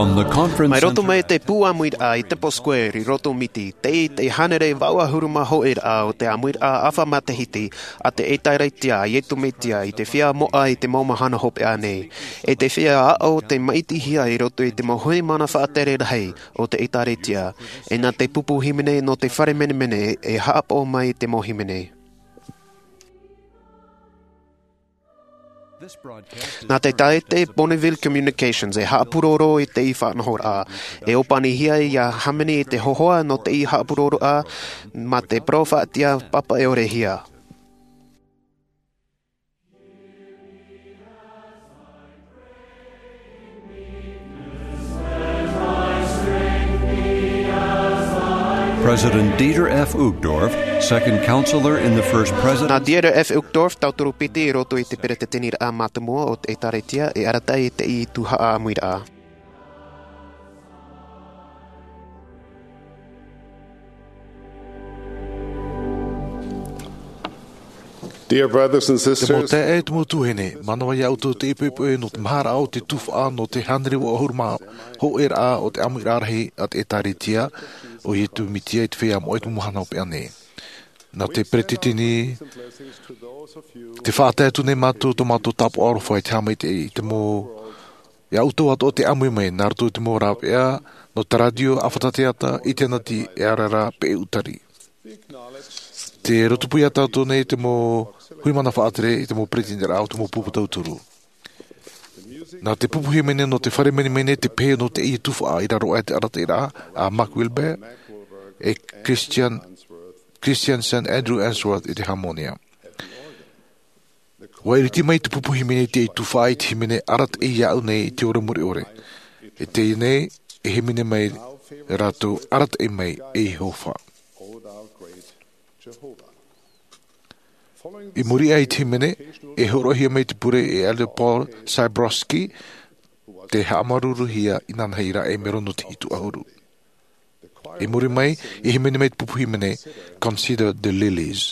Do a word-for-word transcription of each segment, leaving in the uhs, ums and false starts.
Mai roto mai te pū ʻāmuiraʻa i Temple Square i roto o Miti, tei te hānere vaʻu ʻahuru mā hōʻē raʻa o te ʻāmuiraʻa ʻāfa matahiti a te ʻĒtārētia a Iesu Mesia i te feiā moʻa i te mau mahana hopeʻa nei. E te feiā aʻo te māʻitihia i roto i te mau hui mana faʻatere rahi o te ʻĒtārētia. E nā te pupu hīmene nō te fare menemene e haʻapaʻo mai te mau hīmene. Nā te taʻata Bonneville Communications e haʻapuroro i te faʻanahoraʻa. E ʻōpanihia ia hāmani i te hōhoʻa nō te haʻapuroroʻa mā te parau faʻatiʻa pāpaʻi ʻore hia. President Dieter F. Uchtdorf, second counselor in the first president. Nā Dieter F. Uchtdorf, tauturu piti i roto i te peretiteniraʻa mātāmua o te ʻĒtārētia, e arataʻi i te tuhaʻa ʻāmuiraʻa. Dear brothers and sisters, te mau taeaʻe, te mau tuahine, manaʻo ia ʻoutou te ipoipo nō te maharaʻa o te tuhaʻa nō te hānere vaʻu ʻahuru mā hōʻē raʻa o te ʻāmuiraʻa rahi a te ʻĒtārētia o Iesu Mesia i te feiā moʻa i te mau mahana hopeʻa nei. Nā te peretiteni, tē faʻatae atu nei mātou tō mātou tāpaʻo aroha i te haʻamaitaʻi i te mau, ia ʻoutou atoʻa tē ʻāmui mai, nā roto i te mau rāveʻa nō te rātio, ʻāfata teata, ʻinitēneti, e ara ra, peʻe ʻūtari. Tē rotopū ia tātou nei te mau hui mana faʻatere i te mau peretiteniraʻa o te mau pupu tauturu. Nā te pupu hīmene nō te fare menemene te pehe nō te tuhaʻa i raro aʻe i te arataʻiraʻa a Mark Wilber e Christian, Christian Saint Andrew Unsworth i te hāmōnia. ʻUa ʻiriti mai te pupu hīmene i te tuhaʻa i te hīmene arataʻi iāʻu nei i te ora mure ʻore. E teie nei, e hīmene mai rātou, arataʻi mai, e Iehova. I muri aʻe i te hīmene, e hōroʻahia mai te pure e Elder Paul Sybrowsky, tē haʻamāuruuruhia inanahi i te melo nō te hitu ʻahuru. I muri mai, i hīmene mai te pupu hīmene, Consider the Lilies.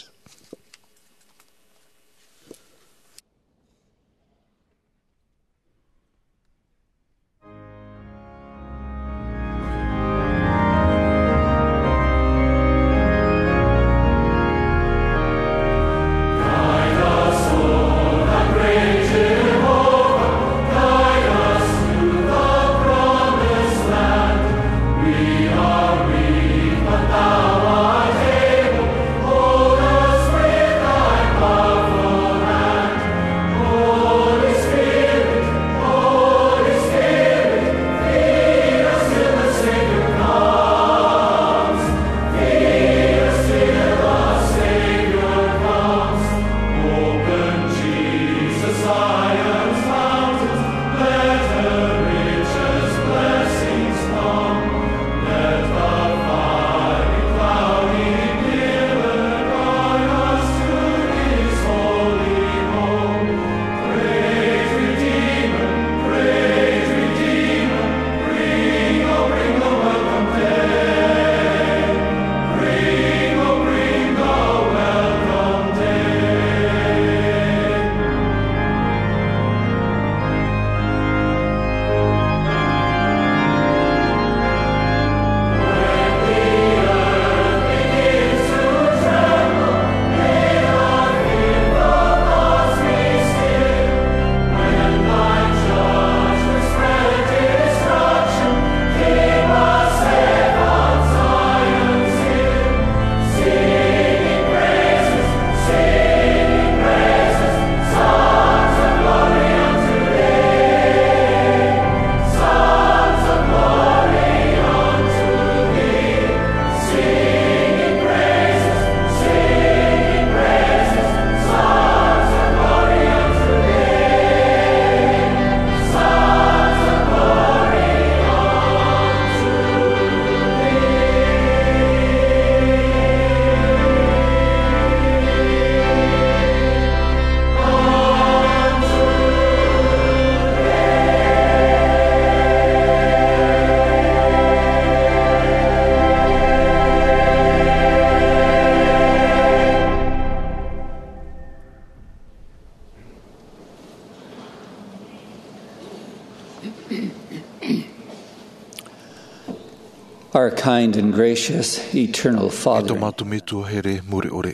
Our kind and gracious eternal Father, e tō mātou Metua here mure ʻore.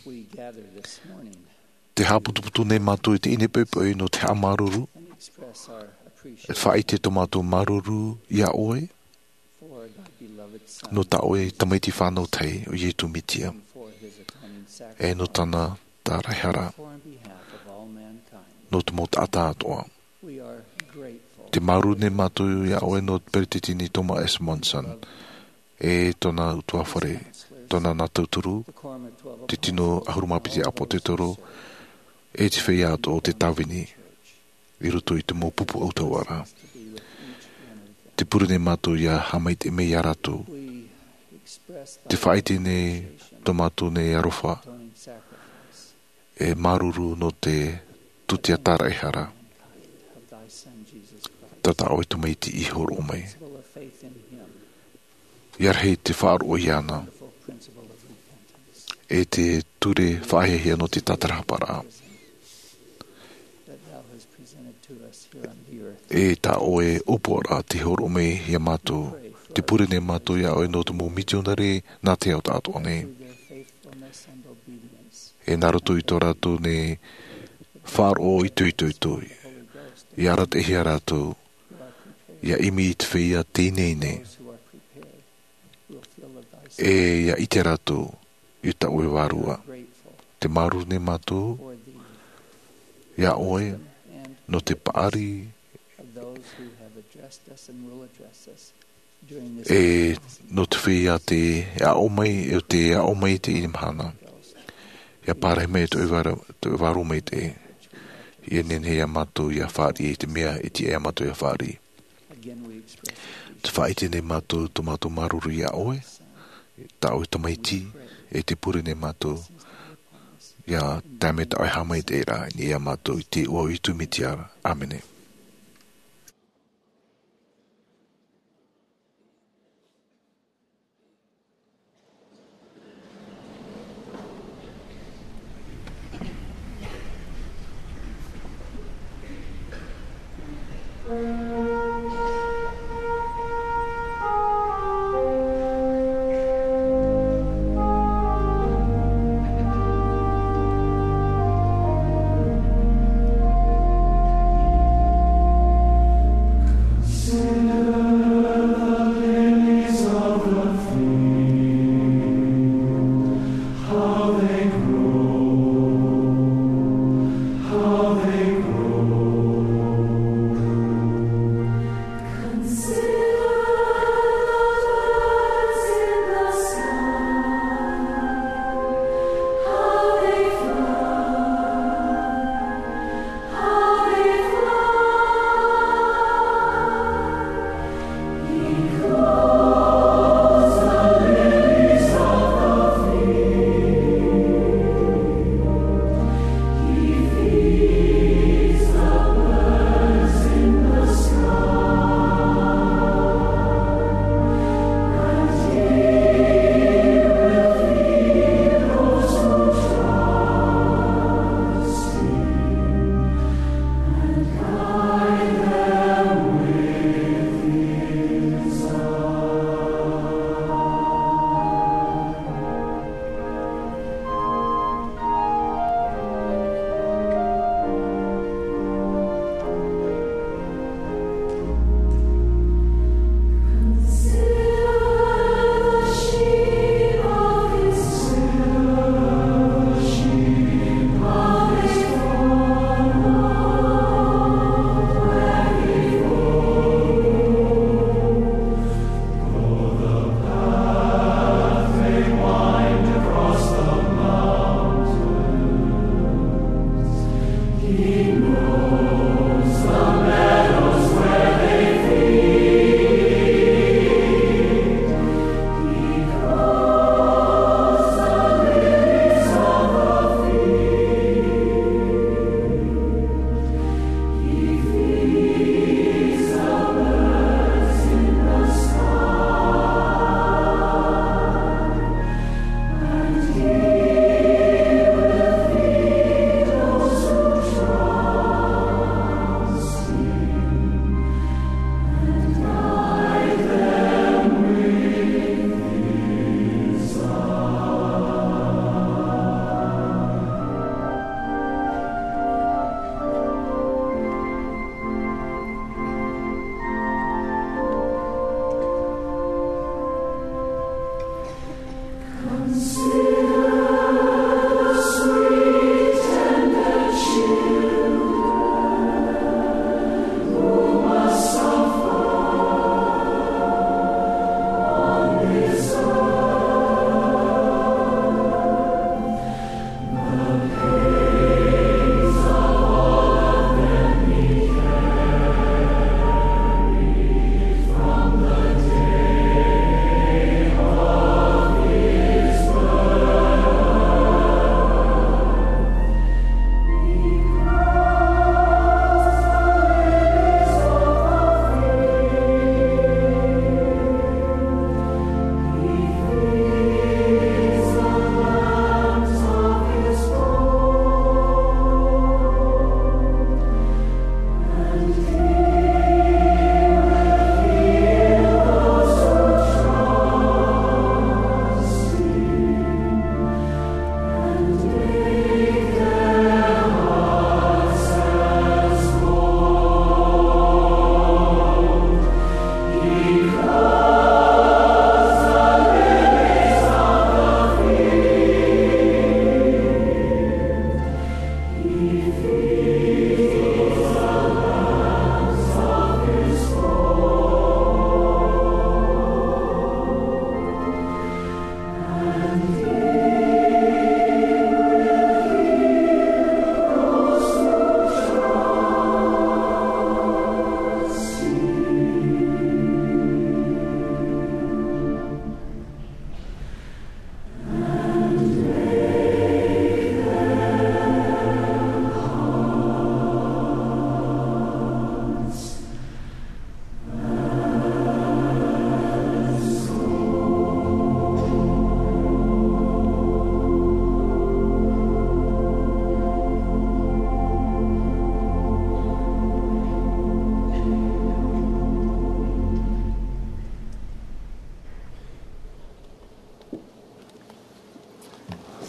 We gather this morning Te haʻaputuputu nei mātou i teie nei poʻipoʻi nō te haʻamāuruuru, and express our e appreciation faʻaʻite tō mātou māuruuru iā ʻoe, for thy beloved Son nō tā ʻoe tamaiti fānau tahi ʻo Iesu Mesia, and for his atoning sacrifice, e nō tāna tāraʻehara, for on behalf of all mankind. Nō te mau taʻata atoʻa. We are grateful. Te māuruuru nei mātou iā ʻoe nō te Peresideni Thomas S. Monson, e tōna ʻutuāfare, tōna nā tauturu, te tino ʻahuru mā piti ʻāpōsetolo, e te feiā atoʻa o te tāvini i roto i te mau pupu ʻautahuʻa ra. Te pure nei mātou ʻia haʻamaitaʻi mai iā rātou. Te faʻaʻite nei tō mātou nei aroha, e māuruuru nō te tūtia tāraʻehara tā tā ʻoe tamaiti i hōroʻa mai. ʻIa rahi te faʻaroʻo iāna, e te ture faʻahiahia nō te tātarahaparaʻa. E tā ʻoe ʻōpuaraʻa tei hōroʻa mai iā mātou, te pure nei mātou iā ʻoe nō te mau mitionare nā te ao taʻatoʻa nei. E nā roto i tō rātou nei faʻaroʻo itoito, ʻia arataʻihia rātou ʻia ʻimi i te feiā teineine, e ʻia ʻite rātou i tā ʻoe Vārua. Te māuruuru nei mātou iā ʻoe nō te paʻari, e nō te feiā tē aʻo mai, e tē aʻo mai i teie mahana. ʻIa pārahi mai tō ʻoe Vārua, tō ʻoe Vārua Maitaʻi, ʻia nehenehe iā mātou ʻia fāriʻi i te mea e tiʻa iā mātou ʻia fāriʻi. Te faʻaʻite nei mātou tō mātou māuruuru iā ʻoe, tā ʻoe tamaiti, e te pure nei mātou ʻia tae mai tā ʻoe haʻamaitaʻiraʻa i niʻa iā mātou i te iʻoa o Iesu Mesia. ʻĀmene.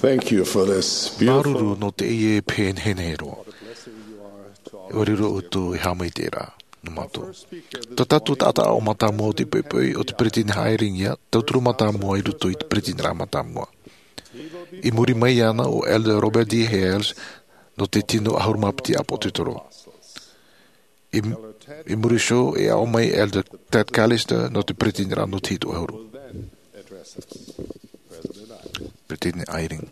Thank you for this beautiful. Māuruuru nō teie pēnei roa. ʻUa riro ʻoutou e haʻamaitaʻi ra nō mātou. Tā tātou taʻata ʻāʻau mātāmua o te poʻipoʻi, ʻo te peretiteni Eyring ia, tauturu mātāmua i roto i te peretiteniraʻa mātāmua. I muri mai iāna ʻo Elder Robert D. Hales, nō te tino ʻahuru mā piti ʻāpōsetolo. I, i muri iho e aʻo mai Elder Tad Callister nō te peretiteniraʻa nō te hitu ʻahuru. Peretiteni Eyring.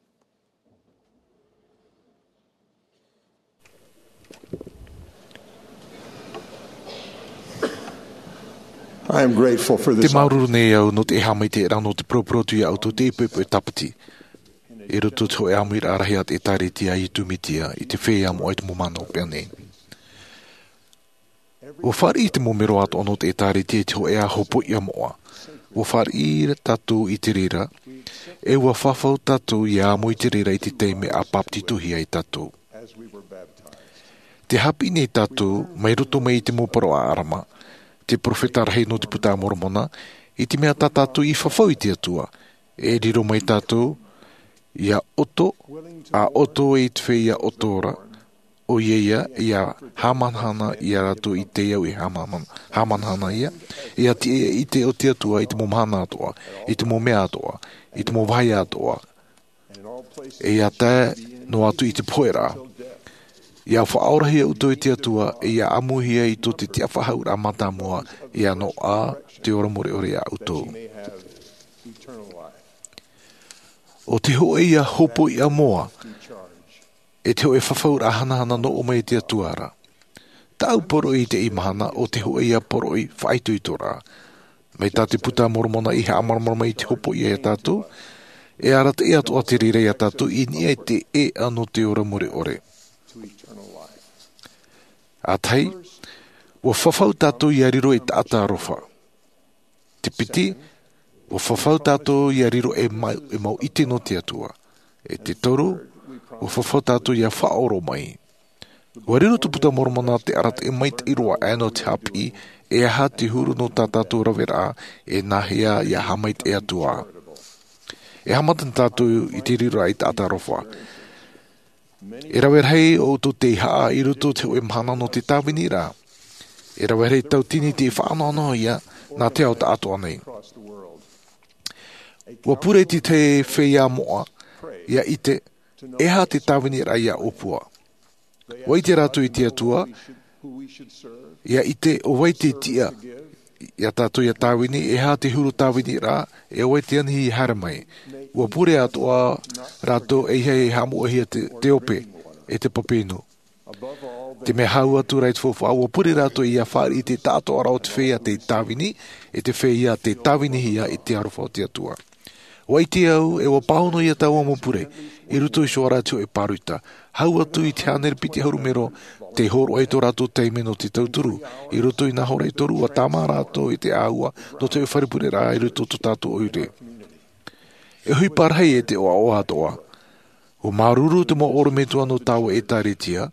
I am grateful for this. Te māuruuru nei au nō te haʻamaitaʻiraʻa nō te poroʻi atu iā ʻoutou i teie poʻipoʻi tāpati. I roto i te hōʻē ʻāmuiraʻa rahi a te ʻĒtārētia a Iesu Mesia i te feiā moʻa i te mau mahana hopeʻa nei. ʻUa fāriʻi te mau melo atoʻa nō te ʻĒtārētia i te hōʻē hopoiʻa moʻa. ʻUa fāriʻi tātou i te reira, ʻe ʻua fafau tātou ʻia amo i te reira i te taime a bāpetizohia ai tātou. Tē haʻapiʻi nei tātou, mai roto mai i te mau parau a ʻĀrama, te perofeta rahi nō te Buka a Moromona, i te mea tā tātou i fafau i te Atua, e riro mai tātou, ʻia ʻoto, ʻa ʻoto i te feiā ʻoto ra, ʻoia ia, ʻia haʻamanahana ia rātou i te au e haʻaman-, haʻamanahana ia, ʻia tiʻa i te ʻite o te Atua i te mau mahana atoʻa, i te mau mea atoʻa, i te mau vāhi atoʻa, ʻe ʻia tae noa atu i te pohe ra, ʻia faʻaorahia ʻoutou e te Atua, ʻe ʻia ʻamuhia i tō te tiʻafaʻahouraʻa mātāmua, ʻia noaʻa te ora mure ʻore iā ʻoutou. ʻO te hōʻē ia hopoiʻa moʻa, ʻe te hōʻē fafauraʻa hanahana nō ʻō mai e te Atua ra. Tāʻu poroʻi i teie mahana ʻo te hōʻē ia poroʻi faʻaitoitoraʻa. Mai tā te Buka a Moromona i haʻamāramarama i te hopoiʻa iā tātou, e arataʻi atoʻa te reira iā tātou i niʻa i te ʻēʻa nō te ora mure ʻore. ʻA tahi, ʻua fafau tātou ʻia riro ei taʻata aroha. Te piti, ʻua fafau tātou ʻia riro ei mau, ei mau ʻite nō te Atua. ʻE te toru, ʻua fafau tātou ʻia faʻaʻoro mai. ʻUa riro te Buka a Moromona te arataʻi maitaʻi roa aʻe nō te haʻapiʻi, e aha te huru nō tā tātou raveraʻa, ʻe nāhea ʻia haʻamaitaʻi atu ā. E haʻamata tātou i te riroraʻa ei taʻata aroha. E rave rahi ʻoutou tei haʻa i roto i te hōʻē mahana nō te tāvini ra. E rave rahi tauatini tei faʻanoʻanoʻa ia nā te ao taʻatoʻa nei. Ua pure te tahi feiā moʻa ia ʻite e aha te tāviniraʻa ia ʻōpua. Ua ʻite rātou i te Atua, ia ʻite ʻo vai te tiʻa ia tātou ia tāvini, e aha te huru tāviniraʻa, e ʻo vai te anihi ia haere mai. Ua pure atoʻa rātou e ʻeiaha e haʻamoʻehia te, te ope e te pape inu. Te mea hau atu rā i te faufaʻa, ua pure rātou ia fāriʻi i te taʻatoʻaraʻa o te feiā tei tāvini, e te feiā tei tāvinihia i te aroha o te Atua. Ua ʻite au e ua pāhono ia taua mau pure i roto i te ora te hoʻe pāroita, hau atu i te hānere piti ʻahuru mero, tei hōroʻa i tō rātou taime nō te tauturu i roto i nā hora e toru. Ua tāmā rātou i te ʻāua nō te hoʻe fare pureraʻa i roto i tō tātou ʻoire. E ʻohipa rahi e te ʻoaʻoa atoʻa. Ua māuruuru te mau ʻorometua nō taua ʻētārētia,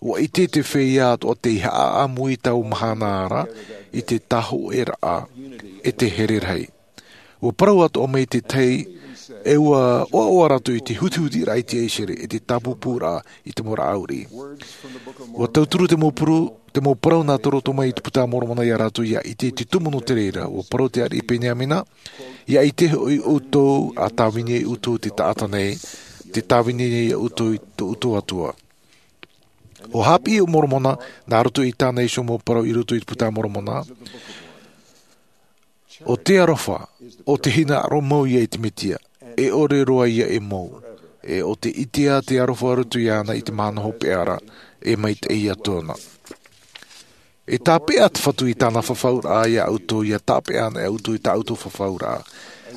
ua ʻite te feiā atoʻa tei haʻaʻamu i taua mahana ra i te tāhōʻēraʻa e te here rahi. Ua parau atoʻa mai te tahi, e ua ʻoaʻoa rātou i te hutihutiraʻa i te ʻaisere e te tāpūpūraʻa i te mau rāʻau riʻi. Ua tauturu te mau puru, te mau parau nā te roto mai i te Puta a Moromona ia rātou ia ʻite i te tumu nō te reira. Ua parau te ariʻi Peniamina, ia ʻite hoʻi ʻoutou, a tāvini ai ʻoutou i te taʻata nei, tē tāvini nei ia ʻoutou i tō ʻoutou Atua. Ua haʻapiʻi ʻo Moromona nā roto i tāna iho mau parau i roto i te Puta a Moromona, ʻo te aroha, ʻo te hinaʻaro mau ia i te Mesia, e ʻore roa ia e mau, e ʻo te ʻitea te aroha roto iāna i te mahana hopeʻa ra, e maitaʻi ia tōna. E tāpeʻa te Fatu i tāna fafauraʻa ia ʻoutou, ia tāpeʻa ana ʻoutou i tā ʻoutou fafauraʻa.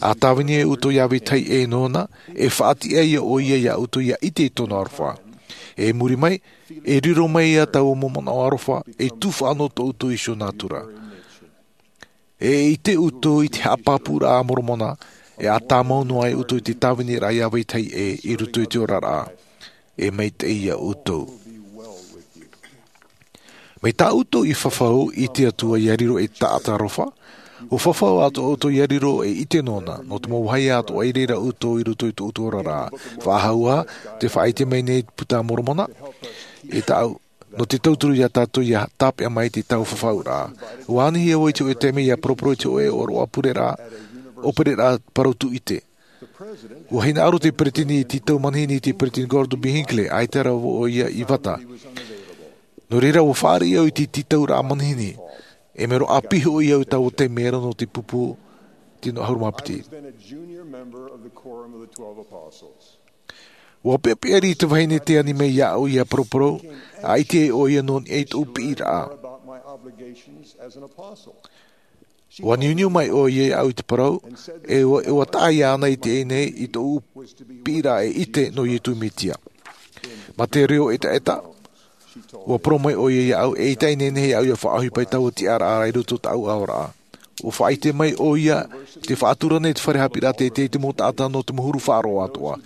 A tāvini ai ʻoutou ia vetahi ʻē nōna, e faʻatiʻa ia ʻoia ia ʻoutou ia ʻite i tōna aroha. E muri mai, e riro mai ia taua mau manaʻo aroha, e tufaʻa nō tō ʻoutou iho nātura. E ʻite ʻoutou i te haʻapāpūraʻa a Moromona, e a tāmau noa ai ʻoutou i te tāviniraʻa ia vetahi ʻē i roto i te oraraʻa, e maitaʻi ia ʻoutou. Mai tā ʻoutou i fafau i te Atua ia riro ei taʻata aroha, ua fafau atoʻa ʻoutou ia riro ei ʻite nōna, nō te mau vāhi atoʻa i reira ʻoutou i roto i tō ʻoutou oraraʻa. Faʻahou ā, tē faʻaʻite mai nei te Puta a Moromona, e tāʻu, nō te tauturu ia tātou ia tāpeʻa mai i te taua fafauraʻa. Ua anihia vau i te hōʻē taime ia paraparau i te hōʻē ʻōroʻa pureraʻa, ʻōpereraʻa parau tūʻite. Ua hinaʻaro te peresideni i te tītau manihini, te Peresideni Gordon B. Hinckley, ʻaita rā ʻoia i vata. Nō reira, ua fāriʻi au i te tītauraʻa manihini, e mea roa ʻāpī hoʻi au i taua taime ra nō te pupu tino ʻahuru mā piti. Ua peʻapeʻa riʻi te vahine tei ani mai iāʻu ia paraparau, ʻaita ʻoia nō niʻa i tōʻu piʻiraʻa. Ua niuniu mai ʻoia iāʻu i te parau, e ua, e ua taʻa iāna i teie nei i tōʻu piʻiraʻa e ʻite nō Iesu Mesia. Mā te reo ʻetaʻeta, ua parau mai ʻoia iāʻu, eʻita e nehenehe iāʻu ia faʻaʻohipa i taua tiʻaraʻa i roto i tāʻu aoraʻa. Ua faʻaʻite mai ʻoia, tē faʻatura nei te fare haʻapiʻiraʻa teitei i te mau taʻata nō te mau huru faʻaroʻo atoʻa.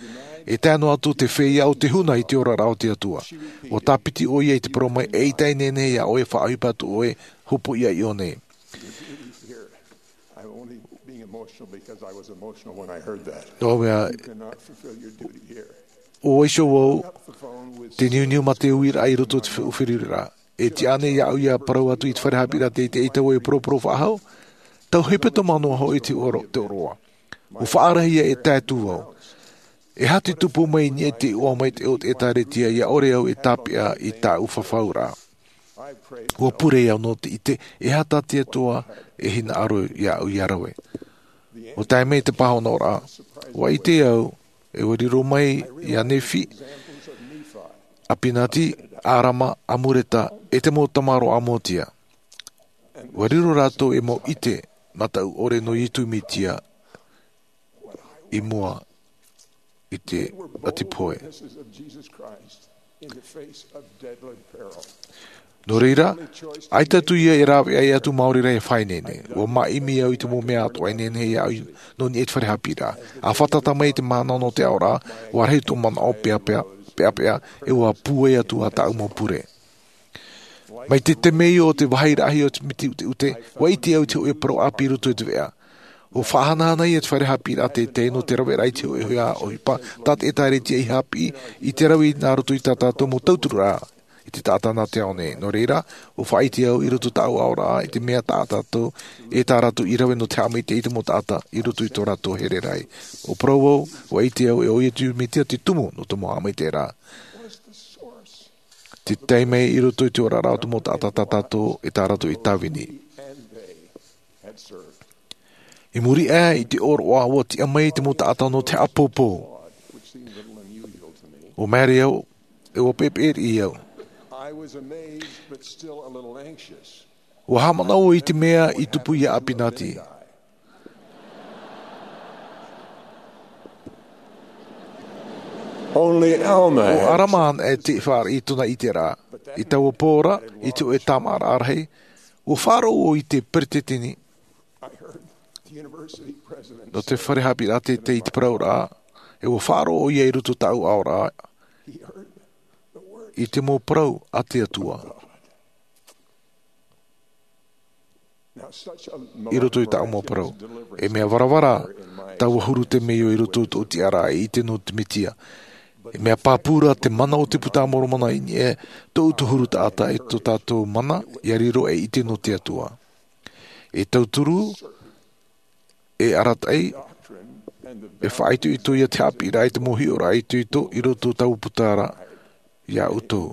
E tae noa atu te feiā o te huna i te oraraʻa o te Atua. Ua tāpiti ʻoia i te parau mai, eʻita e nehenehe iā ʻoe e faʻaʻohipa atu ʻoe hopoiʻa i ʻō nei. I'm only being emotional because I was emotional when I heard that. Nō te mea, you cannot fulfill your duty here. ʻO iho vau, te niuniu mā te uiraʻa i roto i te fe-, feruriraʻa. E tiʻa nei iāʻu ia parau atu i te fare haʻapiʻiraʻa teitei, eʻita vau e paraparau faʻahou, tau hepetoma noa hoʻi te ʻōro-, te ʻōroʻa. Ua faʻarahi ia e tae atu vau. E aha te tupu mai i niʻa i te iʻoa maitaʻi o te ʻĒtārētia, ʻia ʻore au e tāpeʻa i tāʻu fafauraʻa. Ua pure au nō te ʻite, e aha tā te Atua e hinaʻaro iāʻu ia rave. Ua tae mai te pāhonoraʻa, ua ʻite au, e ua riro mai iā Nephi, Apinati, Arama, Amuleka, e te mau tamaroa a Moatia. Ua riro rātou ei mau ʻite mataʻu ʻore nō Iesu Mesia i mua i te ʻati pohe. Nō reira, ʻaita atu ia e rāveʻa atu maori rā e faʻaineine. Ua māʻimi au i te mau mea atoʻa e nehenehe iāʻu nō niʻa i te fare haʻapiʻiraʻa. A fātata mai i te mahana nō te aoraʻa, ua rahi tō manaʻo peʻapeʻa, peʻapeʻa, e ua pūai atu ā tāʻu mau pure. Mai te temeio o te vāhi rahi o te miti ʻuteʻute, ua ʻite au i te hōʻē parau ʻāpī i roto i te veʻa. Ua faʻahanahana ia te fare haʻapiʻiraʻa teitei nō te raveraʻa i te hōʻē ʻohipa tā te ʻĒtārētia i haʻapiʻi i te rave nā roto i tā tātou mau tauturu ra. i te taʻata nā te ao nei. Nō reira, ʻua faʻaʻite au i roto i tāʻu aʻoraʻa i te mea tā tātou, e tā rātou i rave nō te haʻamaitaʻi i te mau taʻata i roto i tō rātou here rahi. ʻUa parau au, ʻua ʻite au e ʻo ia te Mesia te tumu nō te mau haʻamaitaʻiraʻa. Te taime i roto i te oraraʻa o te mau taʻata tā tātou e tā rātou i tāvini. I muri aʻe i te ʻōroʻa, ʻua tiʻa mai te mau taʻata nō te haʻapōpō. ʻUa maere au, e ʻua peʻepeʻe riʻi au. ʻUa haʻamanaʻo i te mea i tupu iā ʻApinati. ʻO ʻArama anaʻe te fāriʻi i tōna ʻiteraʻa. I taua pō ra, i te hōʻē tāmāʻaraʻa rahi, ʻua faʻaroʻo i te peresideni nō te fare haʻapiʻiraʻa teitei i te parauraʻa, e ʻua faʻaroʻo ʻoia i roto i tāʻu aʻoraʻa i te mau parau a te Atua. I roto i tāʻu mau parau, e mea varavara taua huru temeio i roto i tōʻu tiʻaraʻa e ʻite nō te Mesia. E mea pāpū ra te mana o te Buka a Moromona i niʻa i tōʻu huru taʻata e tō tātou mana ʻia riro ei ʻite nō te Atua. E tauturu, e arataʻi, e faʻaitoito ia te haʻapiʻiraʻa i te mau hiʻoraʻa itoito i roto i taua puta ra iā ʻoutou.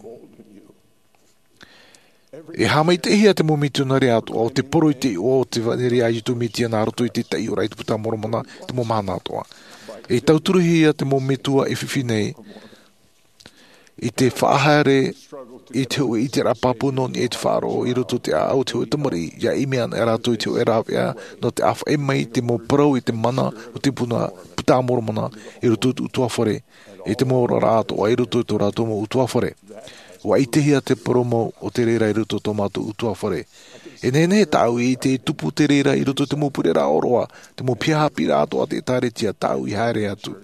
E haʻamaitaʻihia te mau mitionare atoʻa o te poro i te iʻoa o te ʻevanelia a Iesu Mesia nā roto i te taiʻoraʻa i te Buka a Moromona i te mau mahana atoʻa. E tauturuhia te mau metua e fifi nei i te faʻahaere i te hōʻē ʻiteraʻa pāpū nō niʻa i te faʻaroʻo i roto i te ʻāʻau o te hōʻē tamariʻi, ʻia ʻimi ana rātou i te hōʻē rāveʻa nō te ʻāfaʻi mai i te mau parau i te mana o te Buka, Buka a Moromona i roto i te ʻutuāfare, i te mau oraraʻa atoʻa i roto i tō rātou mau ʻutuāfare. ʻUa ʻitehia te purōmu o te reira i roto i tō mātou ʻutuāfare. E nehenehe tāʻu i ʻite e tupu te reira i roto i te mau pureraʻa ʻōroʻa, te mau piha haʻapiʻiraʻa atoʻa a te ʻĒkālesia tāʻu i haere atu.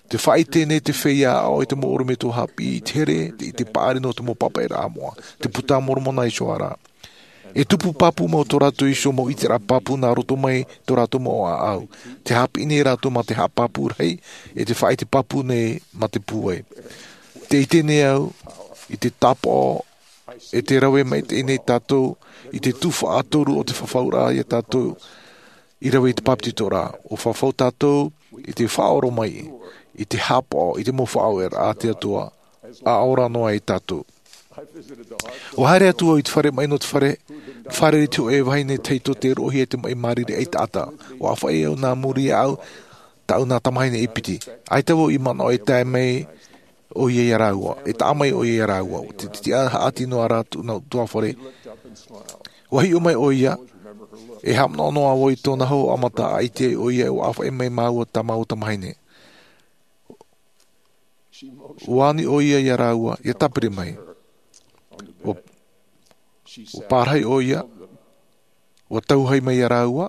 Te faʻaʻite nei te feiā aʻo i te mau ʻorometua haʻapiʻi i te here, te ʻite paʻari nō te mau pāpaʻiraʻa moʻa, te Buka a Moromona iho ā ra. E tupu pāpū mau tō rātou iho mau ʻiteraʻa pāpū nā roto mai tō rātou mau ʻāʻau. Te haʻapiʻi nei rātou mā te haʻapāpū rahi, e te faʻaʻite pāpū nei mā te pūai. Te ʻite nei au, i te tāpaʻo, e te rave maitaʻi nei tātou, i te tuhaʻa toru o te fafauraʻa iā tātou, i rave i te bāpetizoraʻa. ʻUa fafau tātou, i te faʻaora mai, i te haʻapaʻo, i te mau faʻaueraʻa a te Atua, ʻa ora noa ai tātou. ʻUa haere atu au i te fare maʻi nō te fare, fare i te hōʻē vahine tahito tē roʻohia i te maʻi mārire ʻaitaʻata. ʻUa ʻāfaʻi au nā muri iāʻu, tāʻu nā tamahine e piti. ʻAita vau i manaʻo e tae mai ʻoia iā rāua, e taʻa mai ʻoia iā rāua. Te, te tiʻa haʻati noa rā tōna ʻutuāfare. ʻUa hiʻo mai ʻoia, e haʻamanaʻo noa vau i tōna hōhoʻa mata, ʻa ʻite ai ʻoia, ʻua ʻāfaʻi mai māua tā māua tamahine. ʻUa ani ʻoia iā rāua, ʻia tāpiri mai. ʻUa, ʻua pārahi ʻoia, ʻua tauhai mai iā rāua,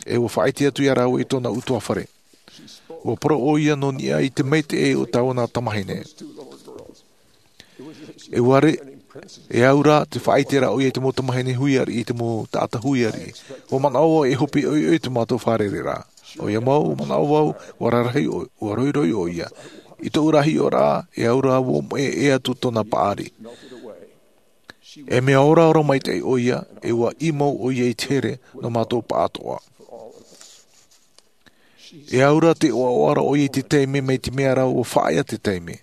e ʻua faʻaʻite atu iā rāua i tōna ʻutuāfare. ʻUa parau ʻoia nō niʻa i te maitaʻi o tāua nā tamahine. E ʻua re-, e au rā te faʻaʻite ra ʻoia i te mau tamahine huiariʻi, i te mau taʻata huiariʻi. ʻUa manaʻo vau e hope ʻoiʻoi tō mātou fārereiraʻa. ʻOia mau, ʻua manaʻo vau, ʻua rarahi ʻo-, ʻua roiroi ʻoia. I tōʻu ra hiʻoraʻa, e au rā vau e moʻe atu tōna paʻari. E mea oraora maitaʻi ʻoia, e ʻua ʻī mau ʻoia i te here nō mātou pāʻatoʻa. E au rā te ʻoaʻoa ra ʻoia i te taime, mai te mea rā ʻua faʻaea te taime.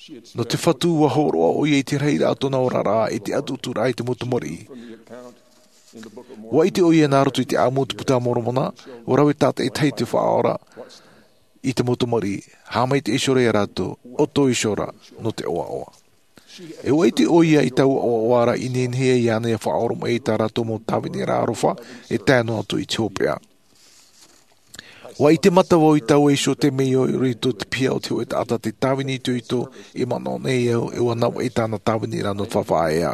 Nō te Fatu ʻua hōroʻa ʻoia i te rahiraʻa o tōna oraraʻa i te ʻatuʻaturaʻa i te mau tamariʻi. ʻUa ʻite ʻoia nā roto i te ʻāmui o te Buka a Moromona, ʻua rave tātaʻitahi te Faʻaora i te mau tamariʻi, haʻamaitaʻi iho ra iā rātou, ʻoto iho ra nō te ʻoaʻoa. E ʻua ʻite ʻoia i taua ʻoaʻoa ra i nehenehe ai iāna ʻia faʻaoromaʻi i tā rātou mau tāviniraʻa aroha, e tae noa atu i te hopeʻa. ʻUa ʻite mata vau i taua iho temeio i roto i te piha o te hōʻē taʻata tē tāvini itoito, i manaʻo nei au, e ʻua navaʻi tāna tāviniraʻa nō te faʻaea.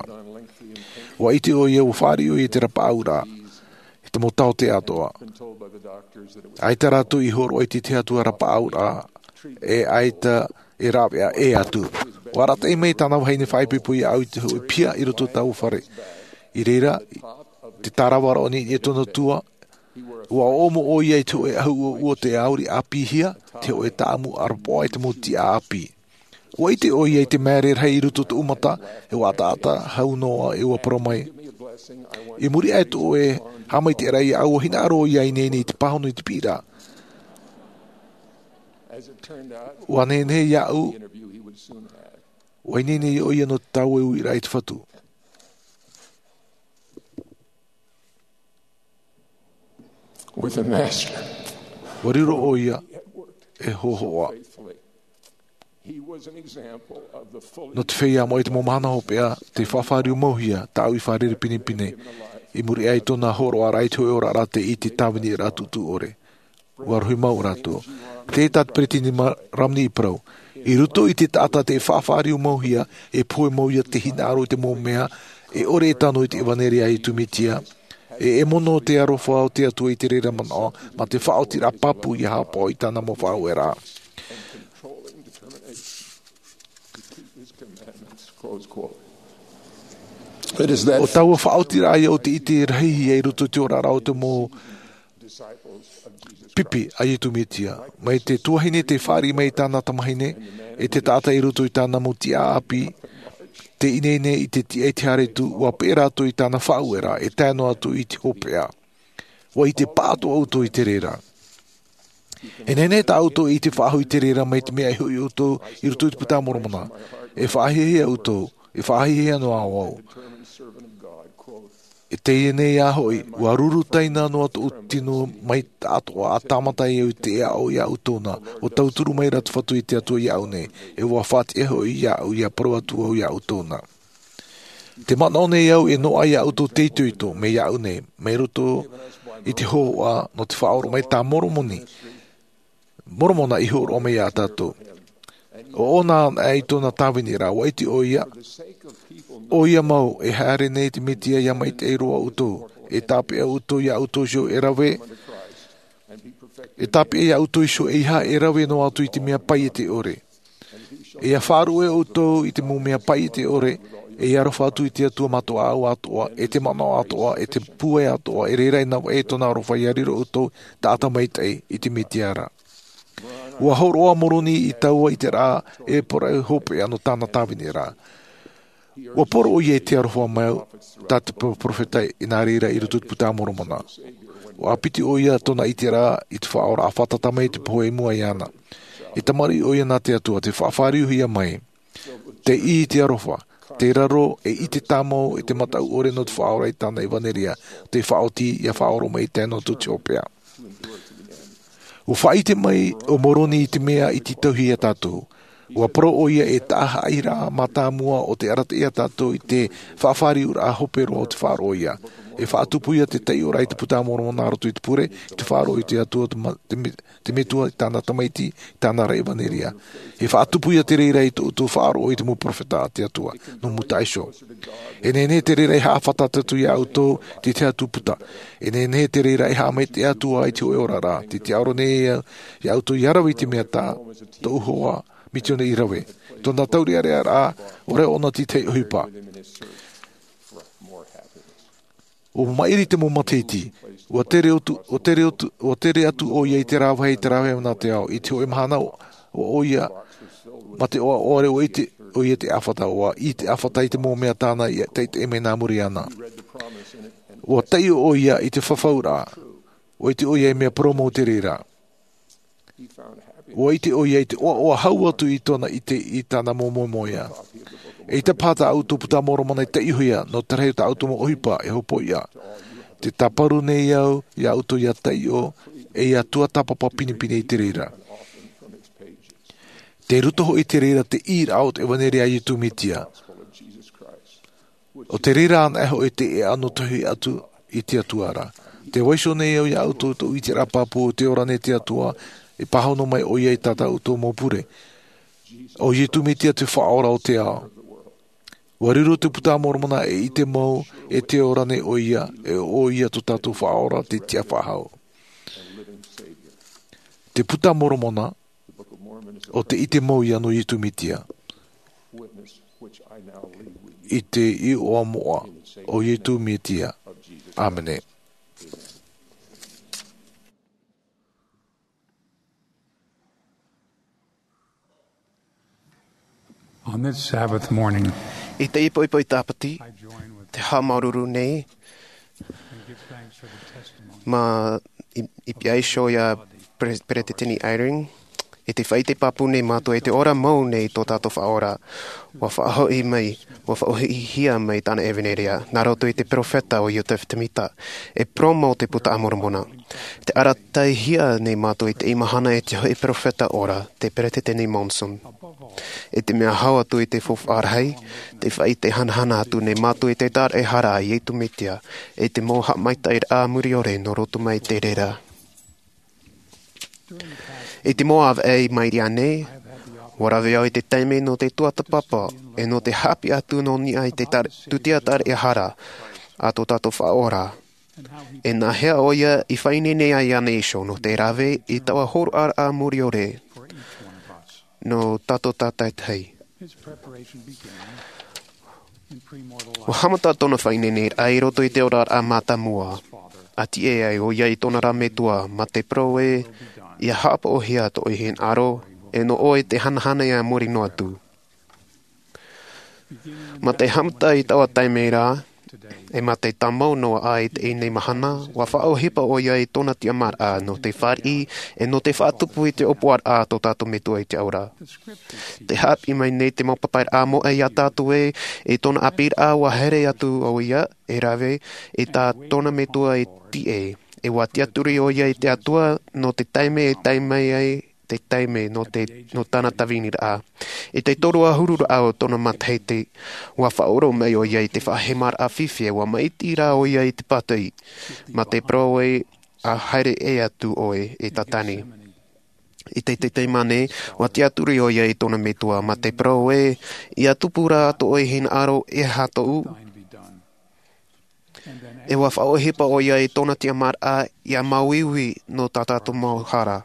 ʻUa ʻite ʻoia, ʻua fāriʻi ʻoia i te rapaʻauraʻa, i te mau taote atoʻa. ʻAita rātou i hōroʻa i te tahi atu rapaʻauraʻa, e ʻaita e rāveʻa ʻē atu. ʻUa arataʻi mai tāna vahine faʻaipoipo iāʻu i te hōʻē piha i roto i taua fare. I reira, te tāravaraʻa o niʻa i tōna tua, ʻua ʻōʻomo ʻoia i te hōʻē ʻahu ʻuoʻuo tē ʻauri ʻāpīhia, te hōʻē tāʻamu ʻarapoʻa i te mau tiʻa ʻāpī. Ua ʻite ʻoia i te māere rahi i roto i tōʻu mata, e ua ʻataʻata hau noa, e ua parau mai, i muri aʻe tō ʻoe haʻamaitaʻiraʻa iāʻu, ua hinaʻaro ʻoia i ineine i te pāhono i te piʻiraʻa. Ua nehenehe iāʻu, ua ineine ʻoia nō te tāueueraʻa i te Fatu. With the Master. Ua riro ʻoia e hōhoʻa. He was an example of the full Nō te feiā mau i te mau mahana hopeʻa, te faʻafāriumauhia tāʻu i fārerei pinepine, i muri aʻe i tōna hōroʻaraʻa i te hōʻē oraraʻa tei ʻite i te tāviniraʻa tuʻutuʻu ʻore. Ua rohi mau rātou. Tē tā te peresideni ma-, Romney i parau. I roto i te taʻata tē faʻafāriumauhia, e pohe mau ïa te hinaʻaro i te mau mea, e ʻore e tano i te ʻevanelia a Iesu Mesia, e, e mono te aroha o te Atua i te reira manaʻo, mā te faʻaotiraʻa pāpū ʻia haʻapaʻo i tāna mau faʻaueraʻa. It is that ʻO taua faʻaotiraʻa ïa ʻo tē ʻite rahi ïa i roto i te oraraʻa o te mau pipi a Iesu Mesia. Mai te tuahine tei fāriʻi mai i tāna tamahine, e te taʻata i roto i tāna mau tiʻaʻāpī, tei ineine i te tiʻa i te haere atu, ua peʻe rātou i tāna faʻaueraʻa, e tae noa atu i te hopeʻa. Ua ʻite pāʻatoʻa ʻoutou i te reira. E nehenehe tā ʻoutou e ʻite faʻahou i te reira mai te mea e hoʻi ʻoutou i roto i te Puta a Moromona. E faʻahiahia ʻoutou, e faʻahiahia noa au. E teie nei ā hoʻi, ua ruru taina noa tōʻu tino mai taʻatoʻa, ʻa tāmata ai au i te aʻo iā ʻoutou na, ʻua tauturu mai ra te Fatu i te Atua iāʻu nei, e ʻua faʻatiʻa hoʻi iāʻu ʻia parau atu au iā ʻoutou na. Tē manaʻo nei au e noaʻa iā ʻoutou te itoito, mai iāʻu nei, mai roto i te hōhoʻa nō te faʻaora mai tā Moromoni, Moromona i hōroʻa mai iā tātou. ʻO ʻōna anaʻe i tōna tāviniraʻa, ua ʻite ʻoia, ʻoia mau, e haere nei te Mesia ʻia maitaʻi roa ʻoutou, e tāpeʻa ʻoutou iā ʻoutou iho e rave, e tāpeʻa iā ʻoutou iho ʻeiaha e rave noa atu i te mea paiete ʻore. E ʻia faʻaruʻe ʻoutou i te mau mea paiete ʻore, e ʻia aroha atu i te Atua Mātāmua atoʻa, e te manaʻo atoʻa, e te pūai atoʻa, e reira ʻia navaʻi tōna aroha ʻia riro ʻoutou taʻata maitaʻi i te Mesia ra. Ua hōroʻa Moroni i taua ʻiteraʻa e parau hopeʻa nō tāna tāviniraʻa. Ua poro ʻoia i te aroha mau tā te pro-, perofeta i nā reira i roto i te Puta a Moromona. Ua ʻāpiti ʻoia tōna ʻiteraʻa i te Faʻaora ʻa fātata mai i te pohe i mua iāna. E tamariʻi ʻoia nā te Atua, tē faʻafāriuhia mai. Tei ʻī i te aroha, te raro, e ʻite tāmau, e te mataʻu ʻore nō te faʻaora i tāna ʻevanelia, tē faʻaoti, ʻia faʻaora mai i te tae noa atu i te hopeʻa. Ua faʻaʻite mai ʻo Moroni i te mea i tītauhia iā tātou. Ua parau ʻoia e taʻa haʻairaʻa mātāmua ʻo tē arataʻi iā tātou i te faʻafāriuraʻa hope roa o te faʻaroʻo ïa. E faʻatupu ïa te taiʻoraʻa i te Puta a Moromona nā roto i te pure, i te faʻaroʻo i te Atua, te ma-, te me-, te Metua i tāna Tamaiti, i tāna ra ʻevanelia. E faʻatupu ïa te reira i tō ʻoutou faʻaroʻo i te mau perofeta a te Atua, nō mūtaʻa iho. E nehenehe te reira e haʻafātata atu iā ʻoutou, te tahi atu puta. E nehenehe te reira e haʻamaitaʻi atu ā i te hōʻē oraraʻa, tē tiʻaoro nei au iā ʻoutou ʻia rave i te mea tā tōʻu hoa misiona i rave. Tōna taureʻareʻaraʻa, ʻaore ʻōna te tahi ʻohipa. ʻUa maʻiri te mau matahiti, ʻua tere atu, ʻua tere atu, ʻua tere atu ʻoia i te rāveʻa, i te rāveʻa nā te ao, i te hōʻē mahana ʻo, ʻo ʻoia, mā te ʻoaʻoa ʻore ʻua ʻite ʻoia te ʻāfata, ʻua ʻī te ʻāfata i te mau mea tāna i taʻitaʻi mai nā muri iāna. ʻUa taiʻo ʻoia i te fafauraʻa, ʻua ʻite ʻoia e mea parau mau te reira. ʻUa ʻite ʻoia i te ʻoaʻoa hau atu i tōna ʻite i tāna mau moemoeā. ʻEita paha tā ʻoutou Puta a Moromona e taiʻohia, nō te rahi o tā ʻoutou mau ʻohipa e hopoiʻa. Tē tāparu nei au iā ʻoutou ʻia taiʻo, e ʻia tuatāpapa pinepine i te reira. Tei roto hoʻi i te reira te ʻīraʻa o te ʻevanelia a Iesu Mesia. ʻO te reira anaʻe hoʻi te ʻēʻa nō te hoʻi atu i te Atua ra. Tē vaiiho nei au iā ʻoutou tōʻu ʻiteraʻa pāpū, tē ora nei te Atua, e pāhono mai ʻoia i tā tātou mau pure. ʻO Iesu Mesia te Faʻaora o te ao. ʻUa riro te Puta a Moromona e ʻite mau, e tē ora nei ʻoia, e ʻo ʻoia tō tātou Faʻaora, te Tiʻa Faʻahou. Te Puta a Moromona, ʻo te ʻite mau ïa nō Iesu Mesia. I te iʻoa moʻa o Iesu Mesia. ʻĀmene. On this Sabbath morning, i te ipoipo i tāpati, te haʻamāuruuru nei ma i piaiho ia peresideni Eyring, i te faʻaite pāpū nei mātou i te ora mau nei tō tātou faʻaora. Ua faʻahoʻi mai, ua faʻahoʻihia mai tāna ʻevanelia nā roto i te peropheta o Iotefa Temita, e poromo o te puta a Moromona. Te arataʻihia nei mātou i te mahana e te hoʻi peropheta ora, te peresideni Monson. I te mea hau atu i te faufaʻa rahi, te faʻaite hanahana atu nei mātou i te taraʻehara a Iesu Mesia, i te mau haʻamaitaʻiraʻa muriore nō roto mai te reira. I te mau ʻāvaʻe i maʻiri aʻe nei, ua rave au i te taime nō te tuatāpapa, e nō te haʻapiʻi atu nō niʻa i te tūtia taraʻehara a tō tātou faʻaora. E nāhea ʻoia i faʻaineine ai iāna iho nō te rave i taua hōroʻaraʻa muriore nō tātou tātaitahi. Ua haʻamata tōna faʻaineineraʻa i roto i te oraraʻa mātāmua, a tiʻa ai ʻoia i tōna ra metua ma te parau ē, ia haʻapaʻohia tō ʻoe hinaʻaro, e nō ʻoe te hanahana ia muri noa atu. Ma te haʻamata i taua taime ra, e ma te tāmau noa aʻe i teie mahana, ua faʻaʻohipa ʻoia i tōna tiʻamāraʻa nō te fāriʻi, e nō te faʻatupu i te ʻōpuaraʻa a tō tātou metua i te ora. Te haʻapiʻi mai nei te mau papairaʻa moʻa iā tātou ē, i tōna ʻāpīraʻa ua haere atu ʻoia e rave i tā tōna metua e tiʻa, e ua tiʻaturi ʻoia i te Atua nō te taime e tae mai ai te taime nō te, nō tāna tāviniraʻa. I te toru ʻahuru raʻa o tōna matahiti, ua faʻaʻoro mai ʻoia i te faʻahemaraʻa fifi, ua maʻiti rā ʻoia i te pātiʻi, ma te parau ē, a haere ʻē atu ʻoe e tātani. I te, te taime nei, ua tiʻaturi ʻoia i tōna metua ma te parau ē, ia tupu rā tō ʻoe hinaʻaro, e aha tōʻu? E ua faʻaʻohipa ʻoia i tōna tiʻamāraʻa ia māuiui nō tā tātou mau hara.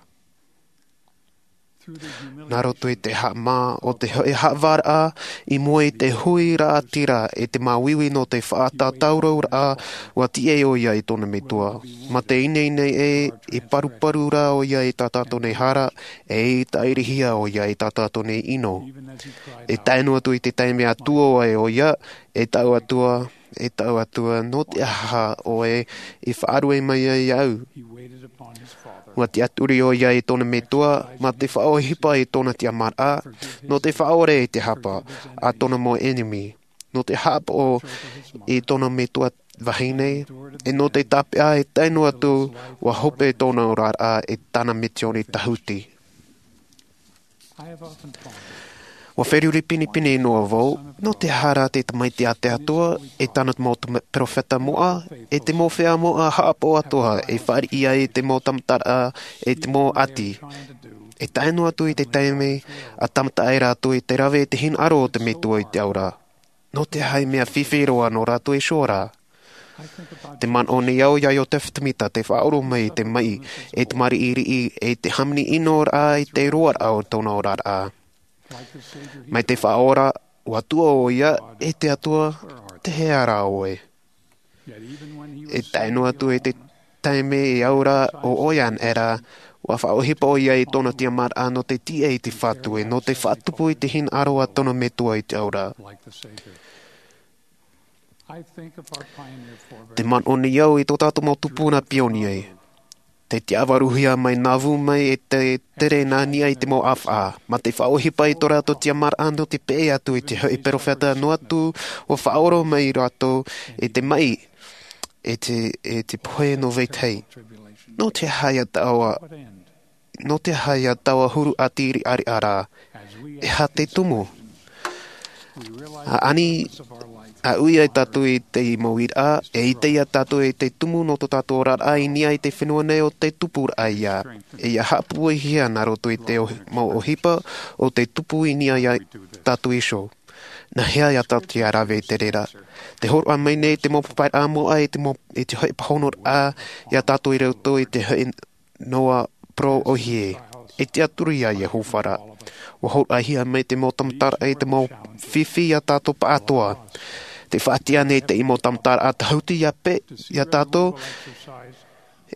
Nā roto i te haʻamā o te hoʻi haʻavāraʻa, i mua i te hui raʻatira, i te māuiui nō te faʻatātauraʻa, ua tiʻa ʻoia i tōna metua. Ma te ineine ē, i paruparu rā ʻoia i tā tātou nei hara, e i tāʻirihia ʻoia i tā tātou nei ʻino. E tae noa atu i te taime a tuō ai ʻoia, e taʻu Atua, e taʻu Atua, nō te aha ʻoe i faʻarue mai ai iāʻu? Ua tiʻaturi ʻoia i tōna metua, ma te faʻaʻohipa i tōna tiʻamāraʻa, nō te faʻaʻore i te hapa a tōna mau ʻenemi, nō te haʻapaʻo i tōna metua vahine, e nō te tāpeʻa e tae noa atu, ua hope tōna oraraʻa i tāna misiōni tāhuti. Ua feruri pinepine noa vau, nō te aha rā te Tamaiti a te Atua, e tāna mau tama-, peropheta moʻa, e te mau feiā moʻa haʻapaʻo atoʻa, e fāriʻi ai te mau tamataraʻa, e te mau ʻati. E tae noa atu i te taime, a tāmata ai rātou i te rave i te hinaʻaro o te Metua i te ao ra. Nō te aha e mea fifi roa nō rātou iho ra? Te manaʻo nei au iā Iotefa Temita te faʻaʻoro mai i te maʻi, e te māriʻiriʻi, e te hāmani ʻino rā i te roaraʻa o tōna oraraʻa. Mai te Faʻaora, ua tuʻu ʻoia, e te Atua, tē hea rā ʻoe? E tae noa atu i te taime e au ra ʻo ʻoia anaʻe ra, ua faʻaʻohipa ʻoia i tōna tiʻamāraʻa nō te tiʻa i te Fatu, e nō te faʻatupu i te hinaʻaro a tōna Metua i te ao ra. Te manaʻo nei au i tō tātou mau tupuna pionie. Te tiʻavaruhia mai Nauvoo mai e te tere nā niʻa i te mau ʻāfaʻa, ma te faʻaʻohipa i tō rātou tiʻamāraʻa nō te peʻe atu i te hoʻi peropheta noa atu, ua faʻaʻoro mai rātou i te maʻi, e te, e te pohe nō vetahi. Nō te aha ia taua, nō te aha ia taua huru ʻati riʻariʻa ra? E aha te tumu? A ani, a ui ai tātou i te mau uiraʻa, e ʻite ia tātou i te tumu nō tō tātou oraraʻa i niʻa i te fenua nei ʻo te tupuraʻa ia. E ia haʻapūaihia nā roto i te ʻohi-, mau ʻohipa ʻo te tupu i niʻa ia tātou iho. Nā hea ia tātou ia rave i te reira? Te hōroʻa mai nei te mau papairaʻa moʻa i te mau, i te hoʻi pāhonoraʻa ia tātou i roto i te hoʻi noa parau ʻōhie. E tiʻaturi iā Iehova ra. Ua hōroʻahia mai te mau tamataraʻa i te mau fifi ia tātou pāʻatoʻa. Te faʻatiʻa nei te mau tamataraʻa tāhuti ia pe-, ia tātou,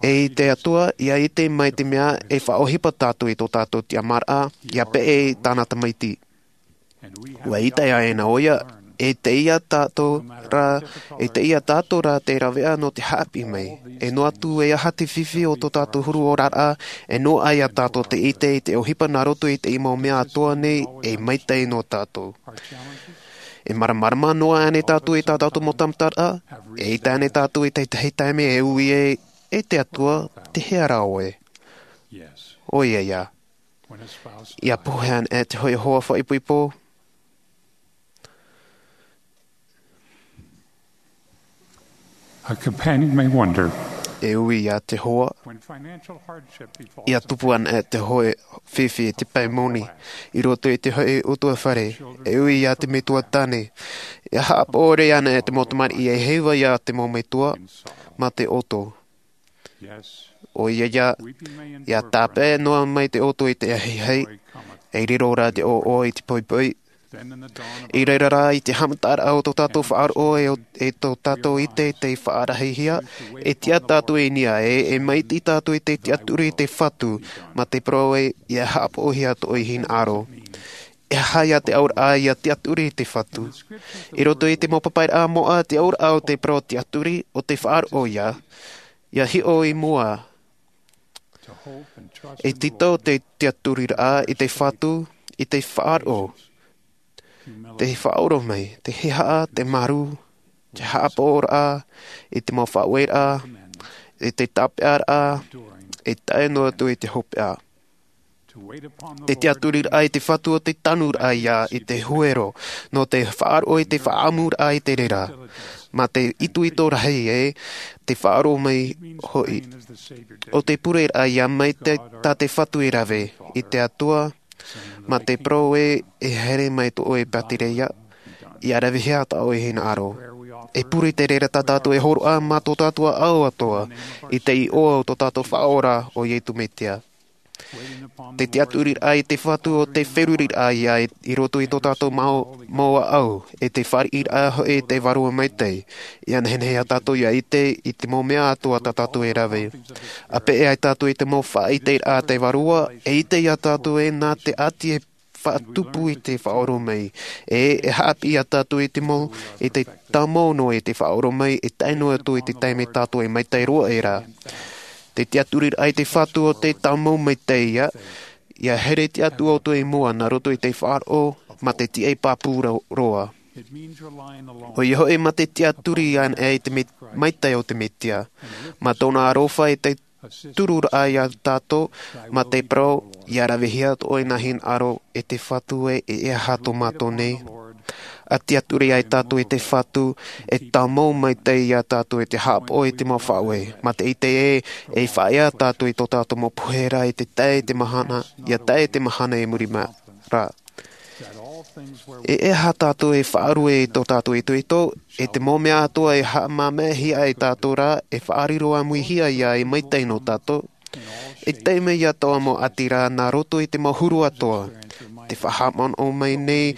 e i te Atua, ia ʻite mai te mea e faʻaʻohipa tātou i tō tātou tiʻamāraʻa, ia peʻe i tāna Tamaiti. Ua ʻite ʻaʻe na ʻoia, e te ia tātou rā, e te ia tātou rā te ravea nō te haʻapiʻi mai. E noa atu e aha te fifi o tō tātou huru oraraʻa, e noaʻa ia tātou te ʻite i te ʻohipa nā roto i te mau mea atoʻa nei, e maitaʻi nō tātou. E māramarama noa ānei tātou i tā tātou mau tāmataraʻa, e ʻite ānei tātou i te tahi taime e ui ai, e te Atua, te hea rā ʻoe? ʻOia ia. Ia pohe anaʻe te hoʻi hoa faʻaipoipo. A companion may wonder, e ui ia te hoa, when financial hardship befalls ia tupu anaʻe te hoʻi fifi i te pae moni, i roto i te hoʻi ʻutuāfare, e ui ia te metua tāne, ia haʻapaʻo anaʻe te mau tamariʻi e heiva ia te mau metua, mā te ʻoto. ʻOia ia, ia tāpeʻa noa mai te ʻoto i te ahiahi, e riro rā te ʻoʻoa i te poipoi. I reira rā i te haʻamataraʻa o tō tātou faʻaroʻo e, e tō tātou ʻite te faʻarahihia, e tiʻa tātou i niʻa ē, e maitaʻi tātou i te tiʻaturi i te Fatu, mā te parau ē, ia haʻapaʻohia tō ʻoe hinaʻaro. E aha ia te auraʻa ia tiʻaturi i te Fatu? I roto i te mau papairaʻa moʻa, te auraʻa o te parau tiʻaturi, ʻo te faʻaroʻo ia, ia hiʻo i mua. E tītau te tiʻaturiraʻa i te Fatu, i te faʻaroʻo, te faʻaoromaʻi, te hiʻoraʻa, te marū, te haʻapaʻoraʻa, i te mau faʻaueraʻa, i te tāpeʻaraʻa, e tae noa atu i te hopeʻa. Te tiʻaturiraʻa i te Fatu ʻo te tanuraʻa ia i te huero, nō te faʻaroʻo i te faʻaʻamuraʻa i te reira, mā te itoito rahi ē, te faʻaoromaʻi hoʻi. ʻO te pureraʻa ia mai te, tā te Fatu e rave, i te Atua, mā te parau ē, e haere mai tō ʻoe pātireia, ia ravehia tā ʻoe hinaʻaro. E pure te reira tā tātou e hōroʻa mā tō tātou ʻāʻau atoʻa, i te iʻoa o tō tātou Faʻaora ʻo Iesu Mesia. Te tiʻaturiraʻa i te Fatu ʻo te feruriraʻa ia i, i roto i tō tātou mau, mau ʻāʻau, e te fāriʻiraʻa hoʻi i te Vārua Maitaʻi, ia nehenehe ia tātou ia ʻite i te mau mea atoʻa tā tātou e rave. ʻA peʻe ai tātou i te mau faʻaʻiteraʻa a te Vārua, e ʻite ia tātou ē nā te ʻati e faʻatupu i te faʻaoromaʻi, e, e haʻapiʻi ia tātou i te mau, i te tāmau noa i te faʻaoromaʻi, e tae noa atu i te taime tātou e maitaʻi roa ai ra. Te tiʻaturiraʻa i te Fatu ʻo te tāmau maitaʻi ia, ia here te Atua ʻoutou i mua nā roto i te faʻaroʻo, mā te tiʻa pāpū ro-, roa. ʻOia hoʻi mā te tiʻaturi anaʻe i te me-, maitaʻi o te Mesia, mā tōna aroha i te tururaʻa ia tātou, mā te parau, ia ravehia tō ʻoe hinaʻaro, e te Fatu ē, e, e aha tō mātou nei. ʻA tiʻaturi ai tātou i te Fatu, e tāmau maitaʻi ia tātou i te haʻapaʻo i te mau faʻaueraʻa. Mā te ʻite ē, e faʻaea tātou i tō tātou mau pohe ra i te tae i te mahana, ia tae i te mahana i muri mai ra. E, e aha tātou e faʻarue i tō tātou itoito, e te mau mea atoʻa e haʻamāmāhia ai tātou ra, e faʻariro ʻāmuihia ia e maitaʻi nō tātou. E tae mai ia taua mau ʻati ra nā roto i te mau huru atoʻa. Te faʻahaʻamanaʻo mai nei,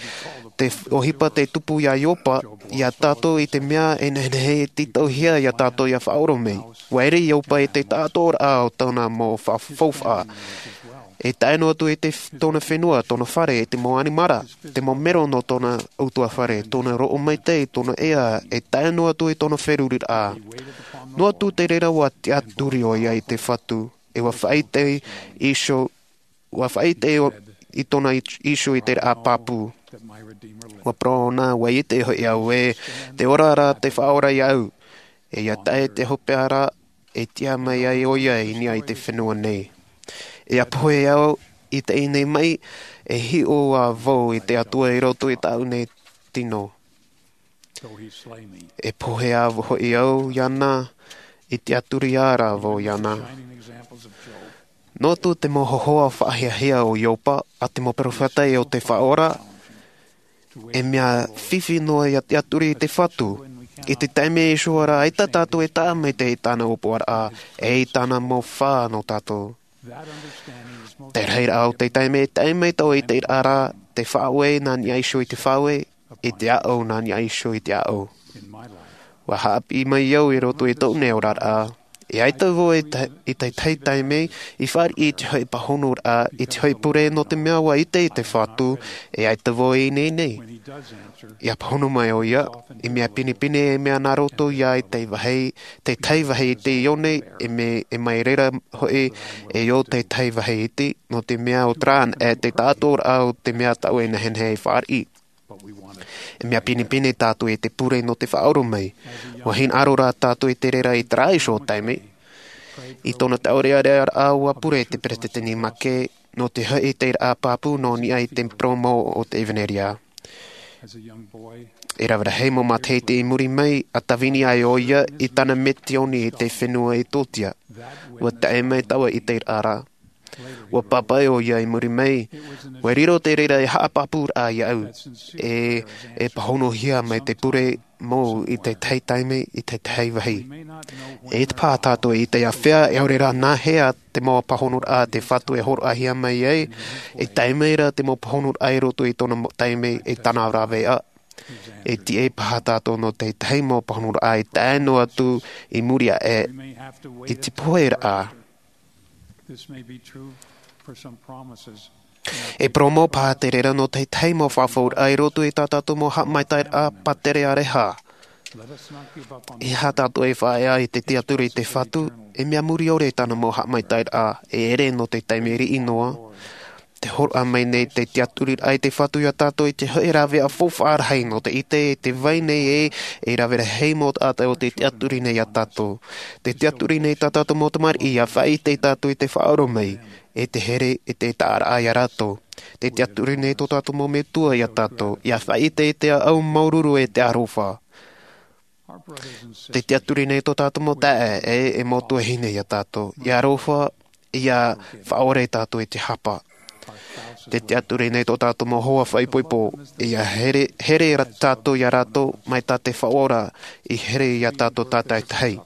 te f-, ʻohipa tei tupu ia Iopa, ia tātou i te mea e nehenehe e tītauhia ia tātou ia faʻaoromaʻi. ʻUa ʻere Iopa i te taʻatoʻaraʻa o tōna mau fa-, faufaʻa. E tae noa atu i te f-, tōna fenua, tōna fare, e te mau ʻanimara, te mau mero nō tōna ʻutuāfare, tōna roʻo maitaʻi, tōna ea, e tae noa atu i tōna feruriraʻa. Noa atu te reira ʻua tiʻaturi ʻoia i te Fatu, e ʻua faʻaʻite iho, ʻua faʻaʻite ʻo-, i tōna i-, iho i te raʻa pāpū. ʻUa parau ʻōna, ʻua ʻite hoʻi au ē, tē ora ra te Faʻaora iāʻu, e ia tae te hopeʻa ra, e tiʻa mai ai ʻoia i niʻa i te fenua nei. E ʻa pohe au i teie nei maʻi, e hiʻo ā vau i te Atua i roto i tāʻu nei tino. E pohe ā hoʻi au iāna, i tiʻaturi ā rā vau iāna. Noa atu te mau hōhoʻa faʻahiahia o Iopa, ʻa te mau peropheta o te Faʻaora, e mea fifi noa ia tiʻaturi i te Fatu. I te taime iho ra, ʻaita tātou e taʻa maitaʻi i tāna ʻōpuaraʻa, e i tāna mau fā nō tātou. Te rahiraʻa o te taime, taime tau i te ra, te faʻaueraʻa nā niʻa iho i te faʻaueraʻa, i te ʻāʻau nā niʻa iho i te ʻāʻau. ʻUa haʻapiʻi mai au i roto i tōʻu nei oraraʻa, E ʻaita vau i te tahi taime i fāriʻi i te hoʻi pāhonoraʻa i te hoʻi pure, nō te mea ua ʻite i te Fatu e ʻaita vau i ʻō nei. Ia pāhono mai ʻoia, e mea pinepine e mea nā roto ia i te tahi vāhi iti i ʻō nei, e mai reira hoʻi e ʻō te tahi vāhi iti, nō te mea ʻo te rā e te taʻatoʻaraʻa o te mea tāʻu e nehenehe e fāriʻi. E mea pinepine tātou i te pure nō te faʻaora mai. Ua hinaʻaro rā tātou i te reira i te raiso taime. I tōna taʻorearea ua pure te peresideni Mackay nō te hoʻi i te raʻa pāpū nō niʻa i te poromo o te ʻevanelia. E rave rahi mau matahiti i muri mai a tāvini ai ʻoia i tāna metioni i te fenua i tōtia. Ua tae mai taua i te raʻa. Ua pāpaʻi ʻoia i muri mai, ua riro te reira e haʻapāpūraʻa iāʻu e e pāhonohia mai te pure mau i te tahi taime i te tahi vāhi. E te pā tātou i te āfea e ʻaore rā nā hea te mau pāhonoraʻa te Fatu e hōroʻahia mai ai. E tae mai rā te mau pāhonoraʻa i roto i tōna taime i tāna rāveʻa. E tiʻa paha tātou nō te tahi mau pāhonoraʻa i tae noa atu i muri aʻe i te pohe raʻa. E poromo paha te reira nō te tahi mau fafauraʻa i roto i tā tātou mau haʻamaitaʻiraʻa pātere ʻareha. E aha tātou e faʻaea i te tiaturi i te Fatu? E mea muri ʻore tāna mau haʻamaitaʻiraʻa e ere nō te taime riʻi noa. Te hōroʻa mai nei te tiaturiraʻa i te Fatu iā tātou i te hoʻi rāveʻa faufaʻa rahi nō te ʻite i te vai nei e e rave rahi mau taʻata o te tiaturi nei iā tātou. Te tiaturi nei tā tātou mau tamariʻi ia faʻaʻite tātou i te faʻaora mai e te here e te taʻaraʻa iā rātou. Te tiaturi nei tō tātou mau metua iā tātou ia faʻaʻite i te au māuruuru e te aroha. Te tiaturi nei tō tātou mau taeaʻe e e mau tuahine iā tātou ia aroha ia faʻaora tātou i te hapa. Te tiaturi nei tō tātou mau hoa faʻaipoipo ia here here tātou iā rātou mai tā te faʻaora i here iā tātou tātaitahi.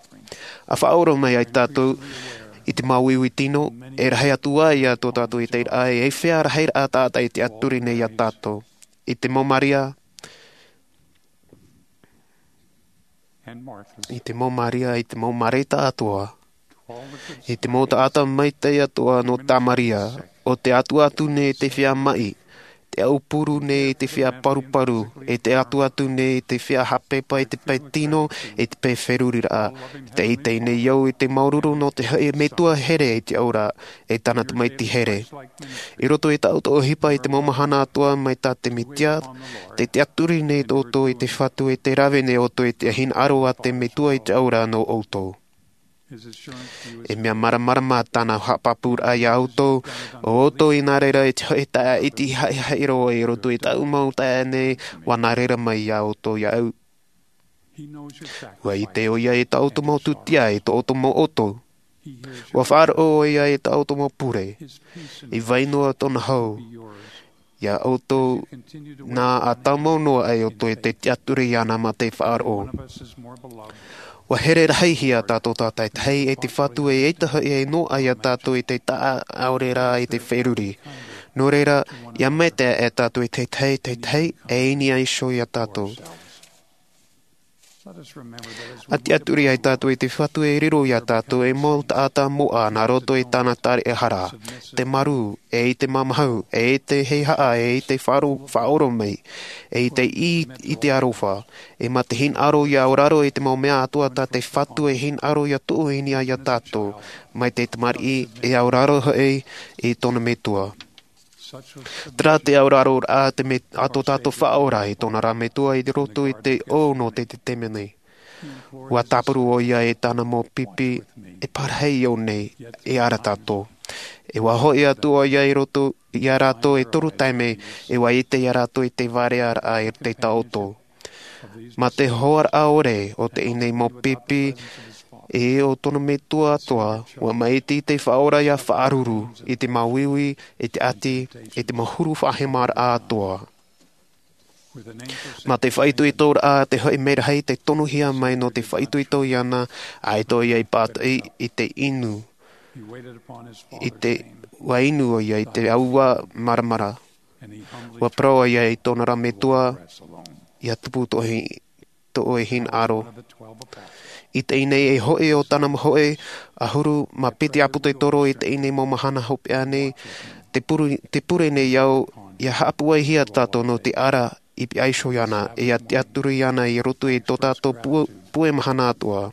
A faʻaora mai ai tātou i te māuiui tino e rahi atu ai iā tō tātou i te raʻa e fea rahi raʻa taʻata i te tiaturi nei iā tātou. I te mau maria i te mau maria i te mau mareta atoa i te mau taʻata maitaʻi atoa nō tamaria o te atu atu nei te fea maʻi te aupuru nei te fea paruparu e te atu atu nei te fea hapepa i te pae tino i te pae feruriraʻa. Te ʻite nei au i te māuruuru nō te hoʻi metua here i te aura e tāna tamaiti here. I roto i taʻu toʻohipa i te mau mahana atoa mai tā te metia te tiaturi nei tō ʻoutou i te Fatu e te rave nei ʻoutou i te hinaʻaro a te metua i te aura nō ʻoutou. E mea māramarama tāna haʻapāpūraʻa iā ʻoutou o ʻoutou i nā reira i te hoʻi taʻa iti haʻihaʻi roa i roto i taʻu mau taʻa nei ua nā reira mai iā ʻoutou iāʻu. Ua ʻite ʻoia i tā ʻoutou mau tūtia i tō ʻoutou mau ʻoto. Ua faʻaroʻo ʻoia i tā ʻoutou mau pure. I vai noa tōna hau iā ʻoutou nā a taumau noa ai ʻoutou i te tiaturi iāna mā te faʻaroʻo. Ua here rahi hia tātou tātaitahi e te Fatu e ʻaita hoʻi e noaʻa iā tātou i te taʻa ʻaore rā i te feruri. Nō reira ia maitaʻi e tātou i te tahi te tahi e ini ai iho iā tātou. A tiaturi ai tātou i te Fatu e riro iā tātou e mau taʻata moʻa nā roto i tāna tariʻahara te marū e i te mamahu e i te heihaʻa e i te faʻaora mai e i te i i te aroha e mā te hinaʻaro ia auraro i te mau mea atoa tā te Fatu e hinaʻaro ia tuʻu i niʻa iā tātou mai te tamariʻi e auraro hoʻi i tōna metua. Terā te auraro rā te me a tō tātou faʻaora i tōna rā metua i roto i te ʻō nō te tetemeni. Ua tāpuru ʻoia i tāna mau pipi e pārahi i ʻō nei e ara tātou. E ua hoʻi atu ʻoia i roto iā rātou e toru taime e ua ʻite iā rātou i te vārearaʻa i te taoto. Mā te hoaraʻa ʻore o te ʻinei mau pipi e o tōna metua atoa ua maʻiti te faʻaora ia faʻaruru i te māuiui i te ʻati i te mau huru faʻahemaraʻa atoa. Mā te faʻaitoitoraʻa te hoʻi merahi te tonohia mai nō te faʻaitoito iāna a ʻaita ʻoia i pātoʻi i te inu i te ua inu ʻoia i te aua maramara. Ua parau ʻoia i tōna rā metua ia tupu tō ʻoe hinaʻaro. I teie nei e hoʻi o tāna mau hoʻi ʻahuru mā piti ʻāpōsetolo i teie nei mau mahana hopeʻa nei, te pure, te pure nei au ia haʻapuaihia tātou nō te ara i piha iho iāna, e ia tiʻaturi iāna i roto i tō tātou pu-, pue mahana atoʻa.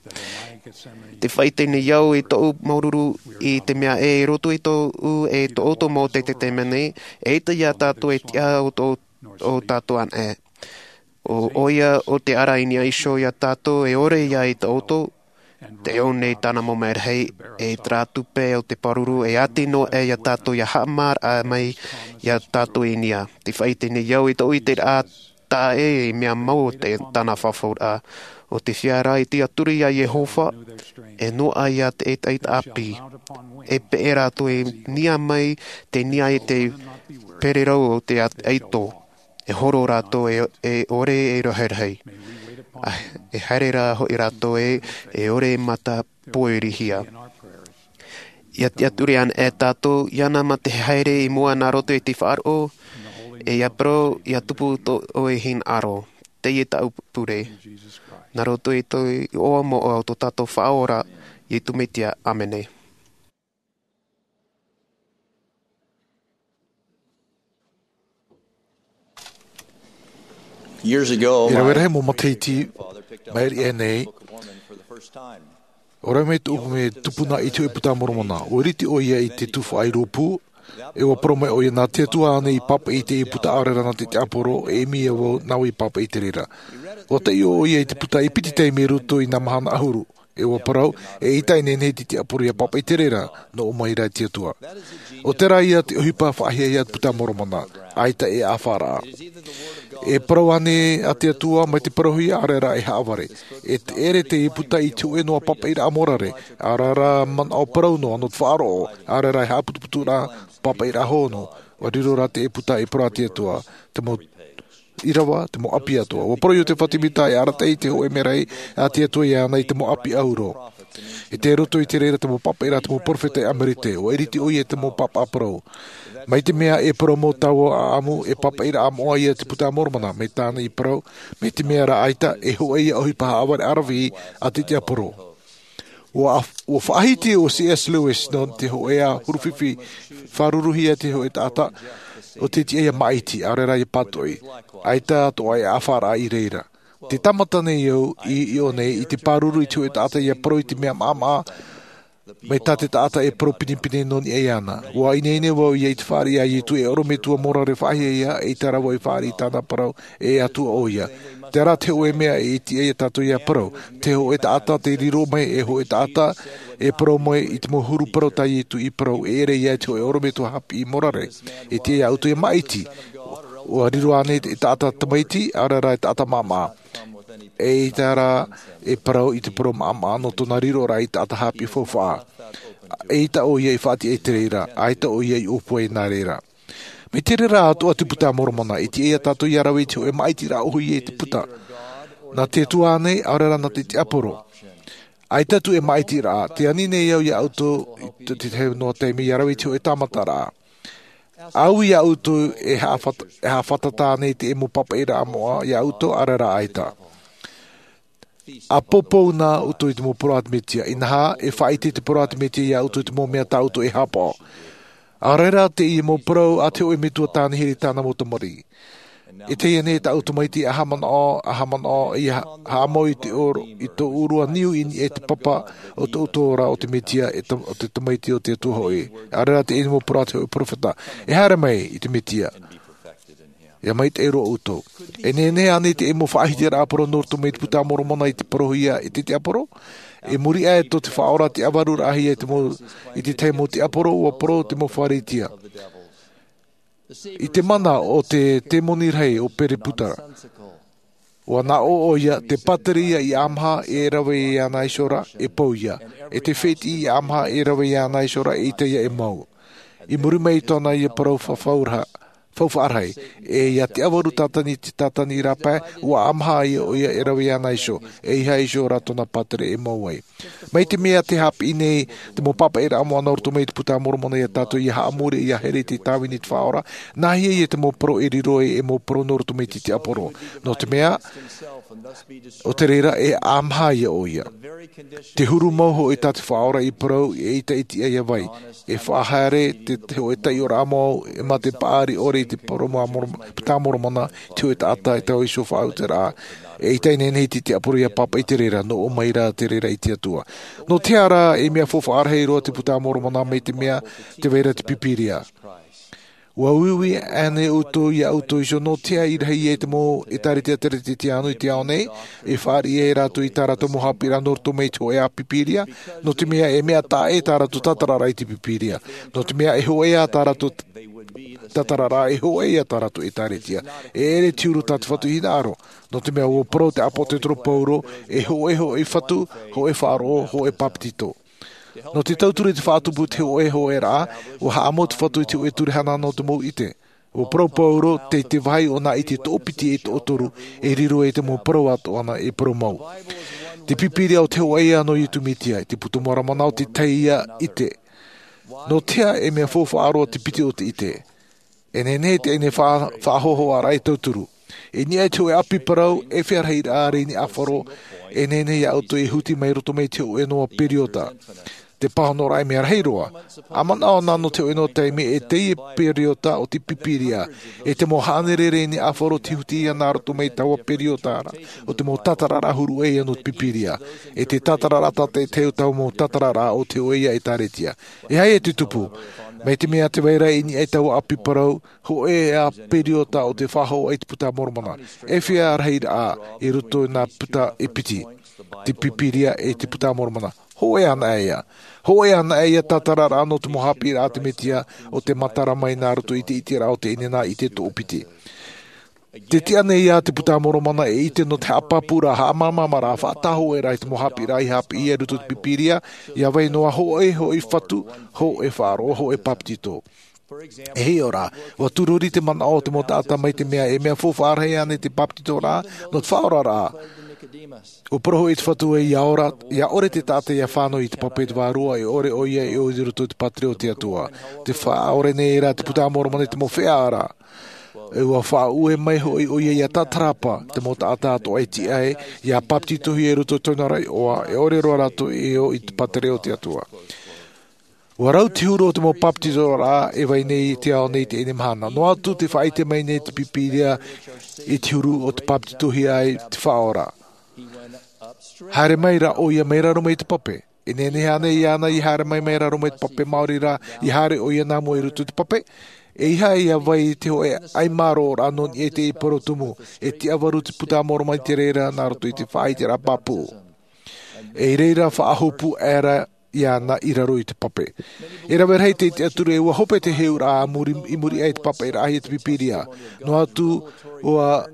Te faʻaite nei au i tōʻu māuruuru i te mea ē, i roto i tōʻu e tō ʻoutou mau taitai taime nei, eʻita iā tātou e tiʻa o tō, o tātou anaʻe. ʻO, ʻoia, ʻo te ara i niʻa iho iā tātou e ʻore ia i tō ʻoutou, te ʻō nei tāna mau merahi, e terā tupe o te pāruru, e ʻati noa aʻe iā tātou ia haʻamāraʻa mai iā tātou i niʻa. Te faʻaite nei au i tōʻu ʻiteraʻa, tā ʻoe e mea mau o te, tāna fafauraʻa. ʻO te feiā rā i tiʻaturi iā Iehova, e noaʻa ia te ʻetaʻeta ʻāpī. E peʻe rātou i niʻa mai, te niʻa i te pererau o te at-, ʻaito. E horo rātou e, e ʻore e rahirahi. A, e haere rā hoʻi rātou e, e ʻore e mata pōirihia. Ia tiʻaturi anaʻe tātou, iāna mā te haere i mua nā roto i te faʻaroʻo, e ia parau, ia tupu tō ʻoe hinaʻaro. Teie tāʻu pure. Nā roto i te iʻoa moʻa o tō tātou Faʻaora, Iesu Mesia, ʻāmene. Years ago, I rave rahi mau matahiti, mai riʻi aʻe nei, ʻo rave mai tōʻu mea tupuna i te hōʻē puta a Moromona. ʻUa ʻiriti ʻoia i te tufaʻa i rōpū, e ʻua parau mai ʻoia nā te Atua ānei i pāpaʻi i te puta, ʻaore rā nā te tiaporo, e ʻimi ia vau nā vau i pāpaʻi i te reira. ʻUa taiʻo ʻoia i te puta i piti taime i roto i nā mahana ʻahuru. E ʻua parau, eʻita e nehenehe te tiaporo ia pāpaʻi i te reira, nō ʻō mai rā te Atua. ʻO terā ia te ʻohipa faʻahiahia a te puta a Moromona, ʻaita e ʻāfaʻaraʻa. E parau ānei a te Atua mai te parauhia, ʻaore rā e haʻavare. E te ʻere te puta i te hōʻē noa pāpaʻiraʻa morare, ʻaore rā manaʻo parau noa nō te faʻaroʻo, ʻaore rā e haʻaputuputuraʻa pāpaʻiraʻa hōʻē noa. ʻUa riro rā te puta i parau a te Atua, te mau ʻīrava, te mau ʻapi atoʻa. ʻUa parau Iotefa Tēmita e arataʻi i te hōʻē merahi a te Atua iāna i te mau ʻapi ʻahuru. E tei roto i te reira te mau pāpaʻiraʻa a te mau perofeta i Amerete, ʻua ʻiriti ʻoia i te mau pāpaʻi parau. Mai te mea e parau mau taua ʻāʻamu, e pāpaʻiraʻa moʻa ia te puta a Moromona, mai tāna i parau, mai te mea rā ʻaita, e hōʻē ia ʻohipa haʻavare ʻaravihi a te tiaporo. ʻUa, ʻua faʻahiti ʻo C S Lewis nō te hōʻē ʻahuru fifi, fāruruhia te hōʻē taʻata, ʻo tei tiʻa ia māʻiti, ʻaore rā ia pātoʻi. ʻAita atoʻa e ʻāfaʻaraʻa i reira. Tē tāmata nei au i, i ʻō nei, i te pāruru i te hōʻē taʻata ia parau i te mea maʻamaʻa, mai tā te taʻata e parau pinepine nō niʻa iāna. ʻUa ineine vau ia i te fāriʻi a Iesu e ʻorometua morare faʻahiahia, eʻita rā vau i fāriʻi i tāna parau, e Atua ʻoia. Terā te hōʻē mea e tiʻa ia tātou ia parau. Te hōʻē taʻata tei riro mai, e hōʻē taʻata e parau mai i te mau huru parau tā Iesu i parau, e ʻere ia te hōʻē ʻorometua haʻapiʻi morare. E tiʻa ia ʻoutou ia māʻiti. ʻUa riro ānei te taʻata tamaiti, ʻaore rā e taʻata maʻamaʻa. Eʻita rā e parau i te parau maʻamaʻa nō tōna riroraʻa i taʻata haʻapiʻi faufaʻa. Eʻita ʻoia i faʻatiʻa i te reira, ʻaita ʻoia i ʻōpua i nā reira. Mai te reira atoʻa te puta a Moromona, e tiʻa ia tātou ia rave i te hōʻē māʻitiraʻa ʻōhie i te puta. Nā te Atua ānei, ʻaore rā nā te tiaporo. ʻAita atu e māʻitiraʻa, tē ani nei au ia ʻoutou i te, te tahi noa taime ia rave i te hōʻē tāmataraʻa. ʻAuē ia ʻoutou e haʻafat-, e haʻafatata nei te mau pāpaʻiraʻa moʻa ia ʻoutou, ʻaore rā ʻaita. ʻA poupou na ʻoutou i te mau parau a te Mesia, inaha, e faʻaʻite te parau a te Mesia ia ʻoutou i te mau mea tā ʻoutou e haʻapaʻo. ʻAore rā teie mau parau a te hōʻē metua tāne here i tāna mau tamariʻi. E teie nei tāʻu tamaiti, ʻaha manaʻo, ʻaha manaʻo, ia ha-, haʻamau i te ʻōr-, i tō ʻōrua niu i niʻa i te papa o tō ʻoutou ra o te Mesia, e tam-, o te tamaiti o te Atua hoʻi. ʻAore rā teie mau parau a te hōʻē perofeta. E haere mai i te Mesia. Ia maitaʻi roa ʻoutou. E nehenehe ānei te mau faʻahitiraʻa parau nō roto mai te puta a Moromona i te parauhia e te tiaporo? I muri aʻe tō te Faʻaora te ʻavaruraʻahia i te mau, i te tahi mau tiaporo, ʻua parau te mau Fārisea. I te mana o te temoni rahi ʻo Perelepūta. ʻUa nā ʻō ʻoia, te pātireia i Āmaha e rave iāna iho ra, e pau ïa. E te fētiʻi i Āmaha e rave iāna iho ra, eʻita ïa e mau. I muri mai i tōna ïa parau fafauraʻa, faufaʻa rahi. E ia tiʻavaru tātani te tātani rāpae, ua ʻamaha ia ʻoia e rave iāna iho, e ʻeiaha iho rā tōna pātere e mau ai. Mai te mea te hāpiʻi nei te mau pāpaʻiraʻa moʻa nā roto mai i te puta a Moromona ia tātou ia haʻamori ia here i te tāvini i te Faʻaora, nāhea ia te mau parau e riro ai e mau parau nō roto mai i te tiaporo? Nō te mea, ʻo te reira e ʻamaha ia ʻoia. Te huru mau hoʻi tā te Faʻaora i parau e ʻita i te ia vai, e faʻahaere te te hoʻe taiʻoraʻa mau e mā te paʻari ʻore i te parau mā Moro- puta a Moromona, te hoʻe taʻata e tau iho faʻauteraʻa, e ʻita i nehenehe i te tiaporo ia pāpaʻi te reira, nō ʻō mai rā te reira i te Atua. Nō te aha rā e mea faufaʻa rahi roa te puta a Moromona mai te mea te vai ra te Pīpīria? Ua uiui ānei ʻoutou ia ʻoutou iho, nō te aha i rahi ai te mau ʻētāretia teretetiānu i te ao nei, e fāriʻi ai rātou i tā rātou mau haʻapiʻiraʻa nō roto mai i te hoʻe ʻāpī Pīpīria? Nō te mea e mea taʻa ʻē tā rātou tātararaʻa i te Pīpīria. Nō te mea e hoʻē ā tā rātou tātararaʻa, e hoʻē ïa tā rātou ʻētāretia. E ʻere te huru tā te Fatu i hinaʻaro. Nō te mea ua parau te ʻāpōsetolo Paulo, e hoʻē hoʻi fatu, hoʻē faʻaroʻo, hoʻē bāpetizo. Nō te tauturu i te faʻatupu te hoʻē hoʻēraʻa, ua haʻamau te Fatu i te hoʻē ture hanahana o te mau ʻite. Ua parau Paulo, tei te vāhi o nā ʻite toʻopiti e toʻotoru, e riro ai te mau parau atoʻa nā e parau mau. Te Pīpīria ʻo te hoʻē ïa nō Iesu Mesia, te Buka Mōramana ʻo te tahi ïa ʻite. Nō te aha e mea faufaʻa roa te piti o te ʻite? E nehenehe teie nei faʻa- faʻahohoʻaraʻa e tauturu. I niʻa i te hoʻē ʻāpī parau, e fea rahiraʻa rā i niʻa i te ʻāfaro, e nehenehe ia ʻoutou e huti mai roto mai i te hoʻē noa periota. Te pāhonoraʻa e mea rahi roa. ʻA manaʻo na nō te hoʻē noa taime e teie periota o te Pīpīria, e te mau hānere rā i niʻa i te ʻāfaro te huti ïa nā roto mai i taua periota ra, o te mau tātararaʻa huru ʻē ïa nō te Pīpīria. E te tātararaʻa tātaʻitahi o taua mau tātararaʻa o te hoʻē ïa ʻētāretia. E aha ïa te tupu? Mai te mea te vai ra i niʻa i taua ʻāpī parau, hoʻē ā periota o te faʻahoʻi i te Buka Mōramana. E fea rahiraʻa i roto i nā buka e piti, te Pīpīria e te Buka Mōramana? Hoʻē anaʻe ïa. Hoʻē anaʻe ïa tātararaʻa nō te mau haʻapiʻiraʻa a te Mesia, ʻo te matara mai nā roto i te ʻiteraʻa o te ʻinenā ʻite toʻopiti. Te tiʻa nei ïa te Buka Mōramana e ʻite nō te haʻapāpūraʻa, haʻamāmāmaraʻa, faʻatāhōʻēraʻa i te mau haʻapiʻiraʻa i haʻapiʻi ai i roto i te Pīpīria, ʻia vai noa hoʻē hoʻi fatu, hoʻē faʻaroʻo, hoʻē bāpetizo. E hiʻo rā, ua tūrori te manaʻo o te mau taʻata mai te mea e mea faufaʻa rahi ānei te bāpetizoraʻa nō te faʻaoraraʻa. Ua parau hoʻi te Fatu ē, ʻia ora, ʻia ʻore te taʻata ʻia fānau i te pape te vārua, e ʻore ʻoia e ʻō i roto i te pātireia o te Atua. Tē faʻaʻore nei rā te Buka Mōramana i te mau feiā ra. E ua faʻaue mai hoʻi ʻoia ʻia tatarapa te mau taʻata atoʻa e tiʻa ai, ʻia bāpetizohia i roto i tōna ra iʻoa, e ʻore roa rātou e ʻō i te pātireia o te Atua. Ua rau te huru o te mau bāpetizoraʻa e vai nei i te ao nei i teie nei mahana. Noa atu tē faʻaʻite mai nei te Pīpīria i te huru o tē bāpetizohia ai te Faʻaora. Haere mai rā ʻoia mai raro mai i te pape. E nehenehe ānei iāna ʻia haere mai mai raro mai i te pape, maori rā ʻia haere ʻoia nā mua i roto i te pape? ʻEiaha ʻia vai i te hoʻē ʻaimārōraʻa nō niʻa i te parau tumu, e tiʻavaru te Buka Mōramana i te reira nā roto i te faʻaʻiteraʻa pāpū. E i reira faʻahopu aʻera iāna i raro i te pape. E rave rahi te tiʻaturi ē ua hope te heheuraʻa a muri, i muri aʻe i te pāpaʻiraʻahia te Pīpīria. Noa atu ua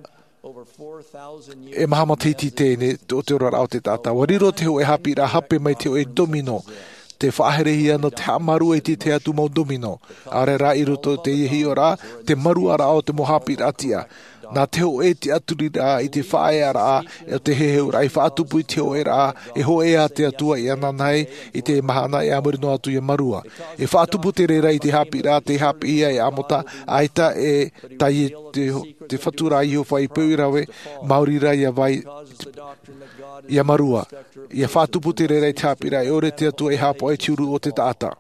e maha matahiti teie nei, te, o te oraraʻa o te taʻata. Ua riro te hoʻē haʻapiʻiraʻa hape mai te hoʻē domino. Tē faʻaherehia nō te haʻamārua i te tahi atu mau domino. ʻAore rā i roto i teie hiʻoraʻa, te māruaraʻa o te mau haʻapiʻiraʻa tiʻa. Nā te hoʻē tiʻaturiraʻa i te faʻaearaʻa o te heheuraʻa i faʻatupu i te hoʻēraʻa, e hoʻē ā te Atua i ananahi i te mahana e a muri noa atu ʻia mārua. E faʻatupu te reira i te haʻapiʻiraʻa tei haʻapiʻihia e Amota, ʻaita e tae i te, te Fatu ra Iehova i peu i rave, maori rā ʻia vai, ʻia mārua. ʻIa faʻatupu te reira i te haʻapiʻiraʻa e ʻore te Atua e haʻapaʻo i te huru o te taʻata.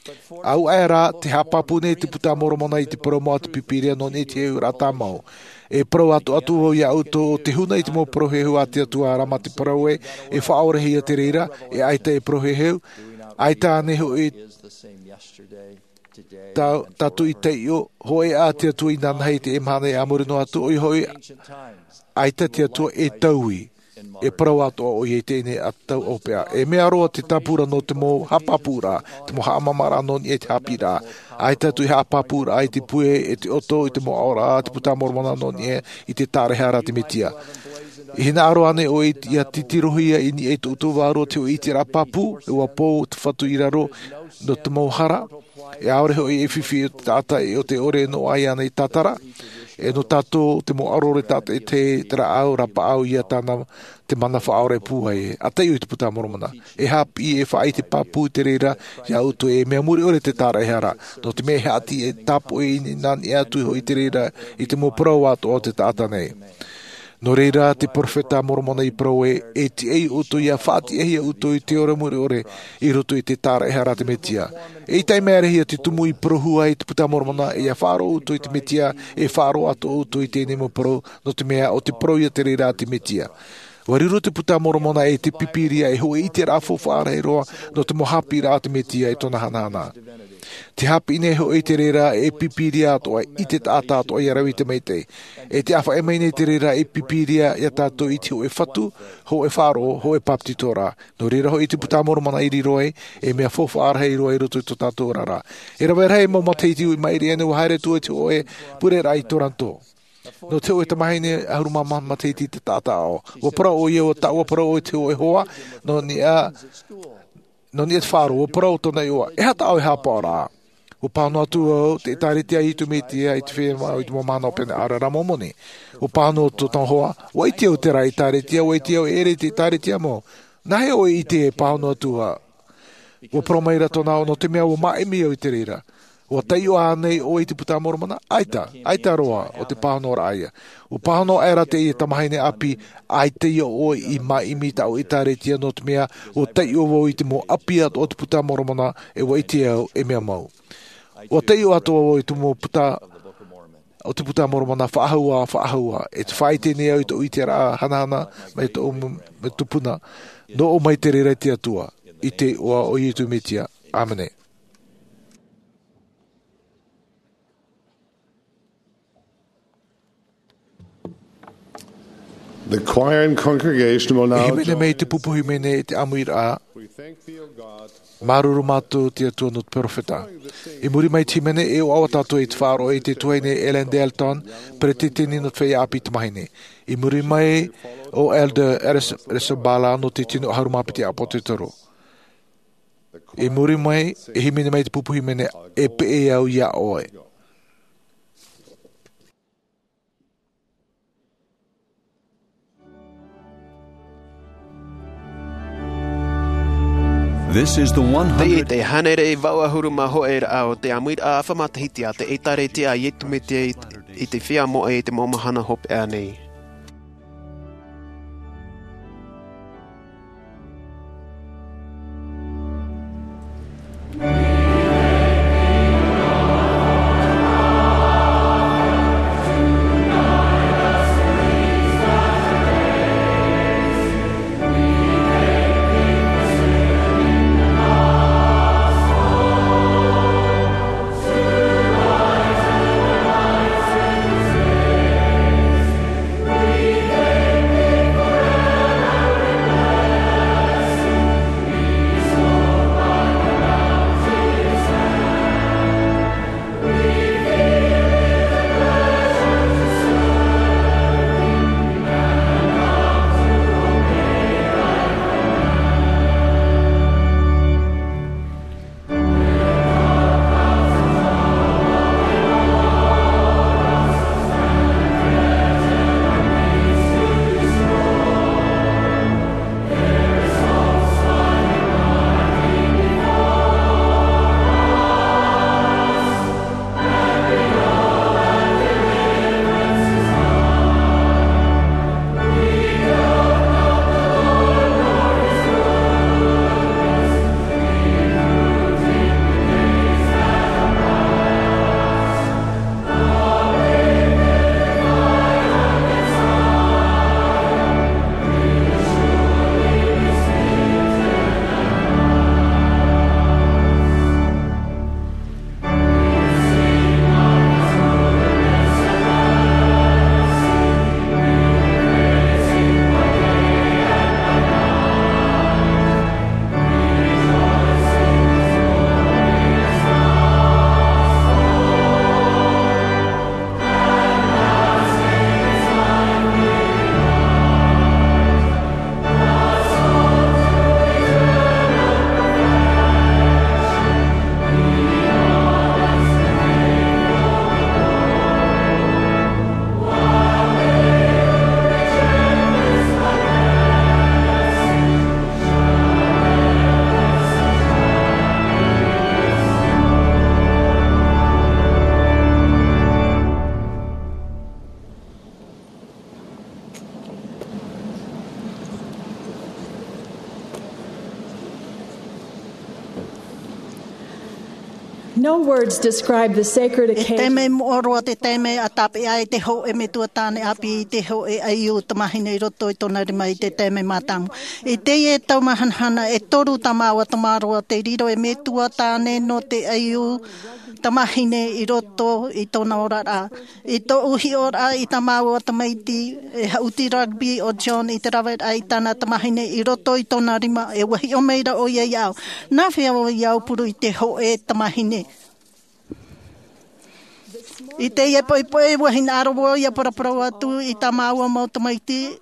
ʻAuaʻe rā, tē haʻapāpū nei te Buka Mōramana i te parau mau a te Pīpīria nō niʻa i te heheuraʻa tāmau. E parau atoʻa atu vau iā ʻoutou ʻo te huna i te mau parau heheu a te Atua, arā mā te parau ē, e faʻaorahia te reira, e ʻaita e parau heheu, ʻaita ānei hoʻi tā, tātou i taiʻo, hoʻē ā te Atua inanahi i teie mahana e a muri noa atu, ʻoia hoʻi, ʻaita te Atua e taui, e parau atoʻa ʻoia i teie nei ā tau hopeʻa. E mea roa te tāpura nō te mau haʻapāpūraʻa, te mau haʻamāmāraʻa nō niʻa i te haʻapiʻiraʻa. ʻAita atu e haʻapāpūraʻa i te puʻe e te ʻoto i te mau aʻoraʻa a te Buka Mōramana nō niʻa i te tārahiraʻa a te Mesia. E hinaʻaro ānei ʻoe ia titirohia i niʻa i tō ʻoutou vārua te hōʻē ʻiteraʻa pāpū, ʻua pō te Fatu i raro nō te mau hara, e ʻaore hoʻi e fifi o te taʻata e o te ʻore nō ʻai ānei tātara, e nō tātou te mau ʻaroʻaro taʻata e te, te rāʻau, rāpaʻau ia tāna te mana faʻaora e pūai e. ʻA taiʻo i te Puta a Moromona. E haʻapiʻi e faʻaʻite pāpū te reira iā ʻoutou e mea mure ʻore te tāraʻehara. Nō te mea e haʻati e tāpoʻi i nā niʻa atu hoʻi te reira i te mau parau atoʻa o te taʻata nei. Nō reira te peropheta a Moromona i parau e, e tiʻa iā ʻoutou ia faʻatiʻahia ʻoutou i te ora mure ʻore i roto i te tāraʻehara a te Metia. E ʻita i mea rahi ia te tumu i parauhia ai te Puta a Moromona e ia faʻaroʻo ʻoutou i te Metia, e faʻaroʻo atoʻa ʻoutou i teie nei mau parau, nō te mea ʻo te parau ia te reira a te Metia. ʻUa riro te Puta a Moromona e te Pīpīria ei hōʻē ʻiteraʻa faufaʻa rahi roa nō te mau haʻapiʻiraʻa a te Metia e tōna hanahana. Te haʻapiʻi nei hoʻi te reira ei Pīpīria atoʻa i te taʻata atoʻa ia rave i te maitaʻi. E te ʻāfaʻi mai nei te reira ei Pīpīria iā tātou i te hōʻē Fatu, hōʻē faʻaroʻo, hōʻē bāpetizoraʻa. Nō reira hoʻi te Puta a Moromona i riro ai ei mea faufaʻa rahi roa i roto i tō tātou oraraʻa. E rave rahi mau matahiti i maʻiri aʻe nei ʻua haere atu i te hōʻē pureraʻa i Toronto. Nō te hōʻē tamahine ʻahuru mā maha matahiti te taʻata aʻo. ʻUa parau ʻoia, ʻua taʻu, ʻua parau ʻoia i te hōʻē hoa, nō niʻa, nō niʻa i te faʻaroʻo, ʻua parau tōna iʻoa, e aha tā ʻoe haʻapaʻoraʻa? ʻUa pāhono atu au, te ʻĒtārētia a Iesu Mesia i te feiā māʻa i te mau mahana hopeʻa nei, ʻaore rā Mōmoni. ʻUa pāhono tōna hoa, ʻua ʻite au terā ʻĒtārētia, ʻua ʻite au e ʻere i te ʻĒtārētia mau. Nā hea ʻoe i ʻite e pāhono atu ā? ʻUa parau mai ra tōna aʻo, nō te mea ʻua māʻimi au i te reira. ʻUa taiʻo ānei ʻoe i te Puta a Moromona? ʻAita, ʻaita roa, ʻo te pāhonoraʻa ïa. ʻUa pāhono aʻera teie tamahine ʻāpī, ʻaita ïa ʻoe i māʻimi i tāʻu ʻĒtārētia, nō te mea ʻua taiʻo vau i te mau ʻāpī atoʻa o te Puta a Moromona, e ʻua ʻite au e mea mau. ʻUa taiʻo atoʻa vau i te mau puta, o te Puta a Moromona faʻahou ā, faʻahou ā, e te faʻaʻite nei au i tōʻu ʻiteraʻa hanahana, mai tōʻu m-, me tupuna, nō ʻō mai te reira i te Atua, i te iʻoa o Iesu Mesia. ʻĀmene. The choir and congregation will now E hīmene mai te pupu hīmene i te ʻāmuiraʻa. We thank thee, O God. Māuruuru mātou te Atua nō te peropheta. I muri mai te hīmene, e ʻoaʻoa tātou i te faʻaroʻo i te tuahine Ellen Dalton, peretiteni nō te feiā ʻāpī tamahine. I muri mai ʻo Elder Eris-, Erisabala nō te tino ʻahuru mā piti ʻāpōsetolo. I muri mai, e hīmene mai te pupu hīmene, E Peʻe Au Iā ʻOe. This is the one hundred. Teie te hānere vaʻu ʻahuru mā hōʻē raʻa o te ʻāmuiraʻa ʻāfa matahiti a te ʻĒtārētia a Iesu Mesia i, i te feiā moʻe i te mau mahana hopeʻa nei. No words describe the sacred occasion. E taime moʻa roa te taime a tāpeʻa ai te hōʻē metua tāne ʻāpī i te hōʻē ʻaiū tamahine i roto i tōna rima i te taime mātāmua. I teie tau māhanahana e toru tā māua tamaroa tei riro e metua tāne nō te ʻaiū tamahine i roto i tōna oraraʻa. I tōʻu hiʻoraʻa i tā māua tamaiti, e haʻuti rugby o John i te raveraʻa i tāna tamahine i roto i tōna rima, e ua hiʻo mai ra ʻoia iāʻu. Nā hea ʻoe i aupuru i te hōʻē tamahine? I teie poʻipoʻi ua hinaʻaro vau ʻia paraparau atu i tā māua mau tamaiti,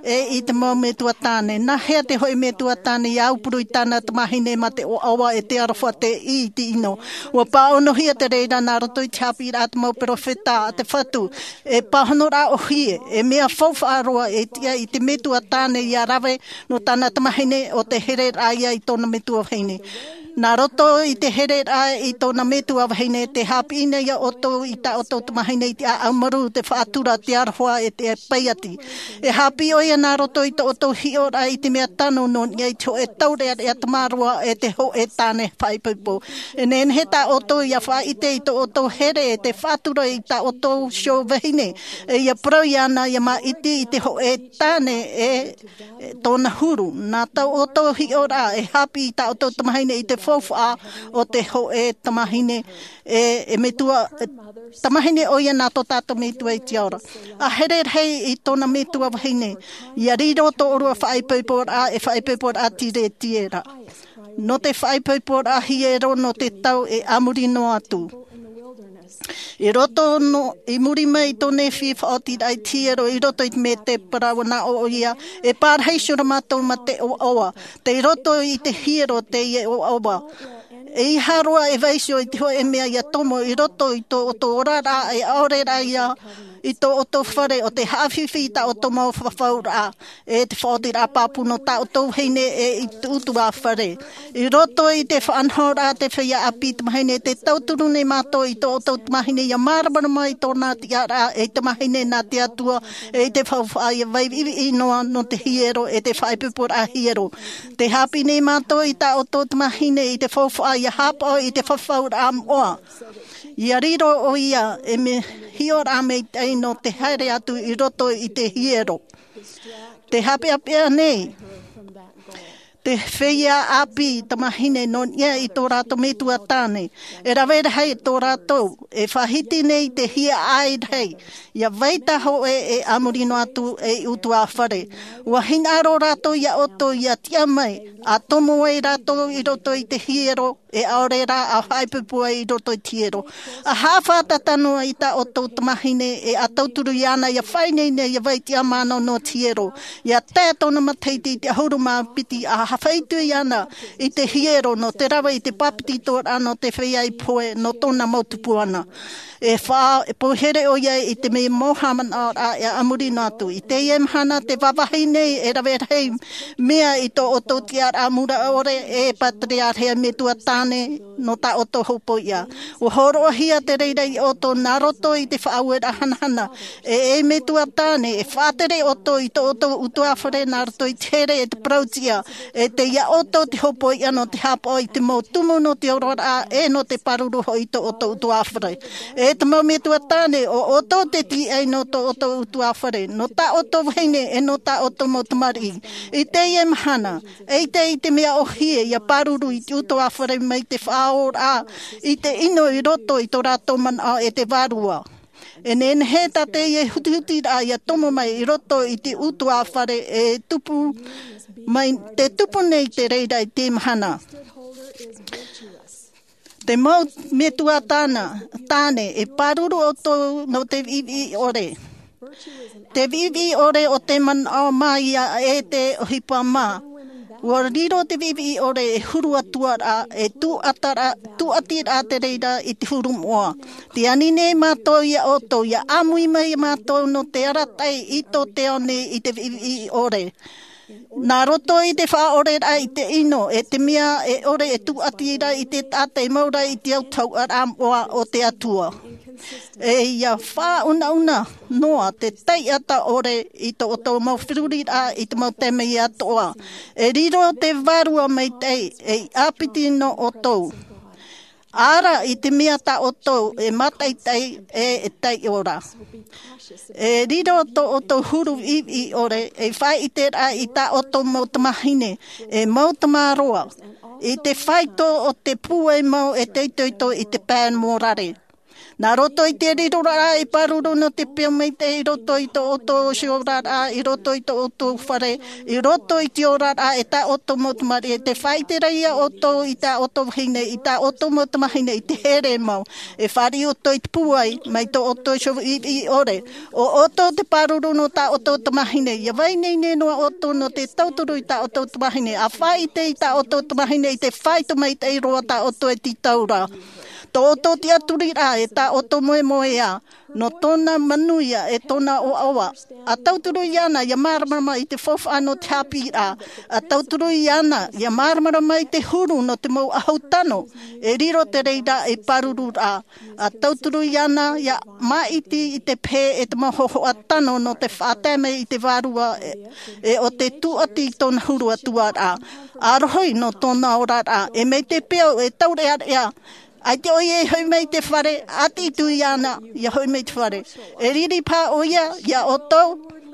e i te mau metua tāne. Nā hea te hōʻē metua tāne i aupuru i tāna tamahine mā te ʻoaʻoa e te aroha teie i te ʻino? Ua pāʻonohia te reira nā roto i te haʻapiʻiraʻa a te mau peropheta a te Fatu. E pāhonoraʻa ʻōhie, e mea faufaʻa roa e tiʻa i te metua tāne ʻia rave nō tāna tamahine ʻo te hereraʻa ia i tōna metua vahine. Nā roto i te hereraʻa i tōna metua vahine, te haʻapiʻi nei iā ʻoutou i tā ʻoutou tamahine i te ʻāʻau marū, te faʻatura, te aroha, e te paiati. E haʻapiʻi ʻoia nā roto i tō ʻoutou hiʻoraʻa i te mea tano nō niʻa i te hōʻē taureʻareʻa tamaroa e te hōʻē tāne faʻaipoipo. E nehenehe tā ʻoutou ʻia faʻaʻite i tō ʻoutou here e te faʻatura i tā ʻoutou iho vahine, e ʻia parau iāna ʻia māʻiti i te hōʻē tāne e tōna huru. Nā tō ʻoutou hiʻoraʻa e haʻapiʻi i tā ʻoutou tamahine i te faufaʻa o te hōʻē tamahine, e, e metua, e tamahine ʻoia nā tō tātou Metua i te ao ra. A here rahi i tōna metua vahine, ʻia riro tō ʻōrua faʻaipoiporaʻa, e faʻaipoiporaʻa tiretiera. Nō te faʻaipoiporaʻa hiero nō te tau e a muri noa atu. I roto nō, i muri mai i tō Nephi faʻaotiraʻa i te hiero i roto i te mētēpara, ua nā ʻō ʻoia, e pārahi iho ra mātou mā te ʻoaʻoa. Tei roto i te hiero teie ʻoaʻoa. ʻEiaha roa e vaiiho i te hōʻē mea ʻia tomo i roto i tō ʻoutou oraraʻa, e ʻaore rā ia i tō ʻoutou fare, ʻo te haʻafifi i tā ʻoutou mau fafauraʻa, e te faʻaotiraʻa pāpū nō tā ʻoutou vahine e i te ʻutuāfare. I roto i te faʻanahoraʻa a te feiā ʻāpī tamahine, tē tauturu nei mātou i tō ʻoutou tamahine ʻia māramarama i tōna tiʻaraʻa ei tamahine nā te Atua, e i te faufaʻa ʻia vai viʻiviʻi noa nō te hiero e te faʻaipoiporaʻa hiero. Tē haʻapiʻi nei mātou i tā ʻoutou tamahine i te faufaʻa ʻia haʻapaʻo i te fafauraʻa moʻa. ʻIa riro ʻoia ei hiʻoraʻa maitaʻi nō te haere atu i roto i te hiero. Tē haʻapeʻapeʻa nei te feiā ʻāpī tamahine nō niʻa i tō rātou metua tāne. E rave rahi tō rātou, e faʻahiti nei te hiaʻai rahi, ʻia vai tā hōʻē e a muri noa atu ei ʻutuāfare. Ua hinaʻaro rātou iā ʻoutou ʻia tiʻa mai, a tomo ai rātou i roto i te hiero, e ʻaore rā a faʻaipoipo ai i roto i te hiero. A haʻafātata noa i tā ʻoutou tamahine, e a tauturu iāna ʻia faʻaineine ʻia vai tiʻamano nō te hiero. ʻIa tae tōna matahiti i te ʻahuru mā piti, a faʻaitoito iāna i te hiero nō te rave i te papetitoraʻa nō te feiā i pohe nō tōna mau tupuana. E faʻa-, e poihere ʻoia i te mea mau haʻamanaʻoraʻa e a muri noa atu. I teie mahana tē vāvāhi nei e rave rahi mea i tō ʻoutou tiʻaraʻa mure ʻore, e pāterearehe metua tāne, nō tā ʻoutou hopoiʻa. Ua hōroʻahia te reira iā ʻoutou nā roto i te faʻaueraʻa hanahana. E, e metua tāne, e faʻatere ʻoutou i tō ʻoutou ʻutuāfare nā roto i te here e te parautiʻa, e tei iā ʻoutou te hopoiʻa nō te haʻapaʻo i te mau tumu nō te oraraʻa, e nō te pāruru hoʻi i tō ʻoutou ʻutuāfare. E te mau metua tāne, ʻo ʻoutou te tīaʻi nō tō ʻoutou ʻutuāfare, nō tā ʻoutou vahine, e nō tā ʻoutou mau tamariʻi. I teie mahana, ʻeita i te mea ʻōhie ʻia pāruru i te ʻutuāfare mai te faʻaora i te ʻino i roto i tō rātou manaʻo e te Vārua. E nehenehe tā teie hutihutiraʻa ʻia tomo mai i roto i te ʻutuāfare e tupu mai, tē tupu nei te reira i te mahana. Te mau metua tāna, tāne, e pāruru ʻoutou nō te viʻiviʻi ʻore. Te viʻiviʻi ʻore o te manaʻo mā ia e te ʻohipa mā. Ua riro te viʻiviʻi ʻore e huru atu ra, e tūʻatiraʻa, tūʻatiraʻa te reira i te huru moʻa. Tē ani nei mātou iā ʻoutou, ʻia ʻāmui mai mātou nō te arataʻi i tō te ao nei i te viʻiviʻi ʻore. Nā roto i te faʻaoreraʻa i te ʻino, e te mea e ʻore e tūʻati ra i te taʻata e mau ra i te autahuʻaraʻa moʻa o te Atua. E ʻia faʻaunauna noa te taʻata ʻore i tō ʻoutou mau feruriraʻa i te mau taime atoʻa. E riro te Vārua Maitaʻi, ei ʻāpiti nō ʻoutou. Ara i te mea tā ʻoutou e mātaʻitaʻi e e taiʻo ra. E riro tō ʻoutou huru viʻiviʻi ʻore e faʻaʻite rā i tā ʻoutou mau tamahine e mau tamaroa i te faito o te pūai mau e te itoito i te pae morare. Nā roto i te riro rā e pāruru nō te peo maitaʻi i roto i tō ʻoutou ʻohipa rā, i roto i tō ʻoutou fare, i roto i te ora rā e tā ʻoutou mau tamariʻi, e te faʻaʻite rā ia ʻoutou i tā ʻoutou vahine, i tā ʻoutou mau tamahine i te here mau. E fāriʻi ʻoutou i te pūai mai tō ʻoutou ʻohipa viʻiviʻi ʻore. ʻO ʻoutou te pāruru nō tā ʻoutou tamahine, ia vai ineine noa ʻoutou nō te tauturu i tā ʻoutou tamahine, ʻa faʻaʻite i tā ʻoutou tamahine i te faito maitaʻi roa tā ʻoutou e tītau ra. Tō ʻoutou tiʻaturi rā e tā ʻoutou moemoeā, nō tōna manuia e tōna ʻoaʻoa. ʻA tauturu iāna ia māramarama i te faufaʻa nō te haʻapiʻiraʻa. ʻA tauturu iāna ia māramarama i te huru nō te mau ʻahu tano. E riro te reira e pāruru rā. ʻA tauturu iāna ia māʻiti i te pehe e te mau hōhoʻa tano nō te faʻatae mai i te vārua e, e ʻo te tūʻati i tōna huru atu ra. ʻA rohi nō tōna ora rā. E mai te peu e taureʻareʻa. ʻAita ʻoia e hoʻi mai i te fare, ʻati atu iāna ia hoʻi mai i te fare. E riri paha ʻoia ia ʻoutou,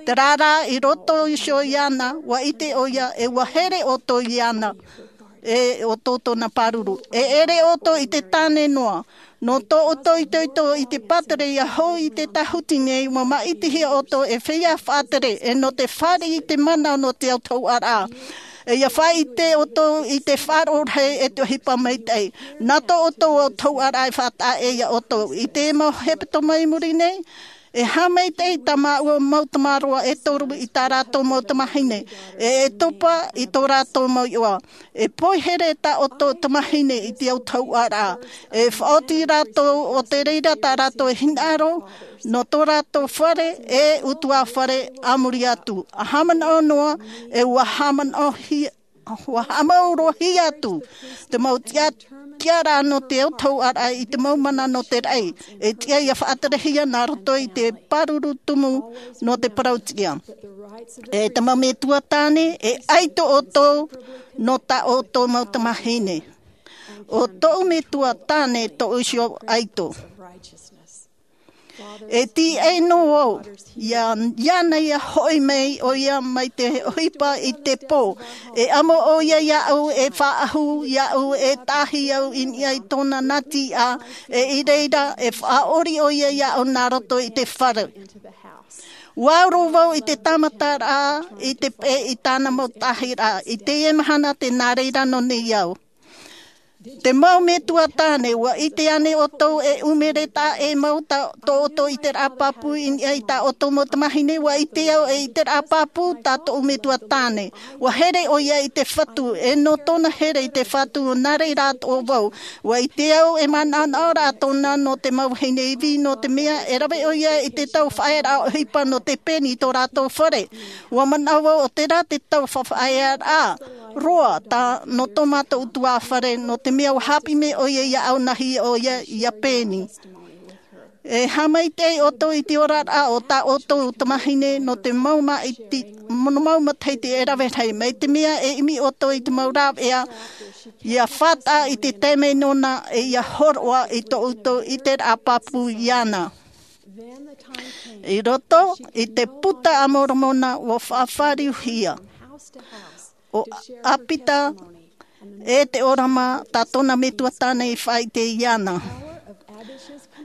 terā rā i roto iho iāna, ʻua ʻite ʻoia, e ʻua here ʻoutou iāna, e ʻoutou tōna pāruru. E ʻere ʻoutou i te tāne noa, nō tō ʻoutou itoito i te pātere ia hou i te tāhuti nei, ʻua māʻitihia ʻoutou e feiā faʻatere, e nō te fāriʻi i te mana nō te autahuʻaraʻa. E ia faʻaʻite ʻoutou i te faʻaroʻo rahi e te ʻohipa maitaʻi. Nā tō ʻoutou autahuʻaraʻa e faʻataʻa ia ʻoutou. I te mau hepetoma i muri nei, e haʻamaitaʻi tā māua mau tamaroa e toru i tā rātou mau tamahine. E, e topa i tō rātou mau iʻoa. E poihere tā ʻoutou tamahine i te autahuʻaraʻa. E faʻaoti rātou ʻo te reira tā rātou e hinaʻaro, nō tō rātou fare, e ʻutuāfare a muri atu. ʻA haʻamanaʻo noa, e ʻua haʻamanaʻohia, ʻua haʻamaurohia atu te mau tiʻa-, tiʻaraʻa nō te autahuʻaraʻa i te mau mana nō te raʻi. E tiʻa ia faʻaterehia nā roto i te pāruru tumu nō te parau tiʻa. E te mau metua tāne, e ʻaito ʻoutou nō tā ʻoutou mau tamahine. ʻO tōʻu metua tāne tōʻu iho ʻaito. E tīaʻi noa vau, ia, iāna ia hoʻi mai ʻoia mai te ʻohipa i te pō. E amo ʻoia iāʻu, e faʻaʻahu iāʻu, e tahi au i niʻa i tōna nā tiʻa, e i reira, e faʻaʻori ʻoia iāʻu nā roto i te fare. Ua uru vau i te tāmataraʻa, i te peʻe i tāna mau tahiraʻa, i teie mahana tē nā reira nō nei au. Te mau metua tāne, ua ʻite ānei ʻoutou e ʻumere taʻa ʻē mau tā tō ʻoutou ʻiteraʻa pāpū i niʻa i tā ʻoutou mau tamahine? Ua ʻite au e ʻiteraʻa pāpū tā tōʻu metua tāne. Ua here ʻoia i te Fatu, e nō tōna here i te Fatu, nā reira atoʻa vau. Ua ʻite au e manaʻonaʻo ra tōna nō te mau vahine ivi, nō te mea e rave ʻoia i te tau faʻaearaʻa ʻohipa nō te pēni i tō rātou fare. Ua manaʻo vau ʻo terā te tau faʻaearaʻa roa tā nō tō mātou ʻutuāfare, nō te mea ua haʻapiʻi mai ʻoia iāʻu nā hea ʻoia ia pēni. E haʻamaitaʻi ʻoutou i te oraraʻa o tā ʻoutou tamahine nō te mau māʻiti, nō mau matahiti e rave rahi, mai te mea e ʻimi ʻoutou i te mau rāveʻa, ia fātaʻa i te taime nōna e ia hōroʻa i tō ʻoutou ʻiteraʻa pāpū iāna. I roto i te Buka a Moromona ua faʻafāriuhia ʻo ʻĀpita e te ʻōrama, tā tōna metua tāne i faʻaʻite iāna.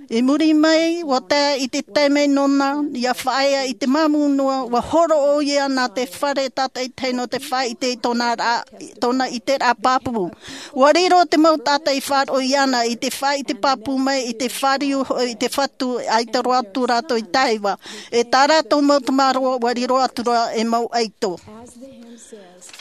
I muri mai, ua tae i te taime nōna ia faʻaea i te māmū noa, ua hōroʻa ʻoia nā te fare tātaʻitahi nō te faʻaʻite i tōna rā, tōna ʻiteraʻa pāpū. Ua riro te mau taʻata i faʻaroʻo iāna i te faʻaʻite pāpū mai i te fāriu hoʻi i te Fatu, ʻaita roa atu rātou i taiva. E tā rātou mau tamaroa, ua riro atu ra e mau ʻaito.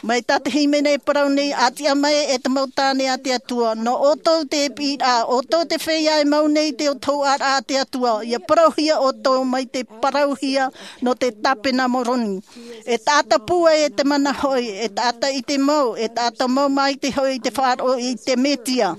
Mai tā te hīmene e parau nei, ʻa tiʻa mai e te mau tāne a te Atua, nō ʻoutou te piʻiraʻa, ʻoutou te feiā e mau nei te autahuʻaraʻa a te Atua, ia parauhia ʻoutou mai te parauhia nō te tāpena Moroni. E taʻata pūai e te mana hoʻi, e taʻata ʻite mau, e taʻata mau māʻiti hoʻi i te faʻaroʻo i te Mesia.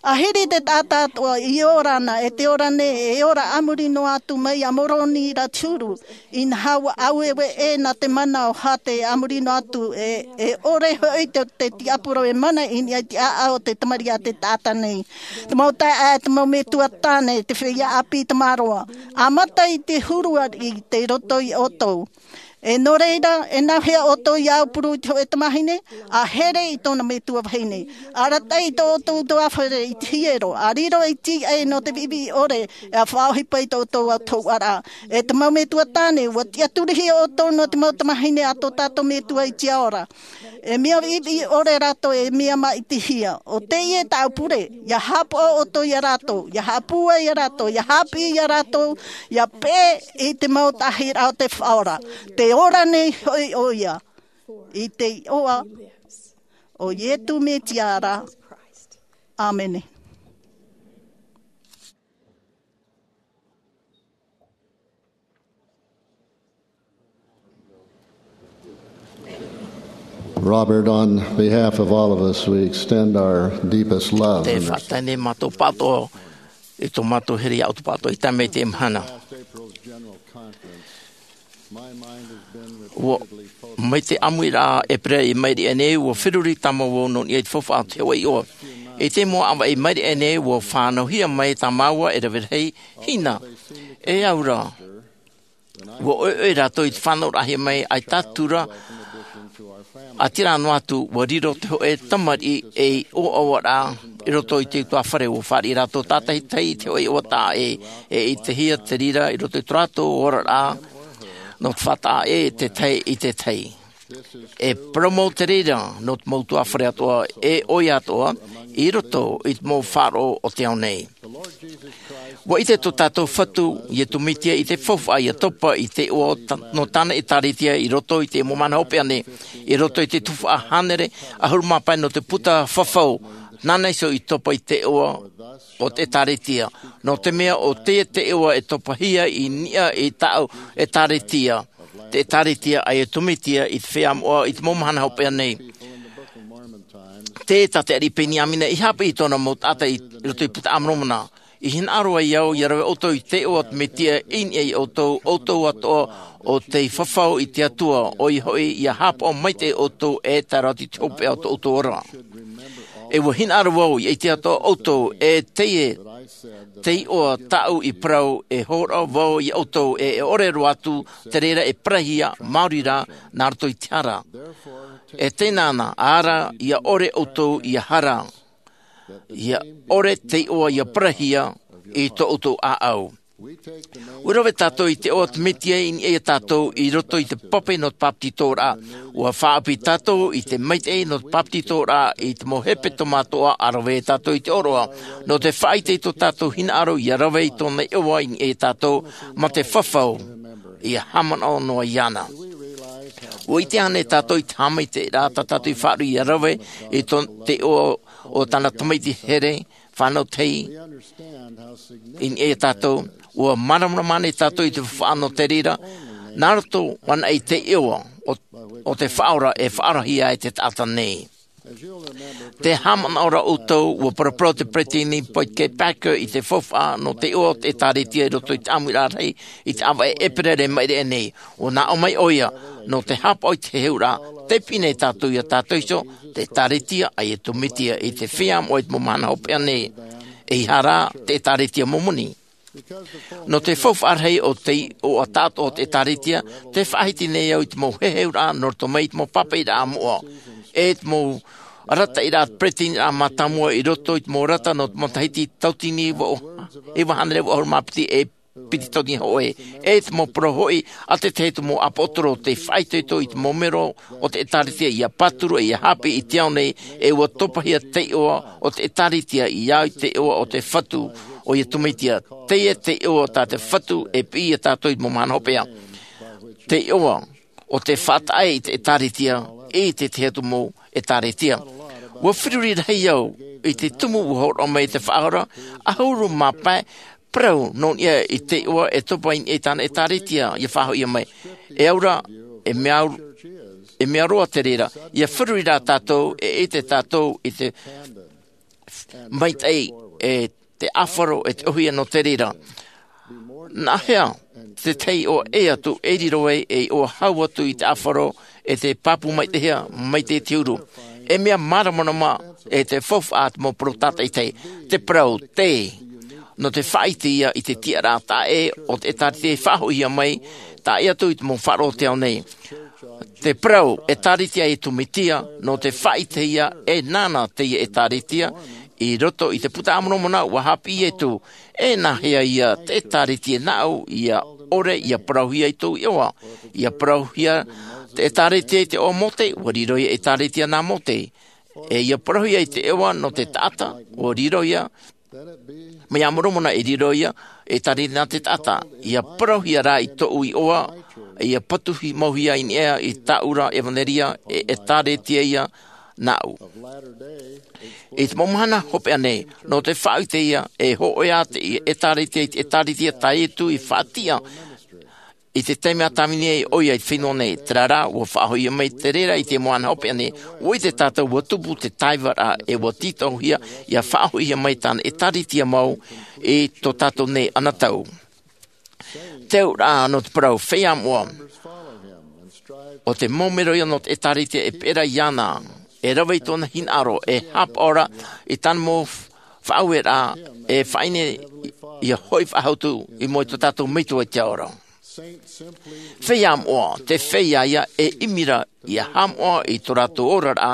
Ahiri te taʻata atoʻa i ora ana e te ora nei e ora a muri noa atu mai iā Moroni ra te huru. Inaha ua aueue ʻē nā te mana o Hate a muri noa atu e ʻore hoʻi te tiaporo e mana i niʻa i te ʻāʻau o te tamariʻi a te taʻata nei. Te mau taeaʻe, te mau metua tāne, te feiā ʻāpī tamaroa, ʻāmata i te huru ariʻi tei roto iā ʻoutou. E nō reira e nāhea ʻoutou ia aupuru i te hoʻe tamahine? A here i tōna metua vahine. Arataʻi i tō ʻoutou tuafare i te hiero, a riro i te ʻē nō te viʻiviʻi ʻore, e a faʻaʻohipa i tō ʻoutou autahuʻaraʻa. E te mau metua tāne, ua tiʻaturi hia ʻoutou nō te mau tamahine a tō tātou metua i te ao ra. E mea viʻiviʻi ʻore rātou, e mea māʻitihia. O teie tāʻu pure, ia haʻapaʻo ʻoutou iā rātou, ia haʻapūai iā rātou, ia haʻapiʻi iā rātou, ia peʻe i te mau taʻahiraʻa o te Faʻaora. Te ora nei hoʻi ʻoia i te iʻoa o Iesu Mesia ra. ʻĀmene. Robert, on behalf of all of us, we extend our deepest love. Te faʻatae nei mātou pātoʻa i tō mātou here iā ʻoutou pātoʻa i tae mai i teie mahana. Ua, mai te ʻāmuiraʻa ʻēperēra i maʻiri aʻe nei, ua feruri tāmau vau nō niʻa i te faufaʻa o te hōʻē iʻoa. I te mau ʻāvaʻe i maʻiri aʻe nei, ua fānauhia mai tā māua e rave rahi hina. E au ra, ua ʻoiʻoi rātou i te fānauraʻahia mai ʻaita atu ra, ʻaita rā noa atu, ua riro te hōʻē tamariʻi ei ʻoaʻoaraʻa i roto i te utuāfare. Ua fāriʻi rātou tātaʻitahi i te hōʻē iʻoa taʻa ʻē, e ʻitehia te reira i roto i tō rātou oraraʻa nō te faʻataʻa ʻē te tahi i te tahi. E parau mau te reira nō te mau utuāfare atoʻa, e ʻoia atoʻa, i roto i te mau faʻaroʻo o te ao nei. Ua ʻite tō tātou Fatu, Iesu Mesia, i te faufaʻa ia topa i te iʻoa o ta-, nō tāna ʻēkālesia i roto i te mau mahana hopeʻa nei, i roto i te tuhaʻa hānere ʻahuru mā pae nō te puta fafau, nāna iho i topa i te iʻoa o te ʻēkālesia. Nō te mea ʻo teie te iʻoa e topahia i niʻa i tāʻu ʻēkālesia, te ʻēkālesia a Iesu Mesia i te feiā moʻa i te mau mahana hopeʻa nei. Tē, tā te ariʻi Peniamina i haʻapiʻi i tōna mau taʻata i roto i te Puta a Moromona. I hinaʻaro ai au, ia rave ʻoutou i te iʻoa o te Mesia i niʻa iā ʻoutou, ʻoutou atoʻa o tei fafau i te Atua, ʻoia hoʻi, ia haʻapaʻo maitaʻi ʻoutou e tae roa atu i te hopeʻa o tō ʻoutou ora. E ua hinaʻaro vau, ia ʻite atoʻa ʻoutou, e teie te iʻoa tāʻu i parau, e hōroʻa vau iā ʻoutou, e, e ʻore roa atu te reira e parahia, maori rā, nā roto i te hara. E teie na, ʻaore ia ʻore ʻoutou ia hara, ia ʻore te iʻoa ia parahia i tō ʻoutou ʻāʻau. Ua rave tātou i te iʻoa o te Mesia i niʻa iā tātou i roto i te pape nō te bāpetizoraʻa. Ua faʻaʻapu tātou i te maitaʻi nō te bāpetizoraʻa i te mau hepetoma atoʻa, ʻa rave tātou i te ʻōroʻa. Nō te faʻaʻite i tō tātou hinaʻaro ia rave i tōna iʻoa i niʻa iā tātou, mā te fafau, ia haʻamanaʻo noa iāna. Ua ʻite ānei tātou i te haʻamaitaʻiraʻa tā tātou i faʻaruʻe ia rave i tō te iʻoa o tāna tamaiti here, fānau tahi, i niʻa iā tātou? Ua māramarama ānei tātou i te faufaʻa nō te reira, nā roto anaʻe i te iʻoa o, o te Faʻaora e faʻaroʻohia ai te taʻata nei? Tē haʻamanaʻo ra ʻoutou, ua paraparau te peresideni Boyd K. Packer i te faufaʻa nō te iʻoa o te ʻēkālesia i roto i te ʻāmuiraʻa rahi i te ʻāvaʻe ʻēperēra i maʻiri aʻe nei. Ua nā ʻō mai ʻoia, nō te haʻapaʻo i te heheuraʻa, tei piʻi nei tātou iā tātou iho, te ʻēkālesia a Iesu Mesia i te feiā moʻa i te mau mahana hopeʻa nei, ʻeiaha rā te ʻēkālesia Momoni. Nō te faufaʻa rahi o te iʻoa tāʻātoʻa o te ʻēkālesia, tē faʻahiti nei au i te mau heheuraʻa nō roto mai i te mau pāpaʻiraʻa moʻa, e te mau arataʻiraʻa peresideni mātāmua i roto i te mau arataʻi nō te matahiti tauatini vaʻu, iva hānere vaʻu ʻahuru mā piti e piti tauatini hōʻē, e te mau parau hoʻi a te tahi o te mau ʻāpōsetolo tei faʻaitoito i te mau melo o te ʻēkālesia ia pāturu e ia haʻapiʻi i te ao nei, e ua topahia te iʻoa o te ʻēkālesia i au i te iʻoa o te Fatu, ʻo Iesu Mesia. Teie te iʻoa tā te Fatu e piʻi iā tātou i te mau mahana hopeʻa. Te iʻoa o te faʻataʻa i te ʻēkālesia, i te tahi atu mau ʻēkālesia. Ua feruri rahi au i te tumu ua hōroʻa mai te Faʻaora, ʻahuru mā pae parau nō niʻa i te iʻoa e topa i niʻa i tāna ʻēkālesia, ia faʻahoʻi mai. E au ra, e mea, e mea roa te reira, ia feruri rā tātou, e ʻite tātou i te maitaʻi e te ʻāfaro e te ʻohie nō te reira. Nā hea te tahi iʻoa ʻē atu e riro ai e iʻoa hau atu i te ʻāfaro e te pāpū maitaʻihia mai te huru? E mea māramarama e te faufaʻa te mau parau tātaʻitahi, te parau te nō te faʻaʻite ia i te tiʻaraʻa taʻe o te ʻētāretia i faʻahoʻihia mai taʻe atu i te mau faʻaroʻo o te ao nei. Te parau ʻētāretia a Iesu Mesia nō te faʻaʻite ia e nāna teie ʻētāretia i roto i te Puta a Moromona. Ua haʻapiʻi Iesu, e nā hea ia te ʻētāretia nāʻu ia ʻore ia parauhia i tōʻu iʻoa? Ia parauhia te ʻētāretia i te iʻoa o Mose, ua riro ia ʻētāretia nā Mose. E ia parauhia i te iʻoa nō te taʻata, ua riro ia mai a Moromona e riro ia ʻētāretia nā te taʻata. Ia parauhia rā i tōʻu iʻoa, ia patuhi mauhia i niʻa i tāʻu ra ʻevanelia e ʻētāretia ia nāʻu. I te mau mahana hopeʻa nei, nō te faʻaʻite ia e hōʻē ā te ʻētāretia i te ʻētāretia tā Iesu i faʻatiʻa i te taime a tāvini ai ʻoia i te fenua nei. Terā rā, ua faʻahoʻihia mai te reira i te mahana hopeʻa nei. Ua ʻite tātou ua tupu te taivaraʻa e ua tītauhia ia faʻahoʻihia mai tāna ʻētāretia mau i tō tātou nei anotau. Te auraʻa nō te parau feiā moʻa, ʻo te mau mero ia nō te ʻētāretia e peʻe ra iāna, e rave i tōna hinaʻaro, e haʻapaʻo ra i tāna mau faʻaueraʻa, e faʻaʻite ia hoʻi faʻahou atu i mua i tō tātou Metua i te ao ra. Feiā moʻa, te feiā ia e ʻimi ra ia haʻamoʻa i tō rātou oraraʻa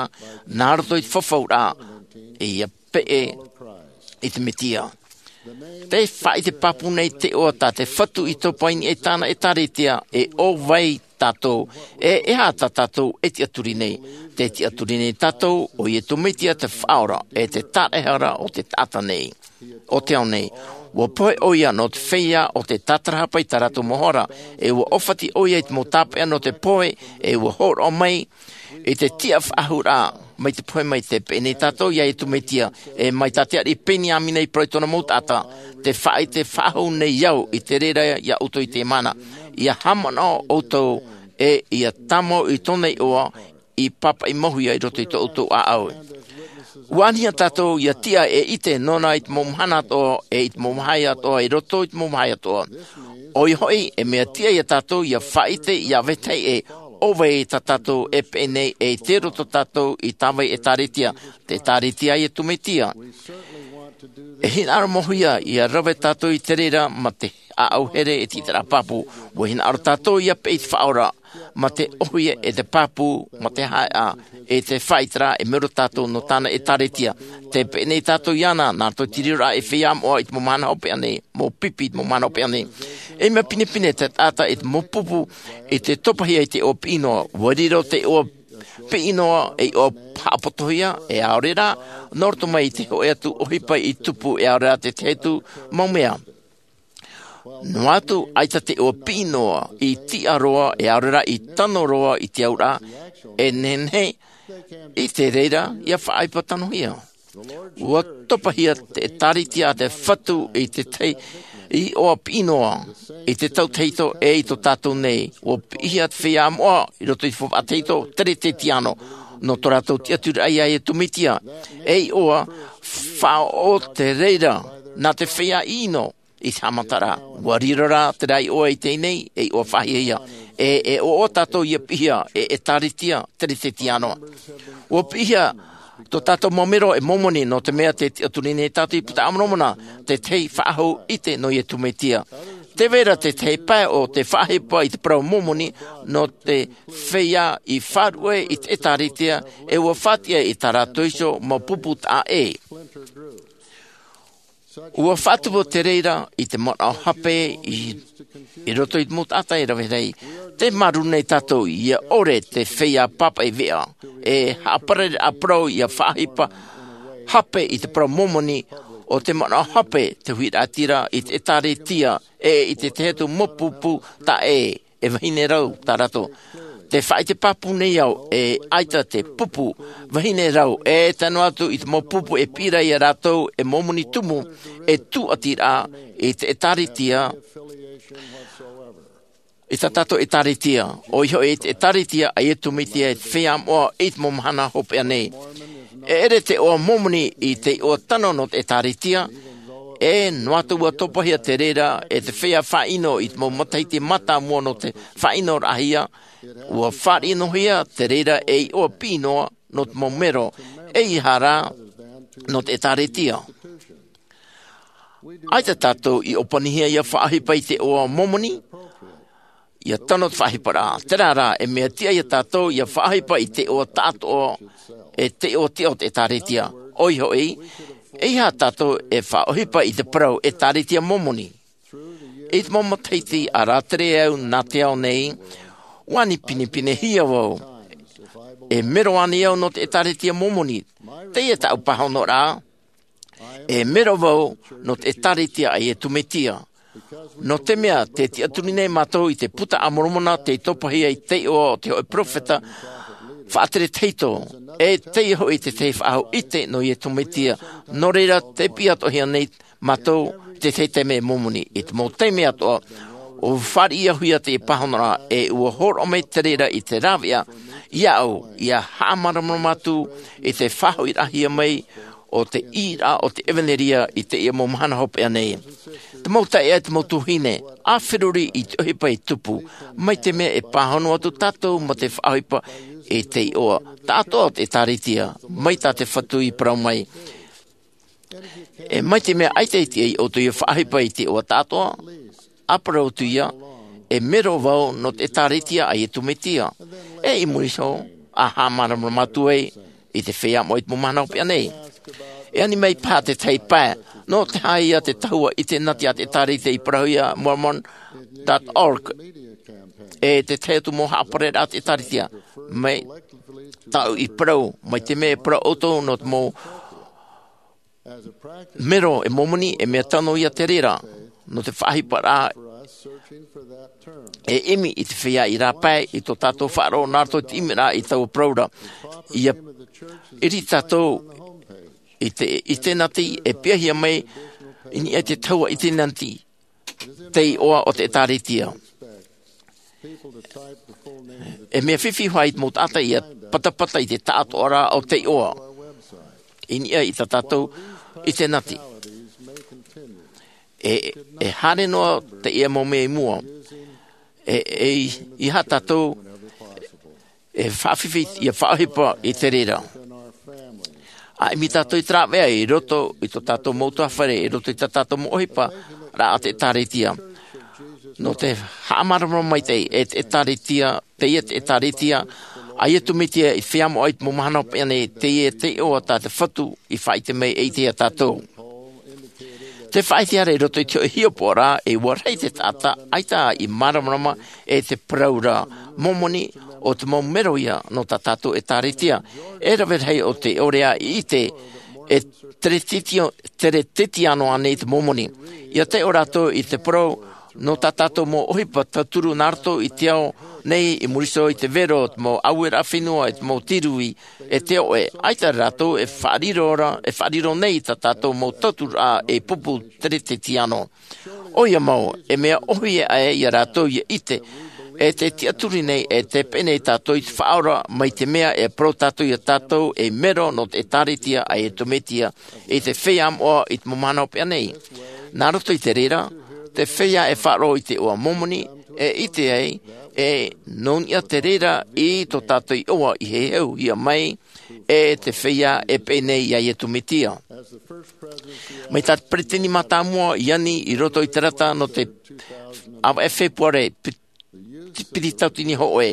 nā roto i te fafauraʻa ia peʻe i te Mesia. Tē faʻaʻite pāpū nei te iʻoa tā te Fatu i topa i niʻa i tāna ʻētāretia. E ʻo vai tātou? E e aha tā tātou e tiʻaturi nei? Tē tiʻaturi nei tātou ʻo Iesu Mesia te Faʻaora e te Taraehara o te taʻata nei, o te ao nei. Ua pohe ʻoia nō te feiā o te tātarahapa i tā rātou mau hara, e ua ʻōfati ʻoia i te mau tāpeʻa nō te pohe, e ua hōroʻa mai i te tiʻa faʻahou ra mai te pohe mai. Tē peʻe nei tātou iā Iesu Mesia, e mai tā te ariʻi Peniamina i parau i tōna mau taʻata, tē faʻaʻite faʻahou nei au i te reira iā ʻoutou i teie mahana, ia haʻamanaʻo ʻoutou e ia tāmau i tōna iʻoa i pāpaʻi mauhia i roto i tō ʻoutou ʻāʻau. Ua anihia tātou ia tiʻa e ʻite nōna i te mau mahana atoʻa e i te mau vāhi atoʻa, i roto i te mau vāhi atoʻa. ʻOia hoʻi, e mea tiʻa iā tātou ia faʻaʻite ia vetahi ʻē, ʻo vai tā tātou e peʻe nei, e i te roto tātou i tā vai ʻētāretia, te ʻētāretia a Iesu Mesia. E hinaʻaro mauhia ia rave tātou i te reira mā te ʻāʻau here e te ʻiteraʻa pāpū. Ua hinaʻaro tātou ia peʻe i te Faʻaora mā te ʻohie e te pāpū, mā te haʻeʻa e te faʻaʻiteraʻa e mero tātou nō tāna ʻētāretia. Tē peʻe nei tātou iāna nā roto i te riroraʻa e feiā moʻa i te mau mahana hopeʻa nei, mau pipi i te mau mahana hopeʻa nei. E mea pinepine te taʻata i te mau pupu i te topahia i te iʻoa piʻi noa. Ua riro te iʻoa piʻi noa ei iʻoa haʻapotohia, e ʻaore rā, nō roto mai i te hōʻē atu ʻohipa i tupu, e ʻaore rā te tahi atu mau mea. Noa atu, ʻaita te iʻoa piʻi noa i tiʻa roa, e ʻaore rā i tano roa i te auraʻa, e nehenehe i te reira ia faʻaʻohipa tanohia. Ua topahia te ʻētāretia a te Fatu i te tahi iʻoa piʻi noa, i te tau tahito e i tō tātou nei. Ua piʻihia te feiā moʻa i roto i te faufaʻa tahito, Teretetiano, nō tō rātou tiʻaturiraʻa iā Iesu Mesia. E iʻoa faʻaʻoʻo te reira nā te feiā ʻino i te haʻamataraʻa. Ua riro rā terā iʻoa i teie nei, e iʻoa faʻahiahia. E, e ʻoaʻoa tātou ia piʻihia e ʻētāretia Teretetiano. Ua piʻihia tō tātou mau mero e Momoni, nō te mea tē tiʻaturi nei tātou i te Puta a Moromona, te tahi faʻahou ʻite nō Iesu Mesia. Tē vai ra te tahi pae o te faʻaʻohipa i te parau Momoni nō te feiā i faʻaruʻe i te ʻētāretia, e ua faʻatiʻa i tā rātou iho mau pupu taʻa ʻē. Ua faʻatupu te reira i te manaʻo hape i, i roto i te mau taʻata e rave nei. Tē māuruuru nei tātou ia ʻore te feiā pāpaʻi veʻa, e haʻaparare ʻāparau ia faʻaʻohipa hape i te parau Momoni, ʻo te manaʻo hape te huiraʻatira i te ʻētāretia, e i te tahi atu mau pupu taʻa ʻē, e vahine rau tā rātou. Tē faʻaʻite pāpū nei au, e ʻaita te pupu vahine rau, e tae noa atu i te mau pupu e piʻi ra iā rātou e Momoni tumu, e tūʻatiraʻa i te ʻētāretia, i tā tātou ʻētāretia, ʻoia hoʻi i te ʻētāretia a Iesu Mesia, i te feiā moʻa i te mau mahana hopeʻa nei. E ʻere te iʻoa Momoni i te iʻoa tano nō te ʻĒtārētia, e noa atu ua topahia te reira e te feiā faʻaʻino i te mau matahiti mātāmua nō te faʻaʻinoraʻahia, ua fāriʻi noa hia te reira ei iʻoa piʻi noa nō te mau mero, ʻeiaha rā nō te ʻĒtārētia. ʻAita tātou i ʻōpanihia ʻia faʻaʻohipa i te iʻoa Momoni, ʻia tano te faʻaʻohiparaʻa. Terā rā, e mea tiʻa ia tātou ʻia faʻaʻohipa i te iʻoa taʻatoʻa, e te iʻoa tiʻa o te ʻĒtārētia. ʻOia hoʻi, ʻeiaha tātou e faʻaʻohipa i te parau ʻĒtārētia Momoni. I te mau matahiti a rātere au nā te ao nei, ua ani pinepinehia vau. E mero ānei au nō te ʻĒtārētia Momoni? Teie tāʻu pāhonoraʻa. E mero vau nō te ʻĒtārētia a Iesu Mesia. Nō te mea, tē tiʻaturi nei mātou i te Buka a Moromona tei topahia i te iʻoa o te hōʻē peropheta faʻatere tahito, e teie hoʻi te tahi faʻahou ʻite nō Iesu Mesia. Nō reira, tē piʻi atoʻahia nei mātou i te tahi taime e Momoni. I te mau taime atoʻa, ʻua fāriʻi au hia teie pāhonoraʻa, e ʻua hōroʻa mai te reira i te rāveʻa iāʻu ʻia haʻamāramarama atu i te faʻahoʻiraʻahia mai o te ʻīraʻa o te ʻevanelia i teie mau mahana hopeʻa nei. Te mau taeaʻe, te mau tuahine, ʻa feruri i te ʻohipa e tupu, mai te mea e pāhono atu tātou mā te faʻaʻohipa i te iʻoa taʻatoʻa o te ʻĒtārētia, mai tā te Fatu i parau mai. E mai te mea ʻaita e tiʻa ia ʻoutou ʻia faʻaʻohipa i te iʻoa taʻatoʻa, ʻa parau atu ia, e mero vau nō te ʻĒtārētia a Iesu Mesia. E i muri iho, ʻa haʻamāramarama atu ai i te feiā moʻa i te mau mahana hopeʻa nei. E ani mai paha te tahi pae, nō te aha ia te tahua ʻitenati a te ʻĒtārētia i parauhia, mormon dot org. E te tahi atu mau haʻapareraʻa a te ʻĒtārētia. Mai tāʻu i parau, mai te mea e parau ʻoutou nō te mau mero e Momoni, e mea tano ia te reira nō te faʻaʻohiparaʻa. E ʻimi i te feiā i rāpae i tō tātou faʻaroʻo nā roto i te ʻimiraʻa i taua parau ra. ʻIa ʻiri tātou i te ʻitenati e piʻihia mai i niʻa i te tahua ʻitenati, te iʻoa o te ʻĒtārētia. E mea fifi hoʻi te mau taʻata ʻia patapata i te taʻatoʻaraʻa o te iʻoa i niʻa i tā tātou ʻitenati. E, e haere noa teie mau mea i mua. E, e, ʻeiaha tātou e faʻafifi ʻia faʻaʻohipa i te reira. ʻA ʻimi tātou i te rāveʻa i roto i tō tātou mau ʻutuāfare, i roto i tā tātou mau ʻohiparaʻa a te ʻĒtārētia. Nō te haʻamāramarama maitaʻi, e te ʻĒtārētia, teie te ʻĒtārētia a Iesu Mesia i te feiā moʻa i te mau mahana hopeʻa nei, teie te iʻoa tā te Fatu i faʻaʻite mai e ʻite ia tātou. Te faʻaʻite ra i roto i te hōʻē hiʻopoʻaraʻa, e ʻua rahi te taʻata ʻaita i māramarama e te parau ra Momoni, ʻo te mau mero ia nō tā tātou ʻĒtārētia. E rave rahi o te ʻore ā i ʻite e Teretitio-, Teretetiano ānei te Momoni. ʻIa taiʻo rātou i te parau nō tā tātou mau ʻohipa tauturu nā roto i te ao nei, i muri iho i te vero, te mau ʻaueraʻa fenua, e te mau tīrū, e te oʻe. ʻAita rātou e faʻariro ra, e faʻariro nei i tā tātou mau tauturu ā ei pupu Teretetiano. ʻOia mau, e mea ʻōhie aʻe ia rātou ʻia ʻite, e tē tiʻaturi nei, e tē peʻe nei tātou i te Faʻaora, mai te mea e parau tātou ia tātou ei mero nō te ʻĒtārētia a Iesu Mesia i te feiā moʻa i te mau mahana hopeʻa nei. Nā roto i te reira, te feiā e faʻaroʻo i te iʻoa Momoni, e ʻite ai, e nō niʻa te reira i tō tātou iʻoa i heheuhia mai, e te feiā e peʻe nei iā Iesu Mesia. Mai tā te peresideni mātāmua i ani i roto i te rata nō te ʻāvaʻe Fepuare, pi-, piti tauatini hōʻē.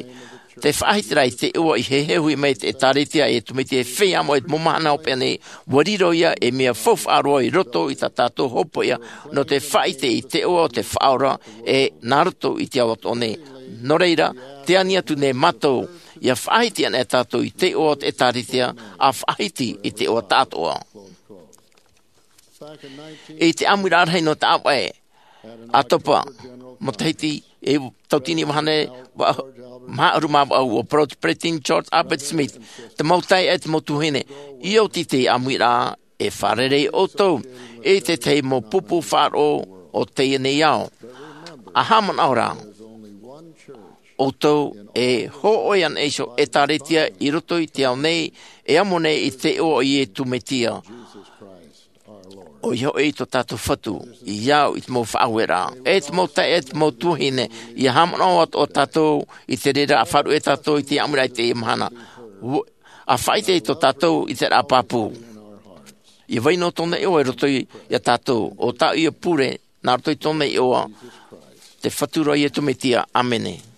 Te faʻahitiraʻa i te iʻoa i heheuhia mai te ʻĒtārētia a Iesu Mesia ei feiā moʻa i te mau mahana hopeʻa nei, ʻua riro ia ei mea faufaʻa roa i roto i tā tātou hopoiʻa nō te faʻaʻite i te iʻoa o te Faʻaora, e nā roto i te ao atoʻa nei. Nō reira, tē ani atu nei mātou, ʻia faʻahiti anaʻe tātou i te iʻoa o te ʻĒtārētia, ʻa faʻahiti i te iʻoa taʻatoʻa. I te ʻāmuiraʻa rahi nō te ʻāvaʻe ʻAtopa, matahiti e tauatini vahine va-, maha ʻahuru mā vaʻu, ʻua parau te peresideni George Albert Smith, te mau taeaʻe, te mau tuahine, ʻia oti te ʻāmuiraʻa, e fārerei ʻoutou i te tahi mau pupu faʻaroʻo o teie nei ao. ʻA haʻamanaʻo ra, ʻoutou e hōʻē ana iho ʻētāretia i roto i te ao nei, e amo nei i te iʻoa o Iesu Mesia. ʻOia hoʻi tō tātou Fatu, i au i te mau faʻaueraʻa, e te mau taeaʻe, e te mau tuahine, ʻia haʻamanaʻo atoʻa tātou i te reira, ʻa faʻaruʻe tātou i te ʻāmuiraʻa i teie mahana. Ua, ʻa faʻaʻite tō tātou i te raʻa pāpū. ʻIa vai noa tōna iʻoa i roto ia tātou, ʻo tāʻu ia pure, nā roto i tōna iʻoa, te Fatu ra Iesu Mesia. ʻĀmene.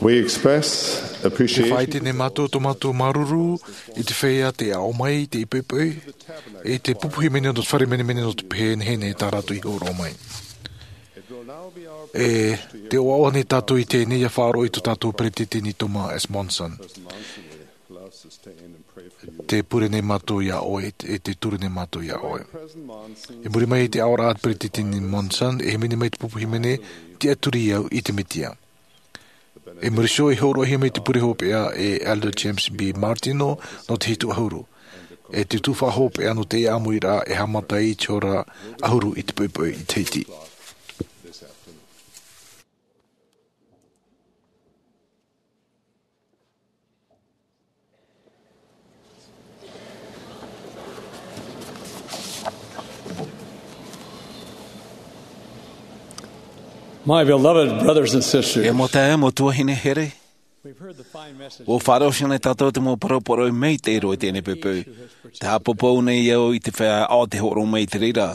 We express appreciation. Te faʻaite nei mātou tō mātou māuruuru i te feiā tei aʻo mai i te poʻipoʻi, i te pupu hīmene nō te fare menemene nō te pehe nei tā rātou i hōroʻa mai. E te ʻoaʻoa nei tātou i teie nei ʻia faʻaroʻo i tō tātou peretiteni Thomas S. Monson. Te pure nei mātou iā ʻoe, e te ture nei mātou iā ʻoe. I muri mai i te aʻoraʻa a te peretiteni Monson, e hīmene mai te pupu hīmene, Tiʻaturi au i te Mesia. I muri iho, i hōroʻahia mai te pure hopeʻa e Elder James B. Martino nō te hitu ʻahuru. E te tuhaʻa hopeʻa nō te ʻāmuiraʻa e haʻamata ai i te hora ʻahuru i te poʻipoʻi i Tahiti. My beloved brothers and sisters, E mau taeaʻe, mau tuahine here, we've heard the fine message. Ua faʻaroʻo nei tātou te mau parau poroʻi maitaʻi roa i teie poʻipoʻi. Te haʻapāpū nei au i te feiā ʻo tē hōroʻa mai i te reira.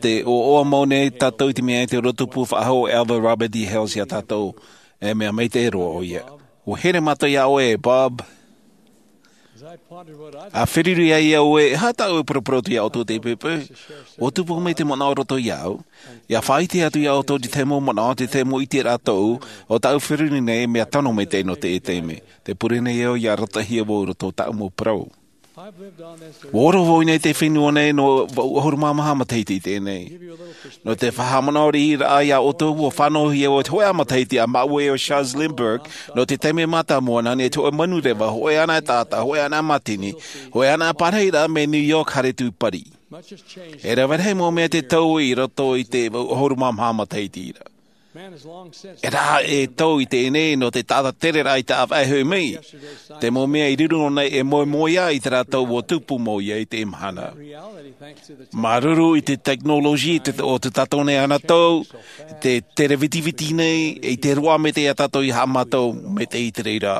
Te ʻoaʻoa mau nei tātou i te mea e te ora tupu faʻahou o Elder Robert D. Hales iā tātou. E mea maitaʻi roa ʻoia. Ua here mātou iā ʻoe, Bob. ʻA feruri ai au ē, e aha tāʻu e paraparau atu iā ʻoutou i teie poʻipoʻi. Ua tupu mai te manaʻo roto iāʻu. ʻIa faʻaʻite atu iā ʻoutou te tahi mau manaʻo, te tahi mau ʻiteraʻa tōʻu, ʻo tāʻu e feruri nei, mea tano maitaʻi nō teie taime. Tē pure nei au ʻia arataʻihia vau i roto i tāʻu mau parau. Ua ora vau i niʻa i teie fenua nei nō vaʻu ʻahuru mā maha matahiti i teie nei. Nō te faʻahaʻamanaʻo riʻiraʻa iā ʻoutou, ua fānauhia au i te hōʻē matahiti a māʻua ʻo Charles Lindbergh, nō te taime mātāmua nā niʻa i te hōʻē manureva, hōʻē anaʻe taʻata, hōʻē anaʻe mātini, hōʻē anaʻe parahiraʻa mai New York haere atu i Paris. E rave rahi mau mea tē tau i roto i te vaʻu ʻahuru mā maha matahiti ra. E rave e tau i teie nei nō te taʻata tereraʻa i te ʻāvaʻe hoʻi mai. Te mau mea i riro nei e moemoeā i tā rātou ua tupu mau iho i teie mahana. Māuruuru i te tekinolosi te, o tā tātou nei anotau, te terevitiviti nei, i te roaʻa maitaʻi iā tātou ia haʻamātau maitaʻi i te reira.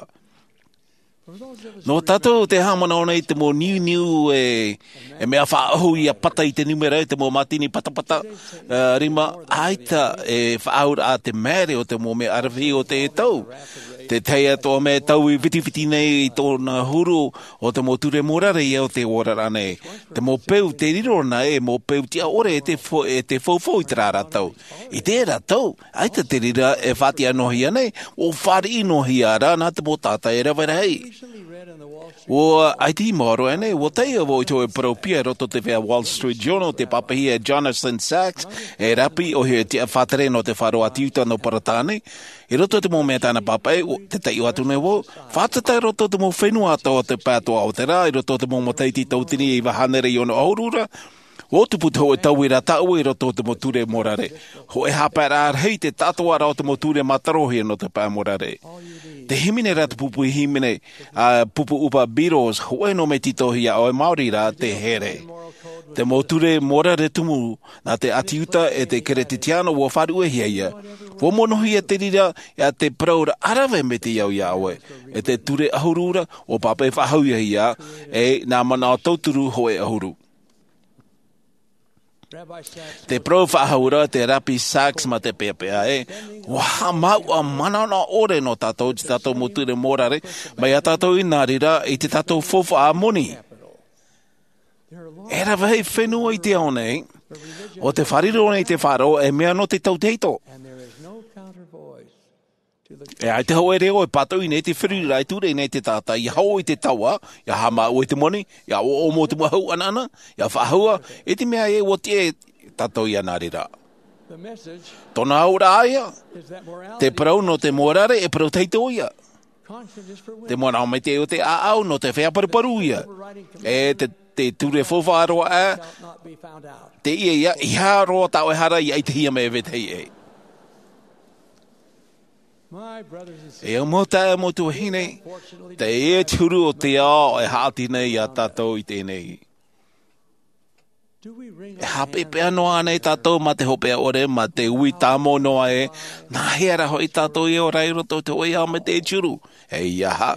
Nō tātou tē haʻamanaʻo nei te mau niuniu e, e mea faʻaʻohu ʻia pata i te nūmera, e te mau mātini patapata, ā, rima, ʻaita e faʻaauraʻa te maere o te mau mea aravihi o teie tau. Te tahi atoʻa mea e taui vitiviti nei i tōna huru o te mau ture mōrare ia o te oraraʻa nei. Te mau peu tē riro nei, e mau peu tiʻa ʻore e te fo-, e te faufau i terā ra tau. I terā tau, ʻaita te reira e faʻatiʻa noa hia nei, ʻua fāriʻi noa hia ra nā te mau taʻata e rave rahi. ʻUa ʻaita i maoro ʻānei, ʻua taiʻo vau i te hōʻē parau piha i roto i te feiā Wall Street Journal, tei pāpaʻihia e Jonathan Sacks, e rapi ʻoia hoʻi e tiʻa faʻatere nō te faʻaroʻo atu i Iuta nō Peretāne. I roto i te mau mea tāna pāpaʻi, ʻua, tē taiʻo atu nei vau, fātata i roto i te mau fenua atoʻa o te pae atoʻa o te rā, i roto i te mau matahiti tauatini e iva hānere e ono ʻahuru ra, ʻua tupu te hōʻē tauiraʻa tāʻue i roto i te mau ture mōrare. Hōʻē haʻapaeraʻa rahi te taʻatoʻaraʻa o te mau ture mātarohia nō te pae mōrare. Tē hīmene ra te pupu hīmene, ā, pupu ʻupa Beatles, hōʻē noa mea tītauhia ʻoe, maori rā te here. Te mau ture mōrare tumu nā te ʻĀti Iuta e te Keretitiano ʻua faʻaruʻehia ia. ʻUa monohia te reira iā te parau ra ʻa rave maitaʻi au iā ʻoe. E te ture ʻahuru ra, ʻua pāpaʻi faʻahouhia ia, e nā manaʻo tauturu hōʻē ʻahuru. Te parau faʻahou ra te rapi Sacks mā te peʻapeʻa ē, ʻua haʻamāuʻa manaʻonaʻo ʻore nō tātou i tā tātou mau ture mōrare, mai iā tātou i nā reira i tā tātou faufaʻa moni. E rave rahi fenua i te ao nei, ʻo tē fārerei nei i te faʻaroʻo, e mea nō te tautehito. E ʻaita hōʻē reo e pātoʻi nei te feruriraʻa e ture nei te taʻata, ʻia hoʻo i te taua, ʻia haʻamāuʻa i te moni, ʻia ʻoʻomo i te mau hau ʻanaʻana, ʻia faʻahou, i te mea ē ʻua tiʻa tātou iā nā reira. Tōna auraʻa ïa, te parau nō te mōrare e parau tahito ïa. Te manaʻo maitaʻi o te ʻāʻau nō te feiā paruparu ïa. E te, te ture faufaʻa roa ā, teie ïa, ʻeiaha roa tā ʻoe hara ʻia ʻitehia mai e vetahi ʻē. E au mau taeaʻe, mau tuahine, teie te huru o te ao e haʻati nei iā tātou i teie nei. E haʻapeʻapeʻa noa ānei tātou mā te hopeʻa ʻore, mā te ui tāmau noa ē, nā hea rā hoʻi tātou e ora ai i roto i te hōʻē ao maitaʻi e tiuru? ʻEiaha.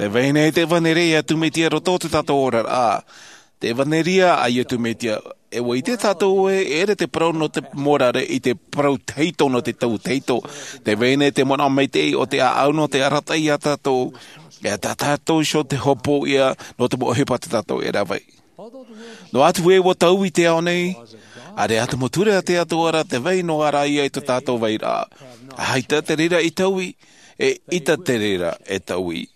Tē vai nei te ʻāvanereʻa ʻia tūmāʻiti i roto i tō tātou oraraʻa. Te ʻevanelia a Iesu Mesia. E ʻua ʻite tātou ē, e ʻere te parau nō te mōrare i te parau tahito nō te tau tahito. Te vai nei te manaʻo maitaʻi o te ʻāʻau nō te arataʻi iā tātou, e tā tātou iho te hopoiʻa nō te mau ʻohipa tā tātou e rave. Noa atu ē ʻua taui te ao nei, ʻaore ā te mau ture a te Atua ra te vai noa ra ia i tō tātou vairaʻa. ʻAita te reira e taui, e ʻaita te reira e taui.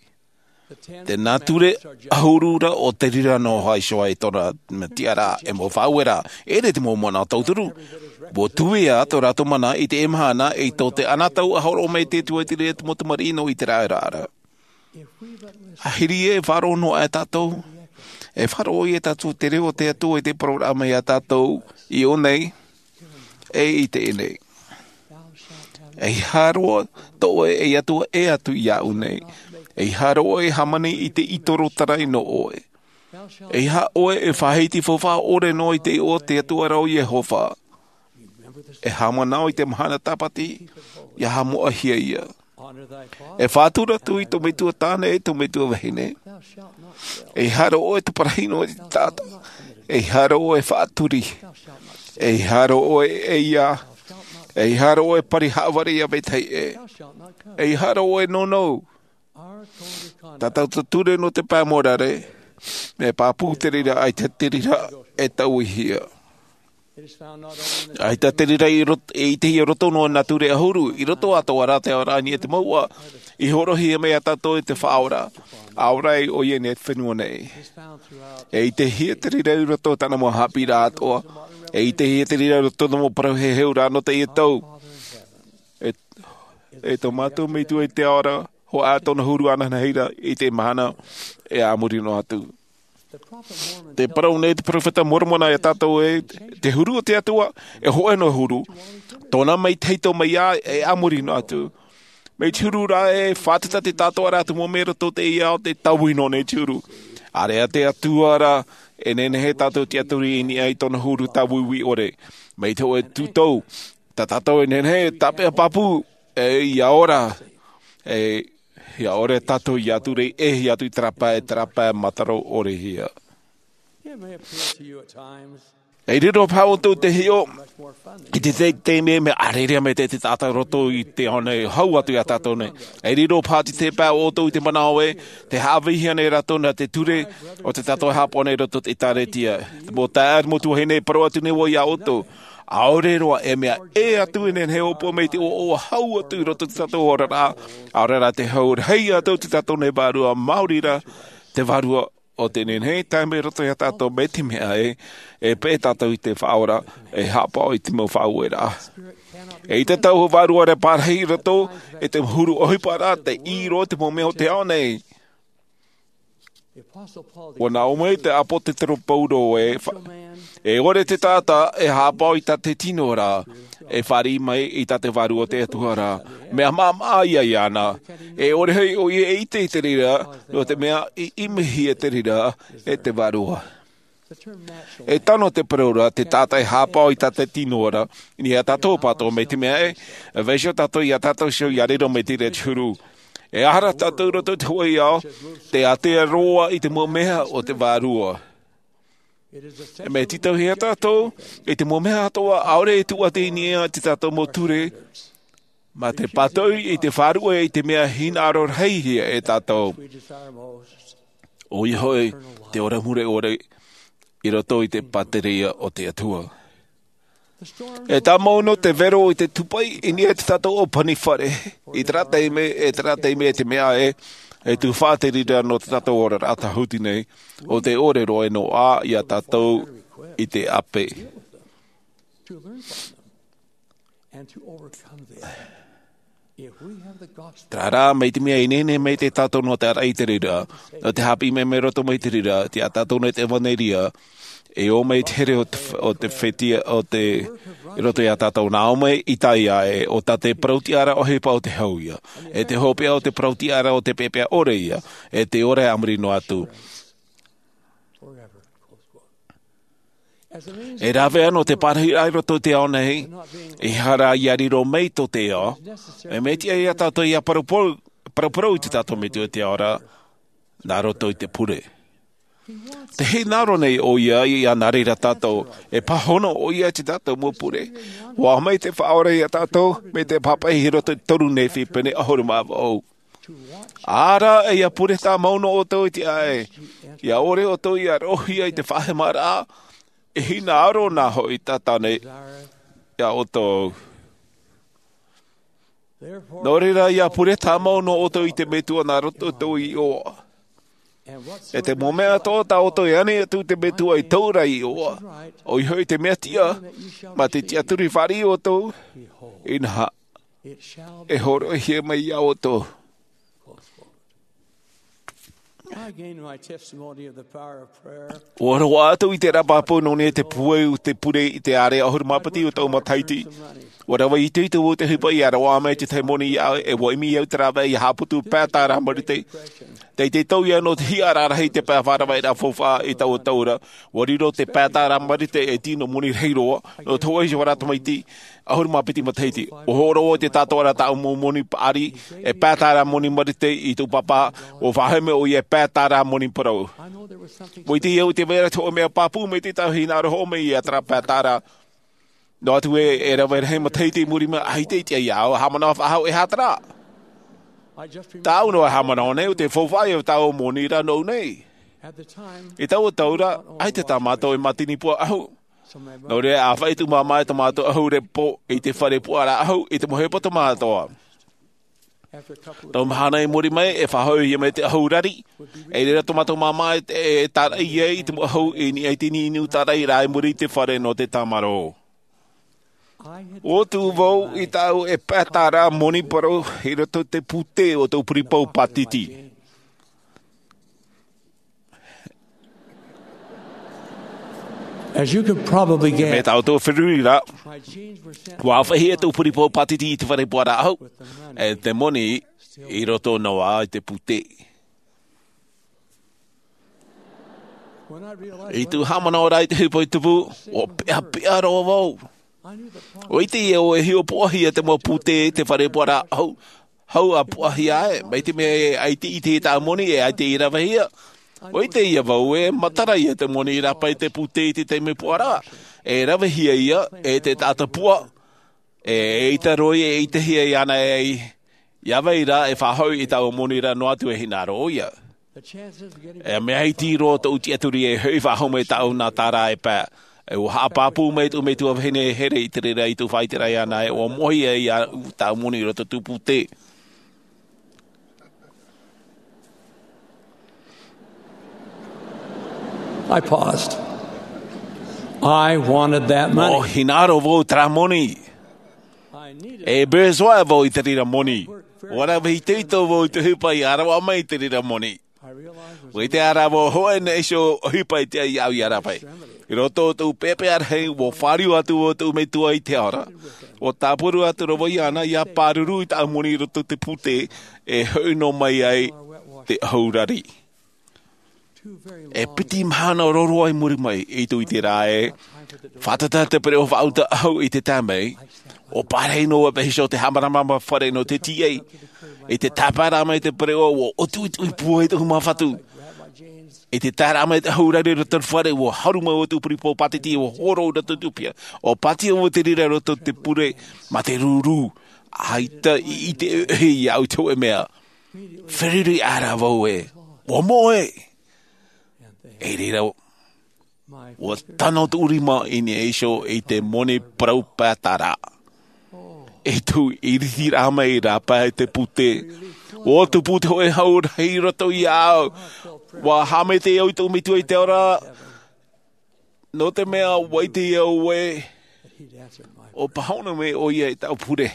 Te nā ture ʻahuru ra o te reira noa iho ā i tōna tiʻaraʻa, e mau faʻaueraʻa, e ʻere te mau manaʻo tauturu. ʻUa tuia tō rātou mana i teie mahana, i tō te anotau a hōroʻa mai te Atua i te reira te mau tamariʻi nō Iseraela ra. Ahiri e faʻaroʻo noa aʻe tātou, e faʻaroʻo ia tātou te reo o te Atua i te parau ra mai iā tātou, i ʻō nei, e i teie nei. ʻEiaha roa tō ʻoe Atua e atu iāʻu nei. ʻEiaha roa e hāmani i te ʻītoro tarai nō ʻoe. ʻEiaha ʻoe e faʻahiti faufaʻa ʻore noa i te iʻoa o te Atua ra ʻo Iehova. E haʻamanaʻo i te mahana Sābati, ʻia haʻamoʻahia ia. E faʻatura atu i tō metua tāne e tō metua vahine. ʻEiaha roa ʻoe e taparahi noa i te taʻata. ʻEiaha roa ʻoe e faʻaturi. ʻEiaha roa ʻoe e ʻeiā. ʻEiaha roa ʻoe e pari haʻavare iā vetahi ʻē. ʻEiaha roa ʻoe e nounou. Tā tātou ture nō te pae mōrare, mea pāpū te reira, ʻaita te reira e tauihia. ʻAita te reira i rot-, e ʻitehia i roto noa i nā ture ʻahuru, i roto atoʻa rā te ao ra i niʻa i te mouʻa, i hōroʻahia mai iā tātou e te Faʻaora, ʻaore rā ʻoia i niʻa i te fenua nei. E ʻitehia te reira i roto i tāna mau haʻapiʻiraʻa atoʻa, e ʻitehia te reira i roto i te mau parau heheuraʻa nō teie tau. E, e tō mātou Metua i te ao ra, hoʻi ā tōna huru ananahi ra i te mahana e a muri noa atu. Tē parau nei te peropheta Moromona iā tātou ē, te huru o te Atua, e hōʻē noa huru. Tōna mai tahito mai ā, e a muri noa atu. Mai te huru ra e fātata te taʻatoʻaraʻa te mau mea i roto i teie ao, tē taui noa nei te huru. ʻAore ā te Atua ra, e nehenehe tātou e tiʻaturi i niʻa i tōna huru tāuiui ʻore. Mai te hōʻē tūtau, tā tātou e nehenehe e tāpeʻa pāpū, e ʻia ora, e ʻia ora tātou ʻia ture, e ʻia atu i terā pae, terā pae mātaro ʻore hia. E riro paha ʻoutou te hiʻo, i te, te, te mea, mea ʻārearea mai te, te taʻata i roto i te ao nei, hau atu iā tātou nei. E riro paha te, te pae ʻoutou i te manaʻo ē, tē haʻavehia nei rātou nā te ture, o te taʻata e haʻapaʻo nei i roto i te ʻĒkālesia. Te mau taeaʻe, te mau tuahine, e parau atu nei vau iā ʻoutou. ʻAore roa e mea ʻē atu e nehenehe e ʻōpua mai te ʻoaʻoa hau atu i roto i tō tātou oraraʻa, ʻaore rā te hau rahi atu i tō tātou nei vārua, maori rā te Vārua o tē nehenehe e tae mai i roto iā tātou mai te mea ē, e peʻe tātou i te Faʻaora, e haʻapaʻo i te mau faʻaueraʻa. ʻEita taua vārua ra e pārahi i roto i te huru ʻohipa ra, tē ʻī roa i te mau mea o te ao nei. ʻUa nā ʻō mai te ʻāpōsetolo Paulo ē, fa-, e ʻore te taʻata e haʻapaʻo i tā te tino ra, e fāriʻi mai i tā te Vārua o te Atua ra. Mea maʻamaʻa ia iāna. E ʻore hoʻi ʻoia e ʻite i te reira, nō te mea i ʻimihia te reira e te Vārua. E tano te parau ra, te taʻata e haʻapaʻo i tā te tino ra, i niʻa iā tātou pātoʻi mai te mea ē, e vaiiho tātou iā tātou iho ʻia riro mai te reira te huru. E aha rā tātou i roto i te hōʻē ao, tē ātea roa i te mau mea o te Vārua. E mea tītauhia tātou, i te mau mea atoʻa, ʻaore e tūʻati i niʻa i tō tātou mau ture, mā te pātoʻi i te Vārua i te mea hinaʻaro rahi hia e tātou. ʻOia hoʻi, te ora mure ʻore i roto i te pātireia o te Atua. E tāmau noa te vero i te tūpaʻi i niʻa i tō tātou ʻōpani fare. I terā taime, e terā taime e te mea ē, e tufaʻa te reira nō tō tātou oraraʻa tāhuti nei, ʻo tē ʻore roa e noaʻa iā tātou i te ʻape. Terā rā, mai te mea e nehenehe mai tātou nō te ʻāraʻi i te reira, nō te haʻapiʻi mai mai roto mai te reira, tei iā tātou nei te ʻevanelia, e ō mai te here o te, o te fētiʻi, o te, i roto iā tātou, nā ʻō mai Isaia ē, ʻo tā te parau tiʻaraʻa ʻohipa ʻo te hau ïa. E te hopeʻa o te parau tiʻaraʻa ʻo te peʻapeʻa ʻore ïa, e tē ora e a muri noa atu. E rave ā nō te pārahiraʻa i roto i te ao nei, ʻeiaha rā ʻia riro mai tō te ao, e mea tiʻa iā tātou ʻia paraparau, paraparau i tō tātou Metua i te ao ra, nā roto i te pure. Te hinaʻaro nei ʻoia ia nā reira tātou, e pāhono ʻoia i tā tātou mau pure. ʻUa mai te Faʻaora ia tātou, mai te pāpaʻi i roto i te toru Nephi pene ʻahuru mā vaʻu. Ara ia pure tāmau nō ʻoutou i te ʻāʻai, ia ʻore ʻoutou ia roʻohia i te faʻahemaraʻa, e hinaʻaro nā hoʻi tātou nei ia ʻoutou. Nō reira ia pure tāmau nō ʻoutou i te Metua nā roto i tō ʻoe iʻoa. E te mau mea atoʻa tā ʻoutou e ani atu i te Metua i tō rātou iʻoa, ʻoia hoʻi te mea tiʻa, mā te tiʻaturi fāriʻi ʻoutou, inaha, e hōroʻahia mai ia ʻoutou. I gained my testimony of the power of prayer. ʻUa roaʻa atu i te rāpapu nō niʻa i te pūai o te pure i te ʻārea ʻahuru mā piti o tōʻu matahiti. ʻUa rave itoito vau i te ʻohipa ia roaʻa mai te tahi moni iāʻu, e ʻua ʻimi au te rāveʻa ia haʻaputu pae tāra marite. Tei te tau ia nō te hiʻa rarahi te pae faʻaravaʻiraʻa faufaʻa i taua tau ra. ʻUa riro te pae tāra marite ei tino moni rahi roa, nō te hōʻē iho ā tamaiti, ʻahuru mā piti matahiti. ʻUa hōroʻa i te tātara tāʻu mau moni paʻari, e pae tāra moni marite i tōʻu pāpā, ʻua faʻahou mai ʻoia e pae tāra moni parau. ʻUa ʻite au i te vai ra te hōʻē mea pāpū mai te tahi hinaʻaro hoʻo mai ia terā pae tāra. Noa atu ē, e rave rahi matahiti i muri mai, ʻaita i tiʻa iāʻu e haʻamanaʻo faʻahou e aha terā. Tāʻu noa e haʻamanaʻo nei, ʻo te faufaʻa ia tāʻu moni ra nōʻu nei. I taua tau ra, ʻaita tā mātou e mātini pū ʻahu. Nō reira, ʻa faʻaʻite māmā e tō mātou ʻahu repo i te fare puaʻaraʻa ʻahu, i te mau ʻohipa tō mātou. Tau mahana i muri mai, e faʻahou ia mai te ʻahu rari. I reira tō mātou māmā e, e tāraʻi ai i te mau ʻahu i niʻa i te niuniu tāraʻi rā i muri i te fare nō te tāmarō. ʻUa tuʻu vau i taua pae tāra moni parau i roto i te pūtē o tōʻu puripū pātiti. As you could probably guess, mea tātou e feruri ra, ʻua ʻāfaʻi atu tōʻu puripū pātiti i te fare puaʻaraʻa ʻahu, e te moni i roto noa i te pūtē. I tōʻu haʻamanaʻo ra i te ʻohipa i tupu, ʻua peʻapeʻa roa vau. ʻUa ʻite au e hiʻopoʻahia te mau pūtē i te fare puaʻaraʻa ʻahu, hau ʻa puʻahia ai, mai te mea e ʻaita i ʻite i tāʻu moni, e ʻaita i ravehia. ʻUa ʻite au e matara ia te moni i rāpae i te pūtē i te taime puaʻaraʻa, e ravehia ia e te taʻata puaʻa, e ʻaita roa e ʻitehia iāna e ai, ia vai ra e faʻahou i tāʻu moni ra noa atu e hinaʻaro ʻoia. E mea iti roa tōʻu tiʻaturi e hoʻi faʻahou mai tāʻu nā tāra e pae. E ʻua haʻapāpū mai tōʻu metua vahine here i te reira i tōʻu faʻaʻite ra iāna e ʻua moʻehia ia tāʻu moni i roto i tōʻu pūtē. I paused. I wanted that money. ʻUa hinaʻaro vau terā moni. E besoin vau i te reira moni. ʻUa rave itoito vau i te ʻohipa ia roaʻa mai i te reira moni. ʻUa ʻite ā rā vau hōʻē nei iho ʻohipa i tiʻa iāʻu ia rāpae. I roto i tōʻu peʻapeʻa rahi, ʻua fāriu atu vau i tōʻu metua i te ao ra. ʻUa tāpura atu ra vau iāna ia pāruru i tāʻu moni i roto i te pūtē, e hoʻi noa mai ai te ʻahu rari. E piti mahana roa roa i muri mai, i tōʻu ʻite ra e, fātata te pereʻoʻo faʻauta ʻahu i te tae mai, ʻua pārahi noa vau i te hiʻo te haʻamāramarama fare nō te tīaʻi. I te tāpaeraʻa mai te pereʻoʻo, ʻua ʻutuʻutuʻu i pūai tōʻu māfatu. I te taeraʻa mai te ʻahu rari i roto i te fare, ʻua haru mai vau i tōʻu puripū pātiti, ʻua horo i roto i tōʻu piha. ʻUa pātia vau te reira i roto i te pure, mā te rūrū, ʻaita i ʻite iāʻu i te hōʻē mea. Feruri ā rā vau ē, ʻua moʻe. I reira, ʻua tano tōʻu rima i niʻa iho i te moni parau pae tāra. I tōʻu ʻiritiraʻa mai i rāpae i te pūtē, ʻua tupu te hōʻē hau rahi i roto iāʻu. ʻUa haʻamaitaʻi au i tōʻu metua i te ao ra, nō te mea ʻua ʻite au ē, ʻua pāhono mai ʻoia i tāʻu pure.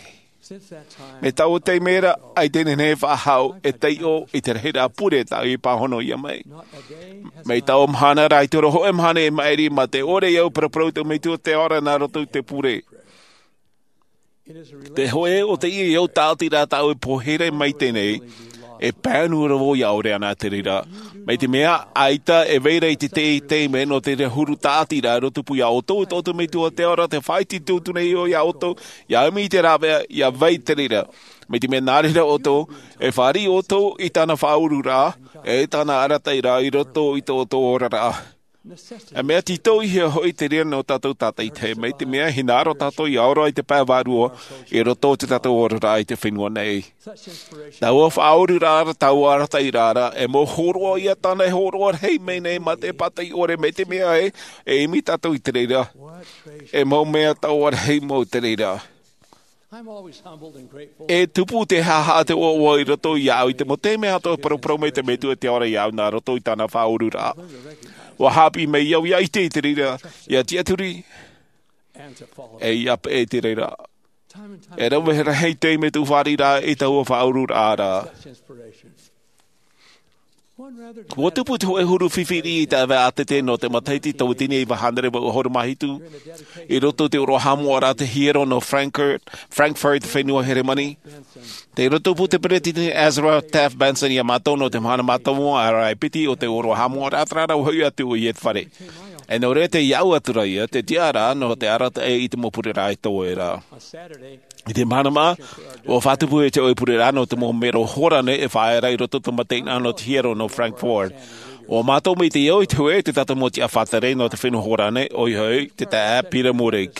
Mai taua taime ra, ʻaita e nehenehe e faʻahou e taiʻo i te rahiraʻa pure tāʻu i pāhono iā mai. Mai taua mahana ra, ʻaita roa hōʻē mahana i maʻiri mā te ʻore au e paraparau i tōʻu metua i te ao ra nā roto i te pure. Te hōʻē ʻo teie au tāʻatiraʻa tāʻu e pōhaere mai teie nei, e pāʻunu ra vau ia ʻore ana te reira. Mai te mea, ʻaita e vai ra i te tahi taime nō te reira huru tāʻatiraʻa e tupu iā ʻoutou, tō ʻoutou metua i te ao ra, te faʻaiti tūtū nei au iā ʻoutou, ia ʻimi i te rāveʻa, ia vai te reira. Mai te mea nā reira ʻoutou, e fāriʻi ʻoutou i tāna faʻaururaʻa, e tāna arataʻiraʻa i roto i tō ʻoutou oraraʻa. E mea tītauhia hoʻi te reira nō tātou tātaʻitahi, mai te mea hinaʻaro tātou ʻia ora i te pae vārua i roto i tō tātou oraraʻa i te fenua nei. Taua faʻaururaʻa, taua arataʻiraʻa, e mau hōroʻa ia tāna e hōroʻa rahi mai nei mā te pātai ʻore, mai te mea ē, e ʻimi tātou i te reira. E mau mea taua rahi mau te reira. I'm always humbled and grateful. E tupu te haʻahaʻa, te ʻoaʻoa i roto iāʻu i te mau taime atoʻa e paraparau mai te Metua i te ora iāʻu nā roto i tāna faʻaururaʻa. ʻUa haʻapiʻi mai au ʻia ʻite i te reira, ʻia tiʻaturi, e ʻia peʻe i te reira. E rave rahi te taime tōʻu fāriʻiraʻa i taua faʻaururaʻa ra. ʻUa tupu te hōʻē huru fifi riʻi i te ʻāvaʻe ʻātete nō te matahiti tauatini e iva hānere vaʻu ʻahuru mā hitu, i roto i te ʻōroʻa haʻamoʻaraʻa te hiero nō Frankfurt, Frankfurt, fenua Heremani. Tē tupu te peretiteni Ezra Taft Benson iā mātou nō te mahana mātāmua ʻāraʻi piti o te ʻōroʻa haʻamoʻaraʻa, terā rā ʻua hoʻi atu ʻoia i te fare. E nō reira, tei iāʻu atu ra ia te tiʻaraʻa nō te arataʻi i te mau pureraʻa e toe ra. I te mahana mātāmua, ʻua fātupu ai te hōʻē pureraʻa nō te mau mero hora nei e faʻaea ra i roto i te mataʻeinaʻa nō te hiero nō Frankfurt. ʻUa mātou maitaʻi au i te hōʻē o tā tātou mau tiʻa faʻatere nō te fenua hora nei, ʻoia hoʻi te taeaʻe Peter Mourik.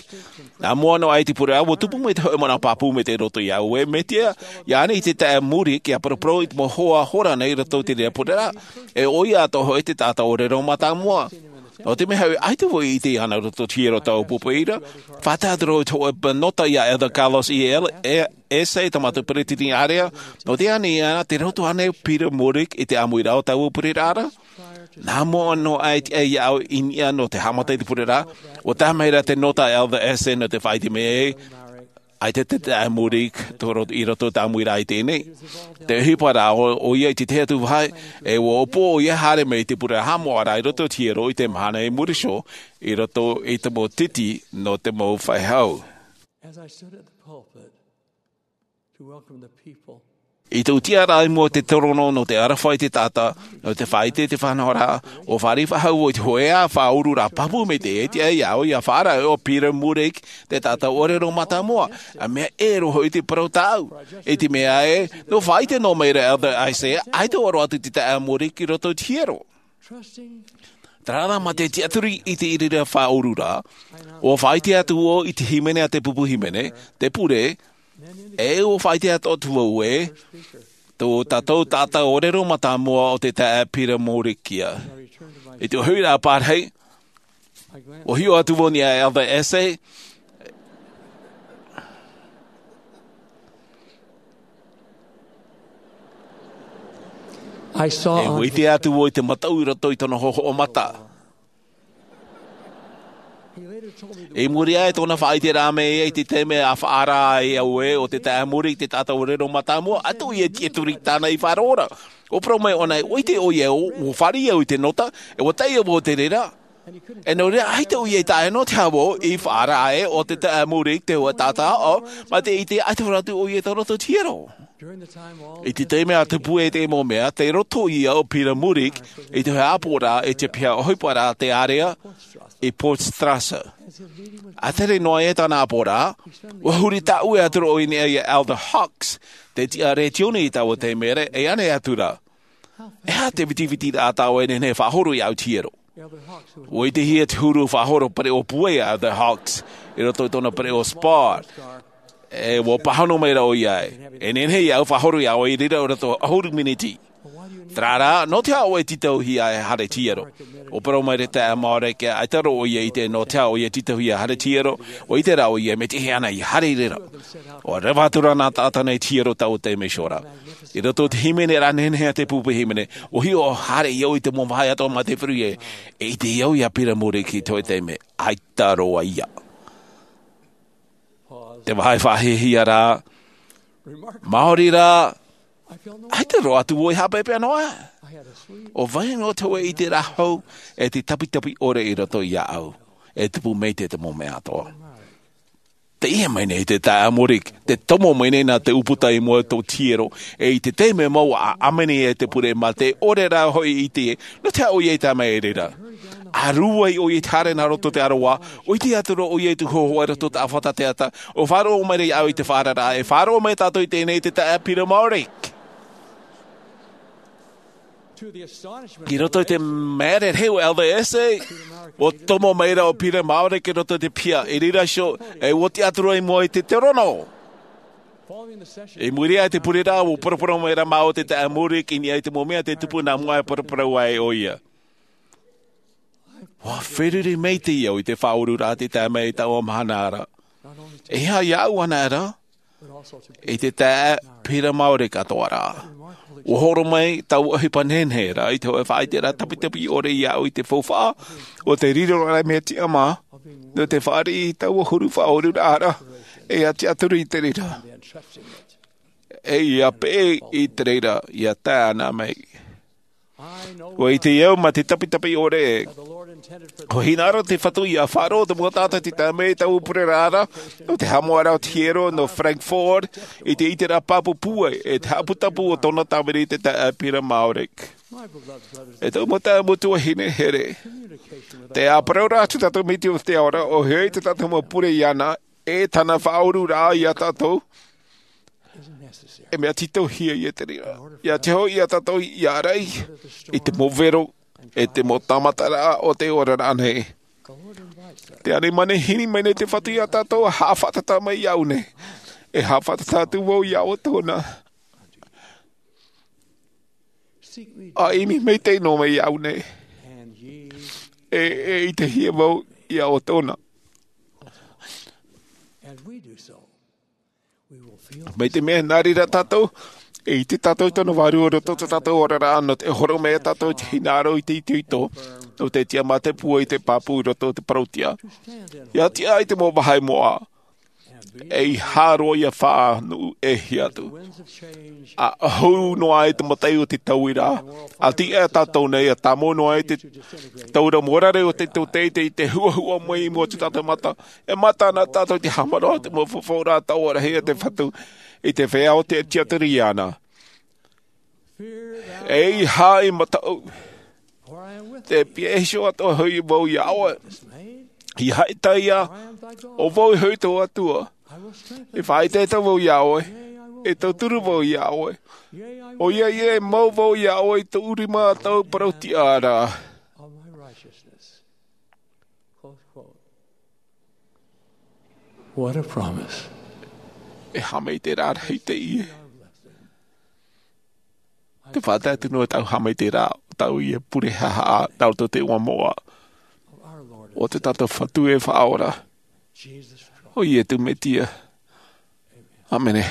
Nā mua noa aʻe i te pureraʻa, ʻua tupu mai te hōʻē manaʻo pāpū mai tei roto iāʻu ē, mai te aha ānei te taeaʻe Mourik ʻia paraparau i te mau hoa hora nei i roto i te reira pureraʻa, e ʻoia atoʻa hoʻi te taʻata ʻōrero mātāmua. Nō te mea hoʻi, ʻaita vau i ʻite iāna i roto i te hiero i taua pupu ra. Faʻatae atu ra i te hōʻē nota iā Elder Carlos E. L-, E-, Asay, tā mātou peretiteni ʻārea, nō te aha ānei iāna, tē roto ānei Peter Mourik i te ʻāmuiraʻa o taua pureraʻa ra? Nā mua noa aʻe i te tiʻa iāʻu i niʻa nō te haʻamata i te pureraʻa, ʻua tae mai ra te nota a Elder Asay nō te faʻaʻite mai ē, ʻaita te taeaʻe Mourik i ro-, i roto i te ʻāmuiraʻa i teie nei. Tē ʻohipa ra ʻo, ʻoia i te tahi atu vāhi, e ʻua ʻōpū ʻoia e haere mai i te pureraʻa haʻamoʻaraʻa i roto i te hiero i te mahana i muri iho, i roto i te mau titi nō te mau feiā. As I stood at the pulpit to welcome the people, i tōʻu tiʻaraʻa i mua i te torono nō te aroha i te taʻata, nō te faʻaʻite i te faʻanahoraʻa, ʻua fāriʻi faʻahou vau i te hōʻē faʻaururaʻa pāpū maitaʻi, e tiʻa iāʻu ʻia faʻaara ʻo Peter Mourik, te taʻata ʻōrero mātāmua. ʻA mea ʻē roa hoʻi te parau tāʻu. I te mea ē, nō faʻaʻite noa mai ra Elder Asay, ʻaita ʻua roaʻa atu te taeaʻe Mourik i roto i te hiero. Terā rā, mā te tiʻaturi i te reira faʻaururaʻa, ʻua faʻaʻite atu vau i te hīmene a te pupu hīmene, te pure, e ʻua faʻaʻite atu vau ē, tō tātou taʻata ʻōrero mātāmua ʻo te taeaʻe Peter Mourik ia. I te hoʻiraʻa pārahi, ʻua hiʻo atu vau i niʻa iā Elder Asay, I saw e on ʻite atu vau i te mataʻu i roto i tōna hōhoʻa mata. I muri aʻe i tōna faʻaʻiteraʻa mai i te taime ʻa faʻaara ai au ē ʻo te taeaʻe Mourik te taʻata ʻōrero mātāmua, ʻaita ʻoia e tiʻaturi i tāna i faʻaroʻo ra. ʻUa parau mai ʻōna, ʻua ʻite ʻoia ē, ʻua fāriʻi au i te nota, e ʻua taʻi au i te reira. E nō reira, ʻaita ʻoia i tae noa te hau i faʻaara ē ʻo te taeaʻe Mourik te hōʻē taʻata aʻo, mā te ʻite ʻaita e haere atu ʻoia i tō roto hiero. I te taime ʻa tupu ai te mau mea, tei roto ia ʻo Peter Mourik i te hōʻē ʻāpoʻoraʻa i te piha ʻohipa ra te ārea i Potsdorf. ʻA tere noa ai tāna ʻāpoʻoraʻa, ʻua huri tāʻue atu ra ʻoia i niʻa iā Elder Hawkes, te tiʻa retioni i taua taime ra, e ʻānei atu ra. E aha te vitivitiraʻa tāʻu e nehenehe e faʻahoro iāʻu i te hiero? ʻUa ʻitehia te huru faʻahoro pereʻoʻo pūai a Elder Hawkes, i roto i tōna pereʻoʻo Spar. E ʻua pāhono mai ra ʻoia ē, e nehenehe iāʻu e faʻahoro iā ʻoe i reira i roto i te ʻahuru miniti. Terā rā, nō te aha ʻoe e tītauhia e haere i te hiero? ʻUa parau mai ra te taeaʻe Mourik, ʻaita roa ʻoia e ʻite nō te aha ʻoia e tītauhia e haere i te hiero, ʻua ʻite rā ʻoia e mea tiʻa ana ʻia haere i reira. ʻUa reva atu ra nā taʻata nei i te hiero i taua taime iho ra. I roto i te hīmene ra nehenehe a te pupu hīmene, ʻua hiʻo ʻo haere au i te mau vāhi atoʻa mā te feruri ē, e ʻite au iā Peter Mourik i te hōʻē taime, ʻaita roa ia. Te vāhi faʻahiahia ra, maori rā, ʻaita roa atu vau e haʻapeʻapeʻa noa. ʻUa vaiiho te hōʻē ʻiteraʻa hou, e te tapitapi ʻore i roto iāʻu, e tupu maitaʻi te mau mea atoʻa. Teie mai nei te taeaʻe Mourik, tē tomo mai nei nā te ʻūputa i mua i tō te hiero, e i te taime mau ʻa ʻāmene ai te pure mā te ʻore rā hoʻi i te, nō te aha ʻoia i tae mai i reira. ʻĀruai ʻoia i te haere nā roto i te aroā, ʻua ʻite atu ra ʻoia i te hōhoʻa i roto i te ʻāfata teata, ʻua faʻaroʻo mai ra iāʻu i te faʻaararaʻa, e faʻaroʻo mai tātou i teie nei i te taeaʻe Peter Mourik. I roto i te māere rahi o Elder Asay, ʻua tomo mai ra ʻo Peter Mourik i roto i te piha, i reira iho, e ʻua tiʻa atu ra i mua i te terono. I muri aʻe i te pureraʻa, ʻua paraparau mai ra māua te taeaʻe Mourik i niʻa i te mau mea tē tupu nā mua e paraparau ai ʻoia. ʻUa feruri maitaʻi au i te faʻaururaʻa tei tae mai i taua mahana ra. E aha iāʻu anaʻe ra, e te taeaʻe Peter Mourik atoʻa ra. ʻUa horo mai taua ʻohipa nehenehe ra i te hōʻē faʻaʻiteraʻa tapitapi ʻore iāʻu i te faufaʻa o te riro ra mea tiʻamā, nō te fāriʻi i taua huru faʻaururaʻa ra, e ʻia tiʻaturi i te reira. E ʻia peʻe i te reira, ʻia tae ana mai. ʻUa ʻite au mā te tapitapi ʻore, ʻua hinaʻaro te Fatu ʻia faʻaroʻo te mau taʻata tei tae mai i taua pureraʻa ra, nō te haʻamoʻaraʻa o te hiero nō Frankfurt, i te ʻiteraʻa pāpū pūai, e te haʻaputapū o tōna tāvini te taeaʻe Peter Mourik. E tau mau taeaʻe mau tuahine here. Tē ʻāparau ra atu tātou mai te ao ra, ʻua hiʻo i tā tātou mau pure iāna, e tāna faʻaururaʻa iā tātou, e mea tītauhia ia te reira. ʻIa te hoʻi iā tātou ʻia ʻārai i te mau vero, e te mau tāmataraʻa o te oraraʻa nei. Te ani manihini mai nei te Fatu iā tātou, ʻa haʻafātata mai iāʻu nei. E haʻafātata atu vau iā ʻoutou na. ʻA ʻimi maitaʻi noa mai iāʻu nei. E, e ʻitehia vau iā ʻoutou na. Mai te mea nā reira tātou, e ʻite tātou i tōna vārua i roto i tō tātou oraraʻa, nō te horo mai tātou i te hinaʻaro i te itoito, nō te tiʻamā te pūai i te pāpū i roto i te parau-tiʻa. ʻIa tiʻa i te mau vāhi moʻa, ʻeiaha roa ʻia faʻanuʻu e hiʻo atu. ʻA hou noa ai te mataʻi o te tauiraʻa, ʻa tiʻa tātou nei, ʻa tāmau noa ai te taura mōrare o te tōtaiete i te huʻahuʻa mai i mua i tō tātou mata, e mata ana tātou i te haʻamanaʻo i te mau fafauraʻa taoʻa rahi a te Fatu, i te feiā o tē tiʻaturi iāna. ʻEiaha e mataʻu. Tē pihaʻi iho atoʻa hoʻi vau iā ʻoe. ʻIa haʻaitaʻia, ʻo vau hoʻi tō Atua. E faʻaʻetaʻeta vau iā ʻoe. E tauturu vau iā ʻoe. ʻOia ïa e mau vau iā ʻoe i tōʻu rima a tōʻu parau-tiʻa ra. What a promise. E haʻamaitaʻiraʻa rahi teie. Te faʻatae atu noa tāʻu haʻamaitaʻiraʻa, tāʻu ia pure haʻahaʻa, nā roto i te iʻoa moʻa. O tō tātou Fatu e Faʻaora. ʻO Iesu Mesia. ʻĀmene.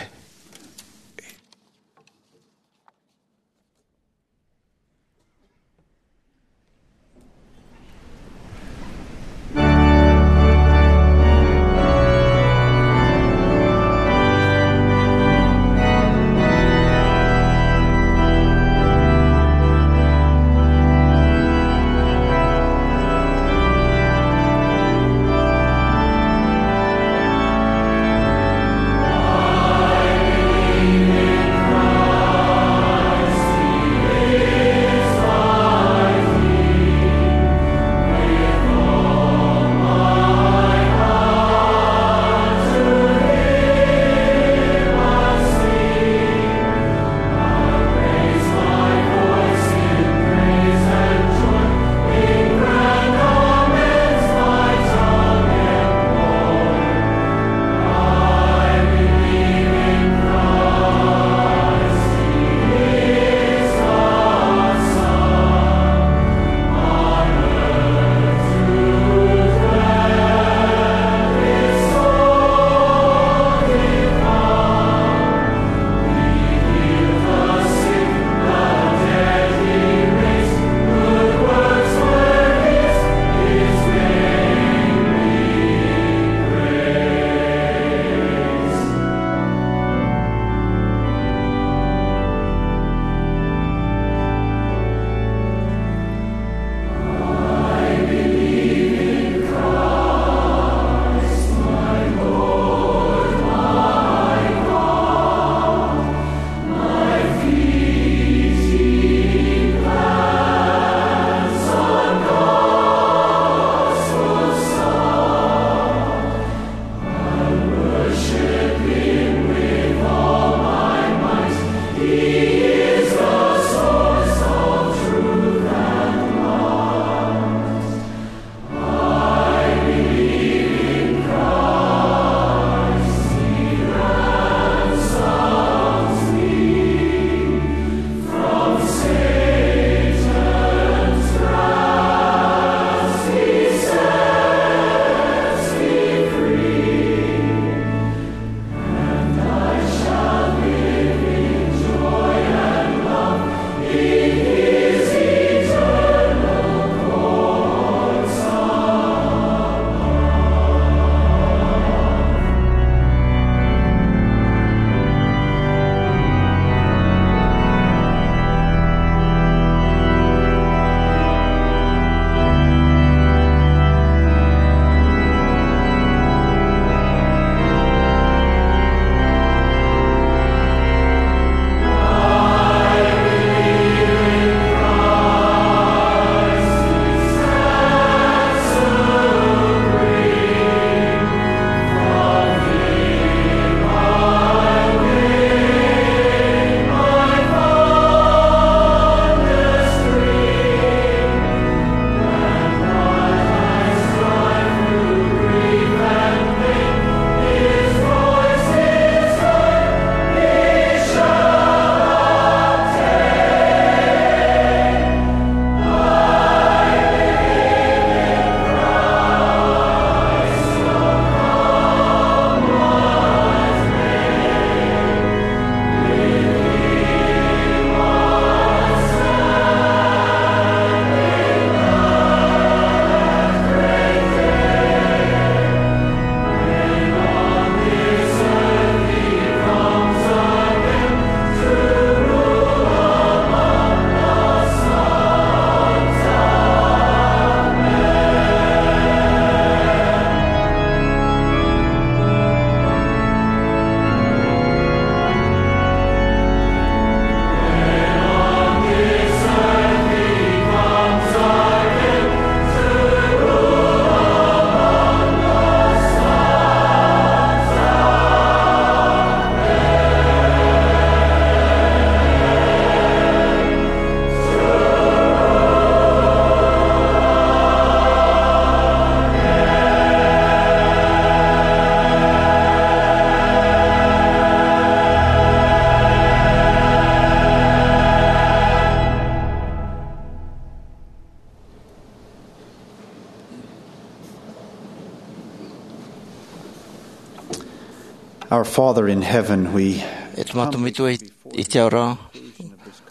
Our Father in heaven, we E te Tamata Metua i te ao ra,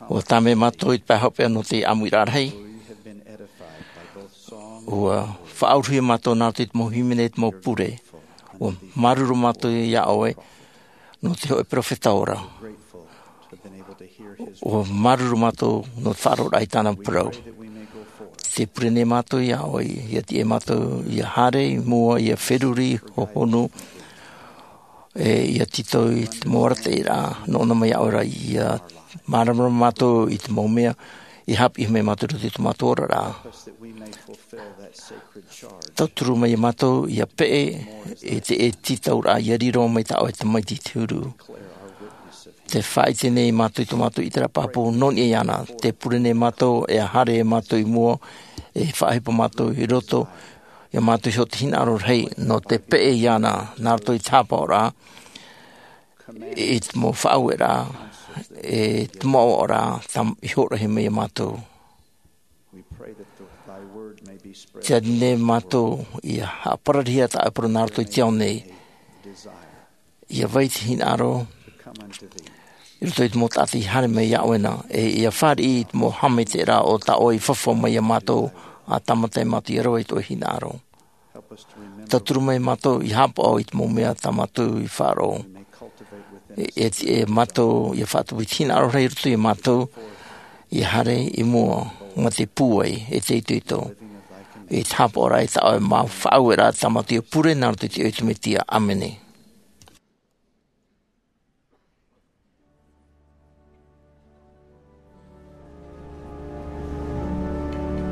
ʻua tāmau mātou i te pae hopeʻa nō te ʻāmuiraʻa rahi. ʻUa faʻauruhia mātou nā roto i te mau hīmene, te mau pure. ʻUa māuruuru mātou iā ʻoe nō te hōʻē peropheta ora. ʻUa māuruuru mātou nō te faʻaroʻoraʻa i tāna parau. Tē pure nei mātou iā ʻoe, ʻia tiʻa mātou ʻia haere i mua, ʻia feruri, hohonu, e ʻia tītau i te mau arataʻiraʻa nō ʻōna mai iā ʻoe ra, ʻia māramarama mātou i te mau mea i haʻapiʻi mai mātou i roto i tō mātou oraraʻa. Tauturu mai iā mātou ʻia peʻe i te tītauraʻa ʻia riro mai tā ʻoe Tamaiti i te huru. Tē faʻaʻite nei mātou i tō mātou ʻiteraʻa pāpū nō niʻa iāna. Tē pure nei mātou, ʻia haere mātou i mua, e faʻaʻohipa mātou i roto iā mātou iho te hinaʻaro rahi nō te peʻe iāna, nā roto i te haʻapaʻoraʻa, i te mau faʻaueraʻa, e te mau ʻoaʻoraʻa, tam-, i hōroʻahia mai iā mātou. Tē ani nei mātou ʻia haʻapararihia tā ʻoe parau nā roto i te ao nei. ʻIa vai te hinaʻaro i roto i te mau taʻata i haere mai iā ʻoe na, e ʻia fāriʻi i te mau haʻamaitaʻiraʻa o tā ʻoe i fafau mai iā mātou, ʻa tāmata ai mātou ʻia rave i tō ʻoe hinaʻaro. Tauturu mai mātou ʻia haʻapaʻo i te mau mea tā mātou i faʻaroʻo. E, e, e mātou ʻia faʻatupu i te hinaʻaro rahi i roto iā mātou, ʻia haere i mua mā te pūai e te itoito. I te haʻapaʻoraʻa i tā ʻoe mau faʻaueraʻa tā mātou ʻia pure nā roto i te iʻoa o Iesu Mesia. ʻĀmene.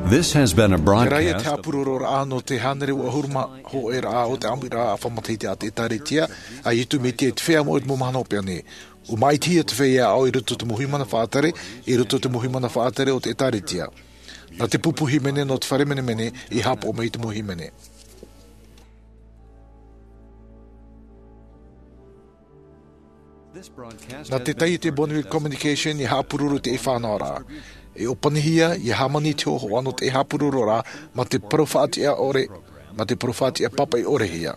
This has been a broadcast. Terā ia te haʻapurororaʻa nō te hānere ʻahuru mā hōʻē raʻa o te ʻāmuiraʻa faʻamatahiti a te ʻĒtārētia a Iesu Mesia i te feiā moʻa i te mau mahana hopeʻa nei. ʻUa māʻitihia te feiā ʻāʻau i roto i te mau hīmene faʻatere, i roto i te mau hīmene faʻatere o te ʻĒtārētia. Nā te pupu hīmene nō te fare menemene i haʻapaʻo mai i te mau hīmene. Nā te taiete Bonneville Communication i haʻapuroro i te fānaʻoraʻa. E ʻōpanihia, ʻia hāmani te hōhoʻa nō te haʻapurororaʻa mā te parau faʻatiʻa ʻore, mā te parau faʻatiʻa pāpaʻi ʻore hia.